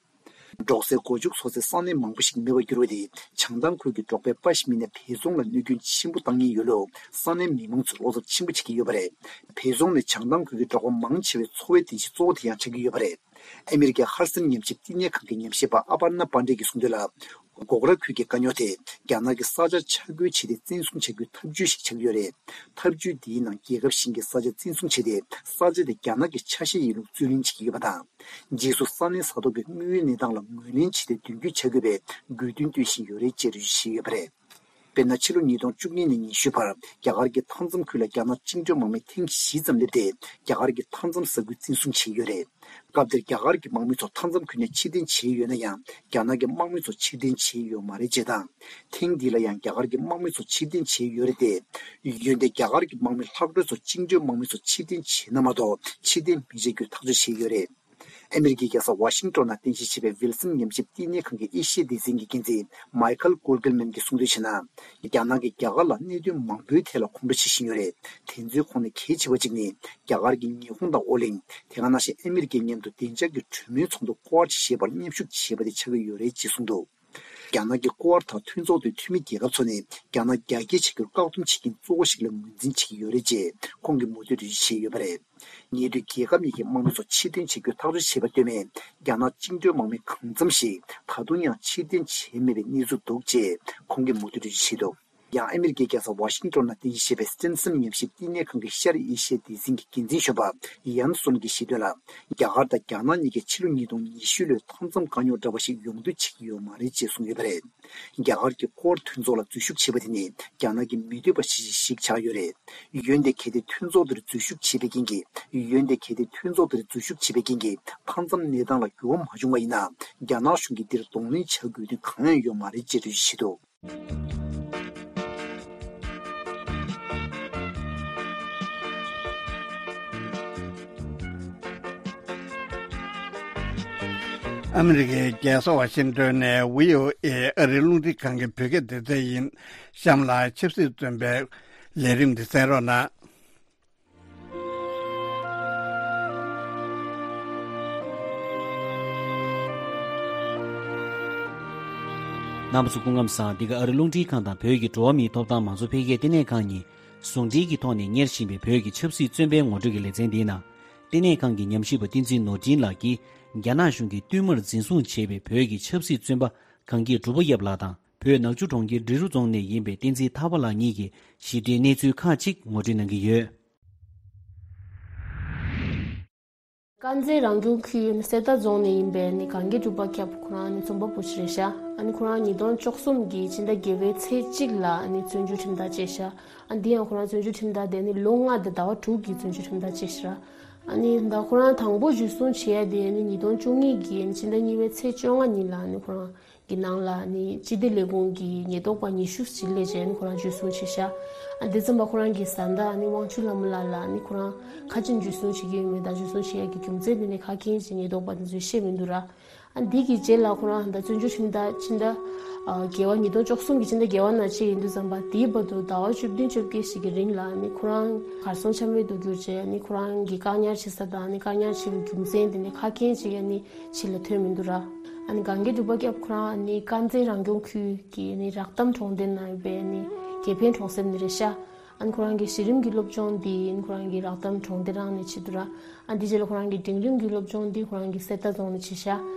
འབྲོག་སའི་སྒོ་ཕྱུགས་འཚོ་སའི་ས་གནས་མང་པོ་ཞིག་མེད་པར་གྱུར་བ་དེས་བྱང་ཐང་ཁུལ་གྱི་འབྲོག་པའི་དཔའ་ཞུམ་མི་སྣ་བལ་རྫོང་ལ་གནོད་སྐྱོན་ཆེན་པོ་བཏང་ཉེན་ཡོད་ལུགས་ས་གནས་མི་མང་ཚོས་བློ་འཚབ་ཆེན་པོ་བྱེད་ཀྱི་ཡོད་པ་རེད། བལ་རྫོང་ནི་བྱང་ཐང་ཁུལ་གྱི་འབྲོག་པ་མང་ཆེ་བའི་འཚོ་བའི་རྟེན་གཞི་གཙོ་བོ་དེ་ཡང་ཆགས་ཀྱི་ཡོད་པ་རེད། ཨ་མི་རི་ཀའི་ཧར་སན་ཉམས་ཞིབ་བསྟི་གནས་ཁང་གི་ཉམས་ཞིབ་པ་ཨ་པར་ན་པཱན་ཌེ་གིས་གསུངས་དོན་ལ། སྒོག་ར་ཁུལ་གྱི་དཀའ་རྙོག་དེ་རྒྱ་ནག་གིས་ས་ཆ་ཆ་བགོས་བྱས་ཏེ་བཙན་བཟུང་བྱ་རྒྱུའི་ཐབས་ཇུས་ཤིག་ཆགས་ཀྱི་ཡོད་རེད། ཐབས་ཇུས་འདིའི་ནང་རྒྱལ་ཁབ་གཞན་གྱི་ས་ཆ་བཙན་བཟུང་བྱས་ཏེ་ས་ཆ་དེ་རྒྱ་ནག་གི་ཆ་ཤས་ཡིན་ལུགས་རྩོད་ལེན་བྱེད་ཀྱི་ཡོད་པ་དང་། རྗེས་སུ་ས་གནས་ས་ཐོག་གི་དངོས་ཡོད་གནས་སྟངས་ལ་ངོས་ལེན་བྱས་ཏེ་མདུན་སྐྱོད་བྱ་དགོས་པའི་དགོས་འདུན་བཏོན་བཞིན་ཡོད་རེད་ཅེས་འགྲེལ་བརྗོད་བྱས་ཡོད་པ་རེད། དཔེར་ན་ཕྱི་ལོ་ཉིས་སྟོང་བཅུ་གཉིས་ནས་ཉི་ཤུའི་བར་རྒྱ་གར་གྱི་མཐའ་མཚམས་ཁུལ་ལ་རྒྱ་ནག་བཅིངས་འགྲོལ་དམག་མི་ཐེངས་བཞི་ཙམ་སླེབས་ཏེ། རྒྱ་གར་གྱི་མཐའ་མཚམས་ས་ཁུལ་བཙན་བཟུང་བྱས་ཡོད་རེད། སྐབས་དེར་རྒྱ་གར་གྱི་དམག་མི་ཚོ་མཐའ་མཚམས་ཁུལ་ནས་ཕྱིར་འཐེན་བྱས་ཡོད་ན་ཡང་། རྒྱ་ནག་གི་དམག་མི་ཚོ་ཕྱིར་འཐེན་བྱས་ཡོད་མ་རེད་ཅེས་དང་། ཐེངས་འདི་ལ་ཡང་རྒྱ་གར་གྱི་དམག་མི་ཚོ་ཕྱིར་འཐེན་བྱས་ཡོད་རེད་དེ། འོན་ཏེ་རྒྱ་གར་གྱི་དམག་མི་ལྷག་འཕྲོ་ཚོ་བཅིངས་འགྲོལ་དམག་མི་ཚོ་ཕྱིར་འཐེན་བྱས་ན་མ་གཏོགས་ཕྱིར་འཐེན་མི་བྱེད་རྒྱུའི་ཐག་གཅོད་བྱས་ཡོད་རེད། ཨ་མི་རི་ཀའི་རྒྱལ་ས་ཝ་ཤིང་ཏོན་ནང་རྟེན་གཞི་བྱས་པའི་ཝིལ་སན་ཉམས་ཞིབ་བསྟི་གནས་ཁང་གི་ཨེ་ཤི་ཡའི་སྡེ་ཚན་གྱི་འགན་འཛིན་མའི་ཁལ་ཀོལ་གྷེལ་མན་གྱིས་གསུངས་དོན་བྱས་ན། རྒྱ་ནག་གིས་རྒྱ་གར་ལ་གནད་དོན་མང་པོའི་ཐད་ལ་ཁོང་ཁྲོ་བྱེད་བཞིན་ཡོད་རེད། དེ་ཚོའི་ཁོངས་ནས་གལ་ཆེ་བ་གཅིག་ནི། རྒྱ་གར་གྱིས་ཉི་ཧོང་དང་ཨོ་གླིང་། དེ་ག་ནང་བཞིན་ཨ་མི་རི་ཀའི་མཉམ་དུ་བདེ་འཇགས་ཀྱི་གྲོས་མོལ་ཚོགས་འདུ་ཀོ་ཝ་ཊི་ཞེས་པར་མཉམ་ཞུགས་བྱས་པ་དེ་ཆགས་ཀྱི་ཡོད་རེད་ཅེས་གསུངས་འདུག་རྒྱ་ནག་གི་ཀོ་ཝ་ཊི་དང་མཐུན་ཚོགས་དེའི་འཐུས་མི་རྒྱལ་ཁབ་ཚོ་ནི། རྒྱ་ནག་རྒྱ་སྐྱེད་བྱེད་རྒྱུར་བཀག་སྡོམ་བྱེད་མཁན་གཙོ་བོ་ཞིག་ལ་ངོས་འཛིན་བྱེད་ཀྱི་ཡོད་རེད་ཅེས་ཁོང་གིས་མུ་མཐུད་འགྲེལ་བརྗོད་བྱས་ཡོད་པ་རེད། ཉེ་དུས་རྒྱལ་ཁབ་གཉིས་ཀྱི་དམག་མི་ཚོ་ཕྱིར་འཐེན་བྱེད་རྒྱུའི་ཐག་གཅོད་བྱས་པ་ལྟོས་མེད། རྒྱ་ནག་བཅིངས་འགྲོལ་དམག་མི་གང་འཚམ་ཞིག་ད་དུང་ཡང་ཕྱིར་འཐེན་བྱས་མེད་པའི་གནས་ཚུལ་འདུག་ཅེས་ཁོང་གིས་མུ་མཐུད་འགྲེལ་བརྗོད་བྱས་འདུག་ཡང་ཨ་མི་རི་ཀའི་རྒྱལ་ས་ཝ་ཤིང་ཏོན་ནང་རྟེན་གཞི་བྱས་པའི་སི་ཊེན་སན་ཉམས་ཞིབ་བསྟི་གནས་ཁང་གི་ཤར་ཨེ་ཤི་ཡའི་སྡེ་ཚན་གྱི་འགན་འཛིན་གཞོན་པ་ཡན་སུན་གྱིས་བཤད་དོན་ལ། རྒྱ་གར་དང་རྒྱ་ནག་གཉིས་ཀས་ཕྱི་ལོ་ཉིས་སྟོང་ཉི་ཤུ་ལོའི་མཐའ་མཚམས་དཀའ་རྙོག་འདྲ་བ་ཞིག་ཡོང་འདོད་བྱེད་ཀྱི་ཡོད་མ་རེད་ཅེས་གསུངས་ཡོད་པ་རེད། རྒྱ་གར་གྱིས་ཀོ་ཝ་ཊི་མཐུན་ཚོགས་ལ་འཛུལ་ཞུགས་བྱས་པ་དེ་ནི་རྒྱ་ནག་གིས་མི་འདོད་པ་ཞིག་ཞིག་ཆགས་ཡོད་རེད། འོན་ཏེ་གལ་ཏེ་མཐུན་ཚོགས་དེར་འཛུལ་ཞུགས་བྱས་པའི་རྐྱེན་གྱིས། འོན་ཏེ་གལ་ཏེ་མཐུན་ཚོགས་དེར་འཛུལ་ཞུགས་བྱས་པའི་རྐྱེན་གྱིས་མཐའ་མཚམས་གནས་སྟངས་ལ་འགྱུར་བ་མ་བྱུང་བ་ཡིན་ན། རྒྱ་ནག་གཞུང་གིས་འདིར་གདོང་ལེན་བྱ་དགོས་དོན་གང་ཡང་ཡོད་མ་རེད་ཅེས་འགྲེལ་བརྗོད་བྱས་འདུག་ཨ་མི་རི་ཀའི་རྒྱལ་ས་ཝ་ཤིང་ཏོན་ནས་བྷི་ཨོ་ཨེ་ཨ་རིའི་རླུང་འཕྲིན་ཁང་གི་བོད་སྐད་སྡེ་ཚན་ཡིན། གཤམ་ལ་ཆབ་སྲིད་བཙོན་པའི་ལས་རིམ་འདི་གསན་རོགས་གནང་། རྣམ་པ་ཚོ་སྐུ་ཁམས་བཟང་། འདི་ག་ཨ་རི་རླུང་འཕྲིན་ཁང་དང་བོད་ཀྱི་འགྲོ་བ་མིའི་ཐོབ་ཐང་མང་གཙོ་འཕེལ་རྒྱས་ལྟེ་གནས་ཁང་གཉིས་ཟུང་འབྲེལ་གྱི་ཐོག་ནས་གཉེར་བཞིན་པའི་བོད་ཀྱི་ཆབ་སྲིད་བཙོན་པའི་ངོ་སྤྲོད་ཀྱི་ལེ་ཚན་འདིའི་ནང་། ལྟེ་གནས་ཁང་གི་ཉམས་ཞིབ་པ་བསྟན་འཛིན་ནོར་འཕྲིན་ལགས་ཀྱིས། རྒྱ་ནག་གཞུང་གིས་བསྟུད་མར་འཛིན་བཟུང་བྱས་པའི་བོད་ཀྱི་ཆབ་སྲིད་བཙོན་པ་གངས་སྐྱིད་གྲུབ་པ་ཡབ་ལགས་དང་། བོད་ནག་ཆུ་གྲོང་ཁྱེར་འབྲི་རུ་རྫོང་ནས་ཡིན་པའི་བསྟན་འཛིན་ཐར་པ་ལགས་གཉིས་ཀྱིས་ཞིབ་ཕྲའི་གནས་ཚུལ་ཁག་ཅིག་ངོ་སྤྲོད་གནང་གི་ཡོད། དཀར་མཛེས་རང་སྐྱོང་ཁུལ་གསེར་རྟ་རྫོང་ནས་ཡིན་པའི་ནི་གངས་སྐྱིད་གྲུབ་པ་སྐྱབས། ཁོ་རང་ནི་རྩོམ་པ་པོ་ཞིག་རེད་ཤག་ཨ་ནི་ཁོ་རང་ཉིས་སྟོང་བཅུ་གསུམ་གྱི་ཕྱི་ཟླ་བརྒྱད་པའི་ཚེས་གཅིག་ལ་ཨ་ནི་བཙོན་འཇུག་ཁྲིམས་ཐག་བཅད་ཤག་ཨ་འདི་ཡང་ཁོ་རང་བཙོན་འཇུག་ཁྲིམས་ཐག་དེ་ནི་ལོ་ལྔ་དང་ཟླ་བ་དྲུག་གི་བཙོན་འཇུག་ཁྲིམས་ཐག་བཅད་ཤག་ཨ་ནི་ད་ཁོ་རང་དང་པོ་འཇུ་བཟུང་བྱས་ཡ་དེ་ནི་ཉིས་སྟོང་བཅུ་གཉིས་ཀྱི་ཕྱི་ཟླ་གཉིས་པའི་ཚེས་བཅོ་ལྔ་ཉིན་ལ་ཨ་ནི་ཁོ་རང་གི་ནང་ལ་ནི་སྤྱི་བདེ་ལས་ཁུངས་ཀྱི་ཉེན་རྟོག་པ་ཉི་ཤུ་ཞིག་སླེབས་རྗེས་ནི་ཁོ་རང་འཇུ་བཟུང་བྱས་ཤག་ཨ་དེ་ཙམ་པ་ཁོ་རང་གི་བཟའ་ཟླ་ནི་དབང་ཕྱུག་ལྷ་མོ་ལགས་ལ་ནི་ཁོ་རང་ཁ་ཅིག་འཇུ་བཟུང་བྱེད་ཀྱི་ཡོད་མེད་དང་འཇུ་བཟུང་བྱེད་ཡ་གི་རྒྱུ་མཚན་དེ་ནི་ག་རེ་ཡིན་ཞེས་ཉེན་རྟོག་པ་དེ་ཚོས་བཤད་མི་འདུག་ར། ཨ་འདི་གི་རྗེས་ལ་ཁོ་རང་ད་བཙོན་འཇུག་ཁྲིམས་ཐག་ཕྱི་ཟླ་ཨ་བརྒྱད་པ་ཉིས་སྟོང་བཅུ་གསུམ་གྱི་ཕྱི་ཟླ་བརྒྱད་པ་ནང་བཅད་ཡིན་དུས་ཙམ་པ་དེའི་བར་དུ་ཟླ་བ་བཅུ་བདུན་བཅོ་བརྒྱད་ཞིག་གི་རིང་ལ་ནི་ཁོ་རང་གར་སོང་ཆ་མེད་དུ་གྱུར་རྗེས་ནི་ཁོ་རང་གི་བཀག་ཉར་བྱེད་ས་དང་ནི་བཀག་ཉར་བྱེད་པའི་རྒྱུ་མཚན་དེ་ནི་ག་རེ་ཡིན་ཞེས་ནི་ཕྱི་ལ་ཐོན་མི་འདུག་ར། ཨ་ནི་གངས་སྐྱིད་གྲུབ་པ་སྐྱབས་ཁོ་རང་ནི་དཀར་མཛེས་རང་སྐྱོང་ཁུལ་གྱི་ནི་རག་གཏམ་གྲོང་སྡེ་ནང་ཡོད་པའི་ནི་དགེ་ཕན་གྲོང་གསེབ་ནས་རེད་ཤག་ཨ་ནི་ཁོ་རང་གི་གཞི་རིམ་གྱི་སློབ་སྦྱོང་འདི་ནི་ཁོ་རང་གི་རག་གཏམ་གྲོང་སྡེ་རང་ནས་བྱེད་འདུག་ར། ཨ་འདི་རྗེས་ལ་ཁོ་རང་གི་འབྲིང་རིམ་གྱི་སློབ་སྦྱོང་འདི་ཁོ་རང་གི་གསེར་རྟ་རྫོང་ནས་བྱས་ཤག་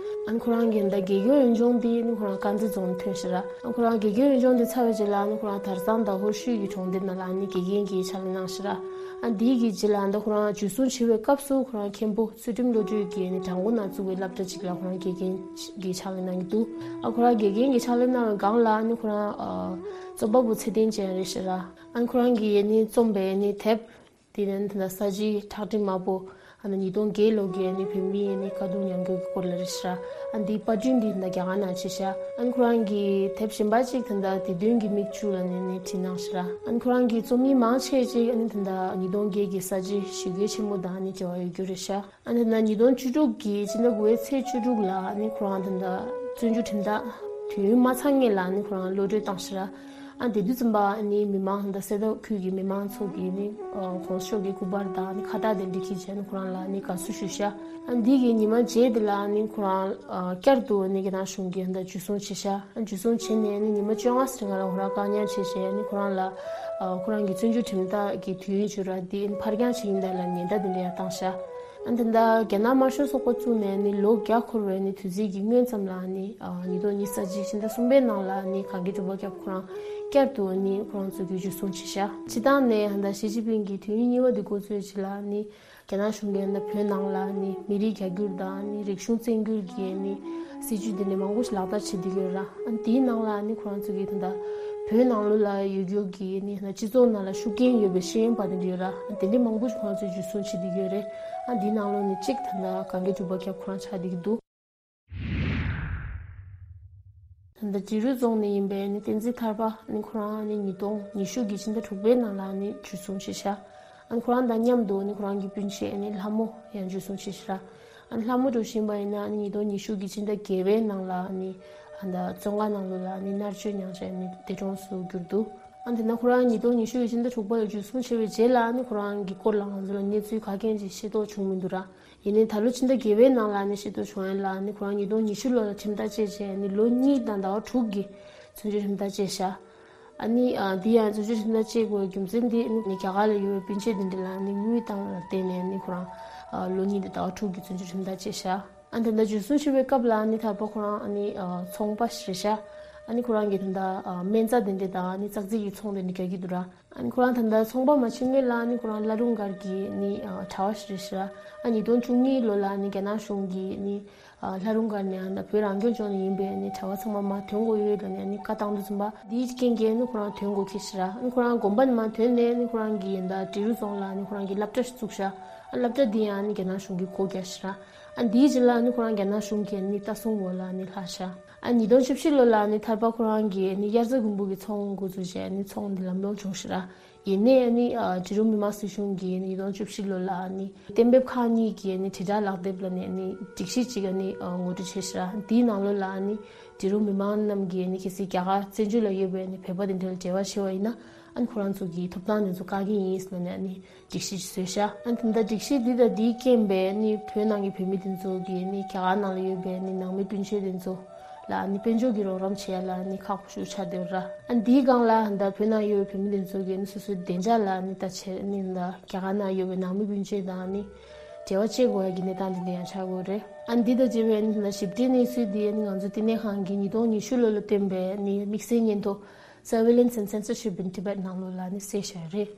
ཨ་ནི་ཁོ་རང་གི་ད་དགེ་རྒན་འོས་སྦྱོང་འདི་ནི་ཁོ་རང་དཀར་མཛེས་རྫོང་ནས་ཐོན་ཤག་ར། ཨ་ཁོ་རང་དགེ་རྒན་འོས་སྦྱོང་འདི་ཚར་བའི་རྗེས་ལ་ནི་ཁོ་རང་དར་ཚང་དང་ཧོར་ཤུལ་གྱི་གྲོང་སྡེ་ནང་ལ་ནི་དགེ་རྒན་གྱི་ཕྱག་ལས་གནང་ཤག་ར། ཨ་འདི་གི་རྗེས་ལ་ད་ཁོ་རང་འཇུ་བཟུང་བྱེད་པའི་སྐབས་སུ་ཁོ་རང་མཁན་པོ་ཚུལ་ཁྲིམས་བློ་གྲོས་ཀྱིས་ནི་བྲག་འགོ་ནང་བཙུགས་པའི་སློབ་གྲྭ་ཅིག་ལ་ཁོ་རང་དགེ་རྒན་གྱི་ཕྱག་ལས་གནང་གི་འདུག་ཨ་ཁོ་རང་དགེ་རྒན་གྱི་ཕྱག་ལས་གནང་བའི་སྒང་ལ་ནི་ཁོ་རང་ཨ་རྩོམ་པ་པོ་ཚེ་བརྟན་ཅན་རེད་ཤག་ར། ཨ་ཁོ་རང་གིས་ནི་རྩོམ་པའི་ནི་དེབ་དེ་ནི་ད་ས་བྱི་ཁྲག་ཁྲིག་དམར་པོ། ཨ་ནི་ཉིས་སྟོང་བརྒྱད་ལོ་གི་ནི་བོད་མིའི་ནི་དཀའ་སྡུག་མྱངས་རྒྱུ་གི་སྐོར་ལ་རེད་ཤག་ཨ་འདིའི་པར་སྐྲུན་འདི་ད་རྒྱ་གར་ནང་བྱས་ཤག་ཨ་ནི་ཁོ་རང་གི་དེབ་གཞན་པ་གཅིག་ད་ལྟ་བདེ་དོན་གྱི་མིག་ཆུ་ལ་ནི་ནི་བྲིས་གནང་ཤག་ར། ཨ་ནི་ཁོ་རང་གི་རྩོམ་ཡིག་མང་ཆེ་ཅིག་ཨ་ནི་ད་ལྟ་ཉིས་སྟོང་བརྒྱད་ཀྱི་ས་བྱི་ཞི་རྒོལ་ཆེན་མོ་དང་ནི་འབྲེལ་བ་ཡོད་རྒྱུ་རེད་ཤག་ཨ་ནི་ད་ལྟ་ཉིས་སྟོང་བཅུ་དྲུག་གི་ཕྱི་ཟླ་དགུ་པའི་ཚེས་བཅུ་དྲུག་ལ་ནི་ཁོ་རང་ད་ལྟ་བཙོན་འཇུག་ཁྲིམས་ཐག་དུས་ཡུན་མ་ཚང་སྔོན་ལ་ནི་ཁོ་རང་གློད་གྲོལ་བཏང་ཤག་ར། ཨ་དེ་དུས་ཙམ་པ་ནི་མི་མང་དང་གསེར་རྟ་ཁུལ་གྱི་མི་མང་ཚོ་གིས་ནི་ཨ་གོང་ས་མཆོག་གི་སྐུ་པར་དང་ནི་ཁ་བཏགས་དེ་འདྲ་འཁྱེར་བྱས་ནི་ཁོ་རང་ལ་ནི་དགའ་བསུ་ཞུས་ཤག་ཨ་འདི་གི་ཉི་མ་རྗེས་དེ་ལ་ནི་ཁོ་རང་ཨ་བསྐྱར་དུ་ནི་རྒྱ་ནག་གཞུང་གིས་ད་འཇུ་བཟུང་བྱས་ཤག་ཨ་འཇུ་བཟུང་བྱས་ནས་ནི་ཉི་མ་བཅོ་ལྔ་ཙམ་སྔོན་ལ་ཁོ་རང་བཀག་ཉར་བྱས་བྱས་ནི་ཁོ་རང་ལ་ཨ་ཁོ་རང་གི་བཙོན་འཇུག་ཁྲིམས་ཐག་གི་དུས་ཡུན་བཅད་ར་དེ་ནི་ཕར་འགྱངས་བྱེད་ཀྱི་ཡིན་ད་ལབ་ཉེན་བརྡ་དེ་འདྲ་ཡང་བཏང་ཤག་ཨ་ད་ལྟ་རྒྱ་ནག་དམར་ཤོག་ཚོགས་པ་བཙུགས་ནས་ནི་ལོ་བརྒྱ་འཁོར་བའི་ནི་དུས་ཚིགས་ཀྱི་སྔོན་ཙམ་ལ་ནི་ཨ་ཉིས་སྟོང་ཉི་ཤུ་རྩ་གཅིག་ཕྱི་ཟླ་གསུམ་པའི་ནང་ལ་ནི་གངས་སྐྱིད་གྲུབ་པ་སྐྱབས་ཁོ་རང་བསྐྱར་དུ་ནི་ཁོ་རང་ཚོ་གིས་འཇུ་བཟུང་བྱས་ཤག་སྤྱིར་བཏང་ནས་ད་ལྟ་ཞི་ཅིན་ཕིང་གིས་དུས་ཡུན་གཉིས་པ་འདི་འགོ་བཙུགས་རྗེས་ལ་ནི་རྒྱ་ནག་གཞུང་གིས་ད་ལྟ་བོད་ནང་ལ་ནི་མི་རིགས་རྒྱ་སྒྱུར་དང་ནི་རིག་གཞུང་བཙན་སྒྱུར་གྱི་ནི་སྲིད་བྱུས་འདི་ནི་མང་པོ་ཞིག་ལག་བསྟར་བྱེད་བསྡད་ཀྱི་ཡོད་ར། ཨ་དེའི་ནང་ལ་ནི་ཁོ་རང་ཚོ་གིས་ད་ལྟ་ བོད་ནང་ལོགས་ལ་ཡོད་རྒྱུ་གི་ནི་སྤྱི་ཚོགས་ནང་ལ་ཤུགས་རྐྱེན་ཡོད་པའི་ཤེས་ཡོན་པ་དེ་འདྲ་ཡོད་ར། དེ་འདྲའི་མང་པོ་ཞིག་ཁོ་རང་ཚོས་འཇུ་བཟུང་བྱེད་བསྡད་ཀྱི་ཡོད་རེད། ཨ་འདིའི་ནང་ལོགས་ནས་གཅིག་ད་ལྟ་གངས་སྐྱིད་གྲུ་པ་རྒྱལ་ཁོ་རང་ཆགས་བསྡད་ཀྱི་འདུག་ད་ལྟ་འབྲི་རུ་རྫོང་ནས་ཡིན་པའི་ནི་བསྟན་འཛིན་ཐར་པ་ནི་ཁོ་རང་ནི་ཉིས་སྟོང་ཉི་ཤུ་གི་ཕྱི་ཟླ་དྲུག་པའི་ནང་ལ་ནི་འཇུ་བཟུང་བྱས་ཤག་ཨ་ནི་ཁོ་རང་དང་མཉམ་དུ་ནི་ཁོ་རང་གི་སྤུན་མཆེད་ནི་ལྷ་མོ་ཡང་འཇུ་བཟུང་བྱས་ཤག་ཨ་ནི་ལྷ་མོ་འགྲོ་བཞིན་པ་ཡིན་ན་ནི་ཉིས་སྟོང་ཉི་ཤུ་གི་ཕྱི་ཟླ་བརྒྱད་པའི་ནང་ལ་ནི་ཨ་ད་བཙོན་ཁང་ནང་ལོགས་ལ་ནི་མནར་གཅོད་མྱངས་བྱས་ནི་འདས་གྲོངས་སུ་གྱུར་འདུག་ཨ་ནི་དེ་ན་ཁོ་རང་ཉིས་སྟོང་ཉི་ཤུ་གི་ཕྱི་ཟླ་དྲུག་པ་ལ་འཇུ་བཟུང་བྱས་པའི་རྗེས་ལ་ནི་ཁོ་རང་གི་སྐོར་ལ་ང་ཚོ་ལ་གནས་ཚུལ་ག་གེ་ཅིག་ཤེས་རྟོགས་བྱུང་མི་འདུག་ར། ཡིན་ནའི་ད་ལོ་ཕྱི་ཟླ་བརྒྱད་པའི་ནང་ལ་ནི་ཤེས་རྟོགས་བྱུང་ཡ་ལ་ནི་ཁོ་རང་ཉིས་སྟོང་ཉི་ཤུ་ལོ་ལ་ཁྲིམས་ཐག་བཅད་བྱས་ནི་ལོ་གཉིས་དང་ཟླ་བ་དྲུག་གི་བཙོན་འཇུག་ཁྲིམས་ཐག་བཅད་ཤག་ཨ་ནི་ཨ་འདི་ཡང་བཙོན་འཇུག་ཁྲིམས་ཐག་བཅད་དགོས་རྒྱུ་མཚན་འདི་ནི་རྒྱ་གར་ལ་ཡོད་པའི་སྤུན་མཆེད་དེ་འདྲ་ལ་ནི་དངུལ་བཏང་བ་ལ་བརྟེན་ནས་ནི་ཁོ་རང་ཨ་ལོ་གཉིས་དང་ཟླ་བ་དྲུག་གི་བཙོན་འཇུག་ཁྲིམས་ཐག་བཅད་ཤག་ཨ་ནི་ད་ལྟ་འཇུ་བཟུང་བྱས་པའི་སྐབས་ལ་ནི་ཐར་པ་ཁོ་རང་ཨ་ནི་ཨ་ཚོང་པ་ཞིག་རེད་ཤག་ཨ་ནི་ཁོ་རང་གིས་ད་ལྟ་ཨ་སྨན་རྩྭ་དེ་འདྲ་དང་ཨ་ནི་ཙག་ཙིག་གི་ཚོང་དེ་འདྲ་རྒྱག་གི་འདུག་ར། ཨ་ནི་ཁོ་རང་ད་ལྟ་ཚོང་པ་མ་བྱེད་སྔོན་ལ་ནི་ཁོ་རང་བླ་རུང་སྒར་གྱི་ནི་ཨ་གྲྭ་པ་ཞིག་རེད་ཤག་ཨ་ཉིས་སྟོང་བཅུ་གཉིས་ལོ་ལ་ནི་རྒྱ་ནག་གཞུང་གིས་ནི་ཨ་བླ་རུང་སྒར་ནས་ཨ་ད་བོད་རང་སྐྱོང་ལྗོངས་ནས་ཡིན་པའི་ནི་གྲྭ་པ་ཚང་མ་མར་ཐོན་དགོས་ཡོད་ལབ་ནས་ནི་བཀའ་བཏང་དུས་ཙམ་པ་འདིའི་རྐྱེན་གྱིས་ནི་ཁོ་རང་ཐོན་དགོས་ཁེལ་ཤག་ར། ཨ་ནི་ཁོ་རང་དགོན་པ་ནས་མར་ཐོན་ནས་ནི་ཁོ་རང་གི་ད་འབྲི་རུ་རྫོང་ལ་ནི་ཁོ་རང་གི་སློབ་གྲྭ་ཞིག་བཙུགས་ཤག་ཨ་སློབ་གྲྭ་འདི་ཡང་ནི་རྒྱ་ནག་གཞུང་གིས་སྒོ་བརྒྱབ་ཤག་ར། ཨ་འདིའི་རྗེས་ལ་ནི་ཁོ་རང་རྒྱ་ནག་གཞུང་གི་ནི་ལྟ་སྲུང་འོག་ལ་ནི་ལྷག་ཤག་ཨ་ཉིས་སྟོང་བཅུ་བཞི་ལོ་ལ་ནི་ཐར་པ་ཁོ་རང་གིས་ནི་དབྱར་རྩྭ་དགུན་འབུ་གི་ཚོང་འགོ་བཙུགས་བྱས་ནི་ཚོང་འདི་ལམ་ལྷོང་བྱུང་ཤག་ར། ཡིན་ནའི་ནི་ཨ་འབྲི་རུ་མི་དམངས་སྲིད་གཞུང་གིས་ནི་ཉིས་སྟོང་བཅུ་བཞི་ལོ་ལ་ནི་གཏན་འབེབས་ཁག་གཉིས་ཀྱི་ནི་དྲིལ་བསྒྲགས་ལག་དེབ་ལ་ནི་ནི་སྒྲིག་གཞི་གཅིག་ནི་ཨ་ངོ་སྤྲོད་བྱས་ཤག་ར། འདིའི་ནང་ལོགས་ལ་ནི་འབྲི་རུ་མི་མང་རྣམས་ཀྱིས་ནི་གལ་སྲིད་རྒྱ་གར་བཙན་བྱོལ་ལ་ཡོད་པའི་ནི་བོད་པ་དེ་འདྲ་ལ་འབྲེལ་བ་བྱས་པ་ཡིན་ན་ཨ་ནི་ཁོ་རང་ཚོ་གི་ཐོབ་ཐང་དེ་ཚོ་བཀག་གི་ཡིན་ཟེར་ནས་ནི་སྒྲིག་གཞི་ཞིག་བཟོས་ཤག་ཨ་ནི་ད་ལྟ་སྒྲིག་གཞི་འདི་དང་འདིའི་རྐྱེན་པས་ནི་བོད་ནང་གི་བོད་མི་དེ་ཚོ་གིས་ནི་རྒྱ་གར་ནང་ལ་ཡོད་པའི་ནི་ནང་མི་སྤུན་མཆེད་དེ་ཚོ་ལ་ནི་དཔལ་འབྱོར་གྱི་རོགས་རམ་བྱེད་ཡ་ལ་ནི་ཁག་པོ་ཞིག་ཆགས་བསྡད་ཡོད་ར། ཨ་ནི་འདིའི་སྒང་ལ་ད་བོད་ནང་ཡོད་པའི་བོད་མི་དེ་ཚོ་གིས་ནི་སོ་སོའི་བདེ་འཇགས་ལ་ནི་ད་བྱས་ནི་ད་རྒྱ་གར་ནང་ཡོད་པའི་ནང་མི་སྤུན་མཆེད་དང་ནི་འབྲེལ་བ་བྱེད་དགོས་ཡ་གི་གནས་སྟངས་དེ་འདྲ་ཡང་ཆགས་ཡོད་རེད། ཨ་ནི་འདི་དང་འབྲེལ་བའི་ནི་ད་ཞིབ་ཕྲའི་གནས་ཚུལ་དེ་ནི་ང་ཚོ་བསྟི་གནས་ཁང་གིས་ཉིས་སྟོང་ཉི་ཤུ་ལོ་ལ་བཏོན་པའི་ནི་དམིགས་བསལ་སྙན་ཐོ་Surveillance and Censorship in Tibet ནང་ལོགས་ལ་ནི་གསལ་བཞག་རེད།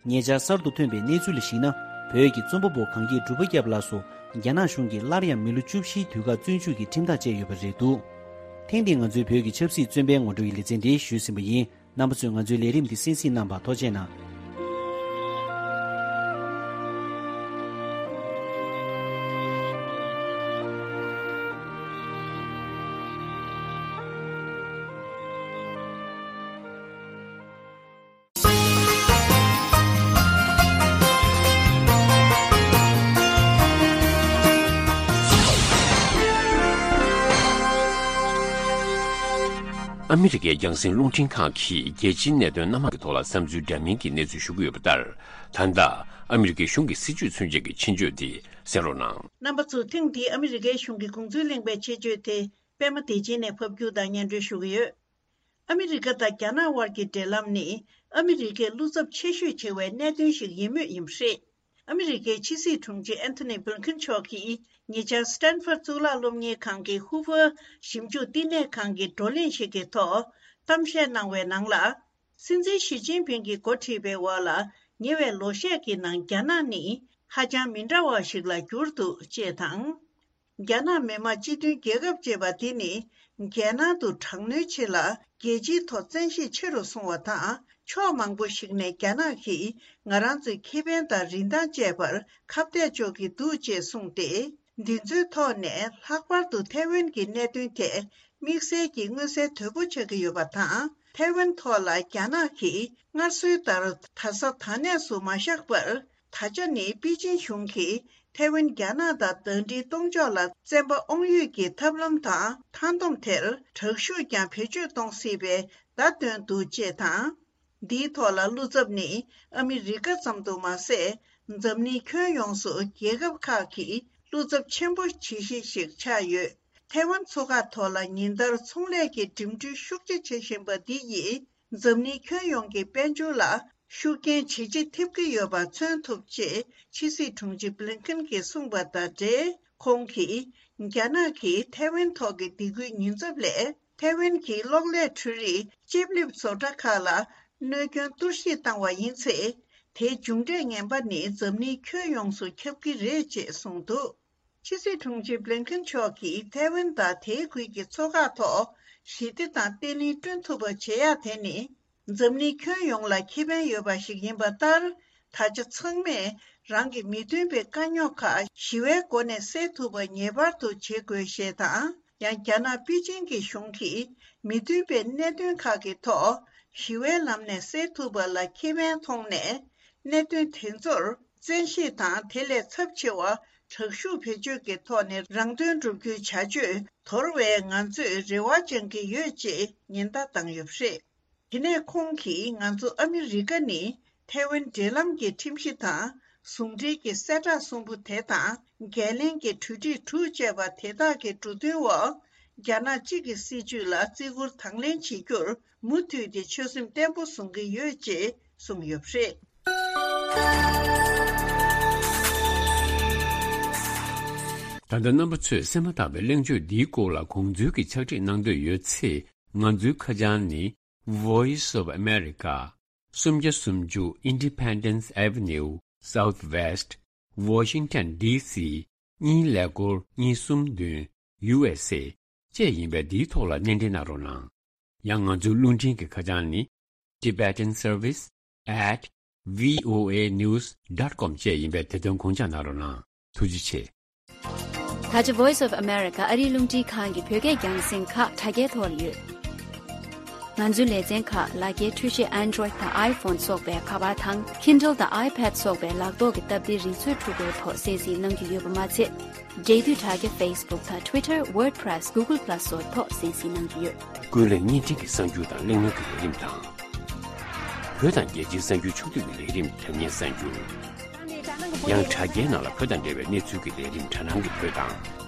ཉེ་ཆར་གསར་དུ་ཐོན་པའི་གནས་ཚུལ་ལ་གཞིགས་ན། བོད་ཀྱི་རྩོམ་པ་པོ་གངས་སྐྱིད་གྲུབ་པ་སྐྱབས་ལགས་སུ་རྒྱ་ནག་གཞུང་གིས་སླར་ཡང་མི་ལོ་བཅུ་བཞིའི་དུས་བཀག་བཙོན་འཇུག་གི་ཁྲིམས་ཐག་བཅད་ཡོད་པ་རེད་འདུག་ཐེངས་འདིའི་ང་ཚོའི་བོད་ཀྱི་ཆབ་སྲིད་བཙོན་པའི་ངོ་སྤྲོད་ཀྱི་ལེ་ཚན་འདི་ཞུས་ཟིན་པ་ཡིན། རྣམ་པ་ཚོས་ང་ཚོའི་ལས་རིམ་འདི་གསན་གཟིགས་གནང་བར་ཐུགས་རྗེ་གནང་། ཨ་མི་རི་ཀའི་རྒྱང་སྲིང་རླུང་འཕྲིན་ཁང་གིས་རྒྱལ་སྤྱིའི་གནད་དོན་སྣ་མང་གི་ཐོག་ལ་བསམ་ཚུལ་འདྲ་མིན་གྱི་གནས་ཚུལ་ཞུ་གི་ཡོད་པ་ལྟར། ད་ལྟ་ཨ་མི་རི་ཀའི་གཞུང་གི་སྲིད་བྱུས་མཚོན་བྱེད་ཀྱི་ཆེད་བརྗོད་དེ་གསན་རོགས་གནང་། རྣམ་པ་ཚོ་ཐེངས་འདིའི་ཨ་མི་རི་ཀའི་གཞུང་གི་དགོངས་ཚུལ་གླེང་པའི་ཆེད་བརྗོད་དེ་པད་མ་བདེ་ཆེན་ནས་ཕབ་སྒྱུར་དང་སྙན་སྒྲོན་ཞུ་གི་ཡོད། ཨ་མི་རི་ཀ་དང་རྒྱ་ནག་དབར་གྱི་འབྲེལ་ལམ་ནི་ཨ་མི་རི་ཀའི་བློ་འཚབ་ཆེ་ཤོས་ཆེ་བའི་གནད་དོན་ཞིག་ཡིན་མུས་ཡིན་པ་རེད། ཨ་མི་རི་ཀའི་ཕྱི་སྲིད་དྲུང་ཆེ་ཨན་ཐོ་ནི་བྷི་ལིན་ཁིན་མཆོག་གིས་ཉེ་ཆར་སི་ཏན་ཧྥོར་གཙུག་ལག་སློབ་གཉེར་ཁང་གི་ཧུ་ཧྥོར་ཞིབ་འཇུག་བསྟི་གནས་ཁང་གི་བགྲོ་གླེང་ཞིག་གི་ཐོག་གཏམ་བཤད་གནང་བའི་ནང་ལ། སྲིད་འཛིན་ཞི་ཅིན་ཕིང་གིས་འགོ་ཁྲིད་པའི་འོག་ལ་ཉེ་བའི་ལོ་ཤས་ཀྱི་ནང་རྒྱ་ནག་ནི་ཧ་ཅང་མི་འདྲ་བ་ཞིག་ལ་གྱུར་འདུག་ཅེས་དང་། རྒྱ་ནག་མི་དམངས་སྤྱི་མཐུན་རྒྱལ་ཁབ་ཅེས་པ་དེ་ནི་རྒྱལ་ནང་དུ་དྲག་གནོན་ཆེ་ལ་རྒྱལ་སྤྱིའི་ཐོག་བཙན་ཤེད་ཆེ་རུ་སོང་བ་དང་། ཕྱོགས་མང་པོ་ཞིག་ནས་རྒྱ་ནག་གིས་ང་རང་ཚོའི་ཁེ་ཕན་དང་རིན་ཐང་བཅས་པར་ཁ་གཏད་གཅོག་གི་འདུག་ཅེས་གསུངས་ཏེ། འདི་ཚོའི་ཐོག་ནས་ལྷག་པར་དུ་ཐའེ་ཝན་གྱི་གནད་དོན་ཐད་དམིགས་བསལ་གྱི་མངོན་གསལ་དོད་པོ་ཆགས་ཀྱི་ཡོད་པ་དང་། ཐའེ་ཝན་ཐོག་ལ་རྒྱ་ནག་གིས་སྔར་སྲོལ་ལྟར་ད་ས་ད་གནས་སུ་མ་བཞག་པར། ད་ཆ་ནི་པེ་ཅིན་གཞུང་གིས་ཐའེ་ཝན་རྒྱ་ནག་དང་ཟླ་སྒྲིལ་གཏོང་ཕྱོགས་ལ་བཙན་པ་དབང་ཡོད་ཀྱི་ཐབས་ལམ་དང་མཐའ་སྡོམ་དེར་དྲག་ཤུགས་ཀྱང་བེད་སྤྱོད་གཏོང་སྲིད་པའི་བརྡ་བཏོན་འདུག་ཅེས་དང་། འདིའི་ཐོག་ལ་བློ་འཚབ་ནི་ཨ་མི་རི་ཀ་ཙམ་དུ་མ་ཟད། འཛམ་གླིང་ཁྱོན་ཡོངས་སུ་རྒྱལ་ཁབ་ཁག་གིས་བློ་འཚབ་ཆེན་པོ་བྱེད་གཞི་ཞིག་ཆགས་ཡོད། ཐའེ་ཝན་མཚོ་ཁག་ཐོག་ལ་ཉིན་ལྟར་ཚོང་ལས་ཀྱི་འགྲིམ་འགྲུལ་ཤུགས་ཆེ་བྱེད་བཞིན་པ་འདི་ཡིས། འཛམ་གླིང་ཁྱོན་ཡོངས་ཀྱི་དཔལ་འབྱོར་ལ་ཤུགས་རྐྱེན་ཇེ་ཆེ་ཐེབས་ཀྱི་ཡོད་པ་མཚོན་ཐུབ་ཅེས་ཕྱི་སྲིད་དྲུང་ཆེ་བྷི་ལིན་ཁིན་གྱིས་གསུངས་པ་དང་འབྲེལ། ཁོང་གིས་རྒྱ་ནག་གིས་ཐའེ་ཝན་ཐོག་གི་སྡིགས་སྐུལ་ཉེན་ཚབས་ལས་ཐའེ་ཝན་གྱི་གློག་ཀླད་འཕྲུལ་རིག་ཅིབ་ལིབ་བཟོ་གྲྭ་ཁག་ལ་གནོད་སྐྱོན་གཏོར་བཤིག་བཏང་བ་ཡིན་ཚེ། དེའི་མཇུག་འབྲས་ངན་པ་ནི་འཛམ་གླིང་ཁྱོན་ཡོངས་སུ་ཁྱབ་ཀྱི་རེད་ཅེས་གསུངས་འདུག་ཕྱི་སྲིད་དྲུང་ཆེ་བྷི་ལིན་ཁེན་མཆོག་གིས་ཐའེ་ཝན་དང་དེའི་ཁུལ་གྱི་མཚོ་འགག་ཐོག་ཞི་བདེ་དང་བརྟན་ལྷིང་བསྐྲུན་ཐུབ་པ་བྱེད་ཡག་དེ་ནི། འཛམ་གླིང་ཁྱོན་ཡོངས་ལ་ཁེ་ཕན་ཡོད་པ་ཞིག་ཡིན་པ་ལྟར། ད་ཆ་ཚང་མས་རང་གི་མི་མཐུན་པའི་དཀའ་རྙོག་ཁག་ཞི་བའི་སྒོ་ནས་སེལ་ཐུབ་པ་ངེས་པར་དུ་བྱེད་དགོས་ཞེས་དང་། ཡང་རྒྱ་ནག་པེ་ཅིང་གི་གཞུང་གིས་མི་མཐུན་པའི་གནད་དོན་ཁག་གི་ཐོག་ཞི་བའི་ལམ་ནས་སེལ་ཐུབ་པ་ལ་ཁེ་ཕན་མཐོང་ནས། གནད་དོན་དེ་ཚོར་བཙན་ཤེད་དང་། དེ་ལས་ཚབས་ཆེ་བ་དྲག་ཤུགས་བེད་སྤྱོད་ཀྱི་ཐོག་ནས་རང་དོན་སྒྲུབ་རྒྱུའི་བྱ་སྤྱོད་དོར་བའི་ང་ཚོས་རེ་བ་བཅང་གི་ཡོད་ཅེས་ཉེན་བརྡ་བཏང་ཡོད་པ་རེད། དེ་ནས་ཁོང་གིས་ང་ཚོ་ཨ་མི་རི་ཀ་ནི་ཐའེ་ཝན་འབྲེལ་ལམ་གྱི་ཁྲིམས་གཞི་དང་། ཟུང་འབྲེལ་གྱི་གསལ་བསྒྲགས་གསུམ་པོ་དེ་དང་། འགན་ལེན་གྱི་གྲོས་འགྲིག་དྲུག་བཅས་པ་དེ་དག་གི་འབྲུ་དོན་འོག་རྒྱ་ནག་གཅིག་གི་སྲིད་བྱུས་ལ་བརྩི་བཀུར་དང་ལེན་བྱེད་རྒྱུར་མུ་མཐུད་དེ་ཆོད་སེམས་བརྟན་པོ་བཟུང་གི་ཡོད་ཅེས་གསུངས་ཡོད་པ་རེད། ད་ལྟ་རྣམ་པ་ཚོས་གསན་མ་ཐག་པའི་གླེང་བརྗོད་འདིའི་སྐོར་ལ་དགོངས་ཚུལ་གྱི་ཕྱག་བྲིས་གནང་འདོད་ཡོད་ཚེ། ང་ཚོའི་ཁ་བྱང་ནི། Voice of America། སུམ་བརྒྱ་སུམ་ཅུ། Independence Avenue Southwest, Washington D C གཉིས་ཀླད་ཀོར་གཉིས་གསུམ་བདུན། U S A བཅས་ཡིན་པས། འདིའི་ཐོག་ལ་སྣེ་འདྲེན་གནང་རོགས་གནང་། ཡང་ང་ཚོའི་རླུང་འཕྲིན་གྱི་ཁ་བྱང་ནི། Tibetan Service at V O A news dot com བཅས་ཡིན་པས། དེ་དོན་དགོངས་འཇགས་གནང་རོགས་གནང་། ཐུགས་རྗེ་ཆེ། ད་ཆ་Voice of America ཨ་རིའི་རླུང་འཕྲིན་ཁང་གི་བོད་སྐད་རྒྱང་སྲིང་ཁག་དྲ་རྒྱའི་ཐོག་ལ་ཡོད། ང་ཚོའི་ལེ་ཚན་ཁག་ལག་འཁྱེར་འཕྲུལ་ཆས་Android དང་iPhone སོགས་པའི་ཁ་པར་དང་། Kindle དང་iPad སོགས་པའི་ལག་ཐོག་གི་སྟབས་བདེའི་རིག་མཛོད་འཕྲུལ་འཁོར་ཐོག་གསན་གཟིགས་གནང་རྒྱུ་ཡོད་པ་མ་ཚད། འབྲེལ་མཐུད་དྲ་རྒྱ་Facebook དང་Twitter, WordPress, Google Plus སོགས་ཐོག་གསན་གཟིགས་གནང་རྒྱུ་ཡོད། ཀུན་གླེང་བརྙན་འཕྲིན་གྱི་གསར་འགྱུར་དང་གླེང་མོལ་གྱི་ལས་རིམ་དང་། བོད་དང་རྒྱལ་སྤྱིའི་གསར་འགྱུར་ཕྱོགས་བསྡུས་ཀྱི་ལས་རིམ། དྲ་བརྙན་གསར་འགྱུར། ཡང་དྲ་རྒྱའི་ནང་ལ་བོད་དང་འབྲེལ་བའི་གནས་ཚུལ་གྱི་ལས་རིམ། དྲ་སྣང་གི་བོད་དང་།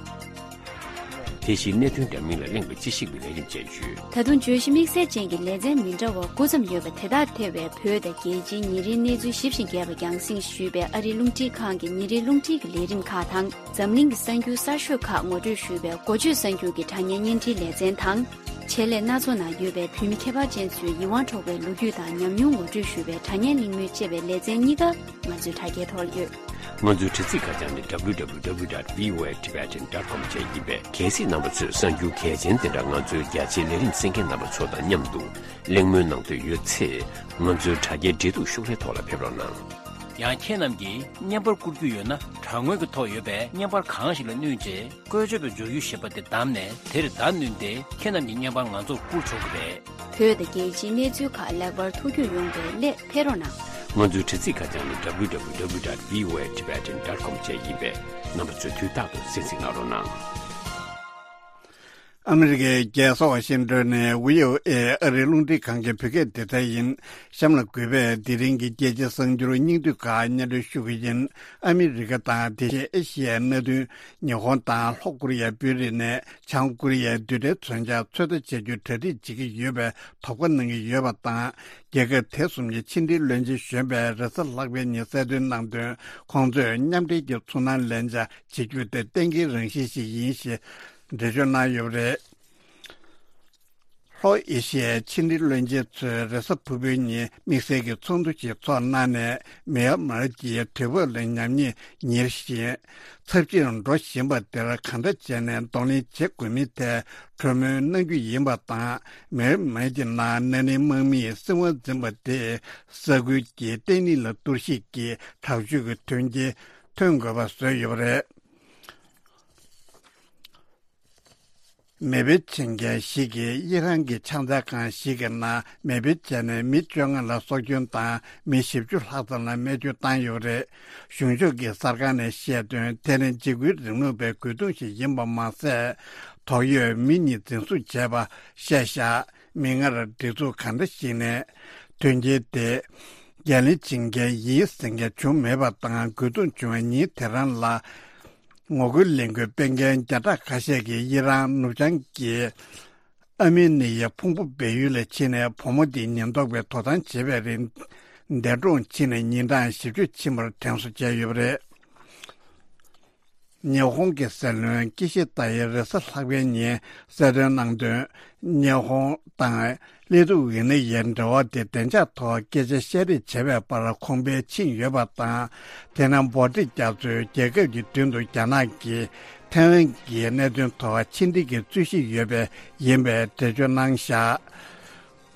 དེ་བཞིན་གནད་དོན་འདྲ་མིན་ལ་གླེང་བའི་དཔྱད་ཞིབ་ཀྱི་ལས་རིམ་བཅས་ཡོད། ད་དུང་བརྗོད་གཞི་དམིགས་བསལ་ཅན་གྱི་ལེ་ཚན་མི་འདྲ་བ་དགུ་ཙམ་ཡོད་པ་དེ་དག་ཐེ་བའི་བོད་དང་རྒྱལ་སྤྱིའི་ཉིན་རེའི་གནས་ཚུལ་ཞིབ་ཞིང་རྒྱས་པ་རྒྱང་སྲིང་ཞུས་པའི་ཨ་རིའི་རླུང་འཕྲིན་ཁང་གི་ཉིན་རེའི་རླུང་འཕྲིན་གྱི་ལས་རིམ་ཁག་དང་། འཛམ་གླིང་གི་གསར་འགྱུར་གསར་ཤོས་ཁག་ངོ་སྤྲོད་ཞུས་པའི་འགོ་བརྗོད་གསར་འགྱུར་གྱི་དྲ་བརྙན་བརྙན་འཕྲིན་ལེ་ཚན་དང་། ཆེད་ལས་སྣ་ཚོགས་ནང་ཡོད་པའི་བོད་མི་ཁྱད་པར་ཅན་ཚོའི་ཡིད་དབང་འཕྲོག་པའི་ལོ་རྒྱུས་དང་ཉམས་མྱོང་ངོ་སྤྲོད་ཞུ་བའི་དྲ་བརྙན་གླེང་མོལ་ཅེས་པའི་ལེ་ཚན་གཉིས་ཀ་ང་ཚོའི་དྲ་རྒྱའི་ཐོག་ཡོད། ང་ཚོའི་དྲ་ཚིགས་ཁ་བྱང་ནི། W W W dot V O A Tibetan dot com བཅས་ཡིན་པས། གལ་སྲིད་རྣམ་པ་ཚོས་གསར་འགྱུར་གལ་ཆེན་དེ་འདྲ་ང་ཚོའི་རྒྱ་ཆེའི་ལས་རིམ་གསན་མཁན་རྣམ་པ་ཚོ་དང་མཉམ་དུ་གླེང་མོལ་གནང་འདོད་ཡོད་ཚེ། ང་ཚོའི་དྲ་རྒྱའི་འབྲེལ་གཏུག་ཤོག་ལྷེ་ཐོག་ལ་ཕེབས་རོགས་གནང་། ཡང་ཁྱེད་རྣམས་ཀྱིས་བརྙན་པར་བསྐུར་རྒྱུ་ཡོད་ན། དྲ་ངོས་ཀྱི་ཐོག་ཡོད་པའི་བརྙན་པར་གང་ཞིག་ལ་བསྣུན་རྗེས། བཀོལ་སྤྱོད་པའི་སྦྱོར་ཡུལ་ཞེས་པ་དེ་བདམས་ནས། དེར་བརྡ་བསྣུན་ཏེ། ཁྱེད་རྣམས་ཀྱི་བརྙན་པར་ང་ཚོར་བསྐུར་ཆོག་གི་རེད། བོད་དང་རྒྱལ་སྤྱིའི་གནས་ཚུལ་ཁག་ལེགས་པར་ཐུགས་རྒྱུས་ཡོང་བའི་སླད་ཕེབས་རོགས་གནང་། ང་ཚོའི་དྲ་ཚིགས་ཁ་བྱང་ནི། W W W dot V O A Tibetan dot com བཅས་ཡིན་པས། རྣམ་པ་ཚོས་དུས་རྟག་ཏུ་གསན་གཟིགས་གནང་རོགས་གནང་། ཨ་མི་རི་ཀའི་རྒྱལ་ས་ཝ་ཤིང་ཏོན་ནས་V O A ཨ་རིའི་རླུང་འཕྲིན་ཁང་གི་བོད་སྐད་སྡེ་ཚན་ཡིན། གཤམ་ལ་གུས་པས་དེ་རིང་གི་རྒྱལ་སྤྱིའི་གསར་འགྱུར་སྙིང་བསྡུས་ཁག་སྙན་སྒྲོན་ཞུ་གི་ཡིན། ཨ་མི་རི་ཀ་དང་དེ་བཞིན་ཨེ་ཤི་ཡའི་མནའ་མཐུན་ཉི་ཧོང་དང་ལྷོ་ཀོ་རི་ཡ་དཔོན་རིགས་ནས་བྱང་ཀོ་རི་ཡའི་རྡུལ་ཕྲན་མཚོན་ཆར་ཚོད་ལྟ་བྱ་རྒྱུའི་གྲ་སྒྲིག་བྱེད་ཀྱི་ཡོད་པའི་དོགས་པ་གནང་གི་ཡོད་པ་དང་། རྒྱལ་ཁབ་དེ་གསུམ་གྱི་ཕྱི་འབྲེལ་བློན་ཆེན་གཞོན་པས་རེས་གཟའ་ལྷག་པའི་ཉིན་གསལ་སྟོན་གནང་དོན། ཁོང་ཚོས་མཉམ་འབྲེལ་གྱི་ཚུར་སྣང་ལན་ཆགས་བྱེད་རྒྱུ་དེ་གཏན་འཁེལ་རང་བཞིན་ཞིག་ཡིན་ཞེས་འགྲེལ་བརྗོད་གནང་ཡོད་པ་རེད། ལྷོ་ཨེ་ཤི་ཡའི་ཕྱི་འབྲེལ་བློན་ཆེན་ཚོས་རེས་གཟའ་ཕུར་བུའི་ཉིན་དམིགས་བསལ་གྱི་ཚོགས་འདུ་ཞིག་ཚོགས་གནང་ནས། མེ་ཡར་མར་གྱི་དུས་བབ་ལ་ཉམས་ཉེས་ཉེར་བཞིན་ཚབས་ཆེར་འགྲོ་བཞིན་པ་དེར་གང་འདྲ་བྱས་ནས་གདོང་ལེན་བྱེད་དགོས་མིན་ཐད་གྲོས་མོལ་གནང་རྒྱུ་ཡིན་པ་དང་། མེ་ཡར་མར་གྱི་ནང་ན་ནིང་དམག་མིས་སྲིད་དབང་འཛིན་པ་དེས་ས་ཁུལ་གྱི་བརྟན་ལྷིང་ལ་གཏོར་བཤིག་གི་དྲག་སྤྱོད་ཀྱི་དོན་རྐྱེན་ཐོན་དགོས་པ་བཟོས་ཡོད་པ་རེད། མེ་འཕེན་བྱེད་མཁན་ཞིག་གིས་དབྱི་རན་གྱི་ཕྱག་འཚལ་ཁང་ཞིག་གི་ནང་མེ་འཕེན་བྱས་ནས་མི་བཅོ་ལྔ་ལ་སྲོག་སྐྱོན་དང་མི་བཞི་བཅུ་ལྷག་ཙམ་ལ་རྨས་སྐྱོན་བཏང་ཡོད་པ་རེད། གཞུང་ཕྱོགས་ཀྱི་གསར་ཁང་ནས་བཤད་དོན། དེ་ནི་འཇིགས་སྐུལ་རིང་ལུགས་པའི་རྒོལ་རྡུང་ཞིག་ཡིན་པ་མ་ཟད། དོགས་ཡོད་མི་གཉིས་འཛིན་བཟུང་བྱས་པ་བཤད་བཞག་མིག་སྔར་སྒྲིག་འཛུགས་གང་འདྲ་ཞིག་ནས་དོན་རྐྱེན་དེ་འགན་ལེན་བྱེད་མཁན་ཡིན་ཟེར་མཁན་བྱུང་མེད་པ་དང་། རྒོལ་རྡུང་བྱུང་བའི་ཉིན་དེ་རང་ལ། ངོ་རྒོལ་ལས་འགུལ་སྤེལ་མཁན་བརྒྱ་ཕྲག་ཁ་ཤས་ཀྱིས་དབྱི་རན་ནུབ་བྱང་གི་ཨར་མེ་ནི་ཡའི་ཕུང་པོ་སྦས་ཡུལ་ལ་ཕྱིན་ནས་བུ་མོ་དེའི་ཉེན་རྟོག་པས་དོ་དམ་བྱེད་པའི་རིང་། འདས་གྲོངས་ཕྱིན་ནས་ཉིན་གྲངས་བཞི་བཅུ་ཕྱིན་པར་དྲན་གསོ་བྱས་ཡོད་པ་རེད། ཉི་ཧོང་གི་སྲིད་བློན་ཀི་ཤི་ད་ཡི་རེས་གཟའ་ལྷག་པའི་ཉིན་གསལ་སྟོན་གནང་དོན། ཉི་ཧོང་དང་། ལི་ཏུ་ཝེ་ནི་ཡའི་འབྲེལ་བ་དེ་བདེ་འཇགས་ཐོག་སྐད་ཆ་བཤད་རེས་བྱས་པའི་བར་གོང་འཕེལ་ཕྱིན་ཡོད་པ་དང་། དེ་ནང་འབོར་འདྲེན་རྒྱག་ཚུལ་རྒྱལ་ཁབ་ཀྱི་མདུན་དུ་རྒྱ་ནག་གིས་ཐའེ་ཝན་གྱི་གནད་དོན་ཐོག་ཕྱི་འབྲེལ་གྱི་རྩོད་གཞི་ཡོད་པའི་ཡིན་པའི་འགྲེལ་བརྗོད་གནང་བཞག་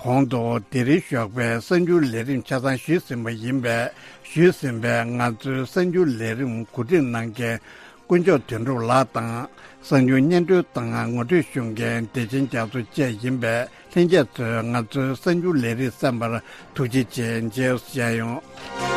གོང་དུ་དེ་རིང་ཞོགས་པའི་གསར་འགྱུར་ལས་རིམ་ཆ་ཚང་ཞུས་ཟིན་པ་ཡིན་པས། ཞུས་ཟིན་པའི་ང་ཚོའི་གསར་འགྱུར་ལས་རིམ་གོ་སྒྲིག་གནང་མཁན་དཀོན་མཆོག་དོན་གྲུབ་ལགས་དང་། གསར་འགྱུར་སྙན་སྒྲོན་དང་ངོ་སྤྲོད་ཞུ་མཁན་བདེ་ཆེན་རྒྱ་མཚོ་བཅས་ཡིན་པས། ལྷན་རྒྱས་ཚོས་ང་ཚོའི་གསར་འགྱུར་ལས་རིམ་གསན་པར་ཐུགས་རྗེ་ཆེ། མཇལ་ཡོང་།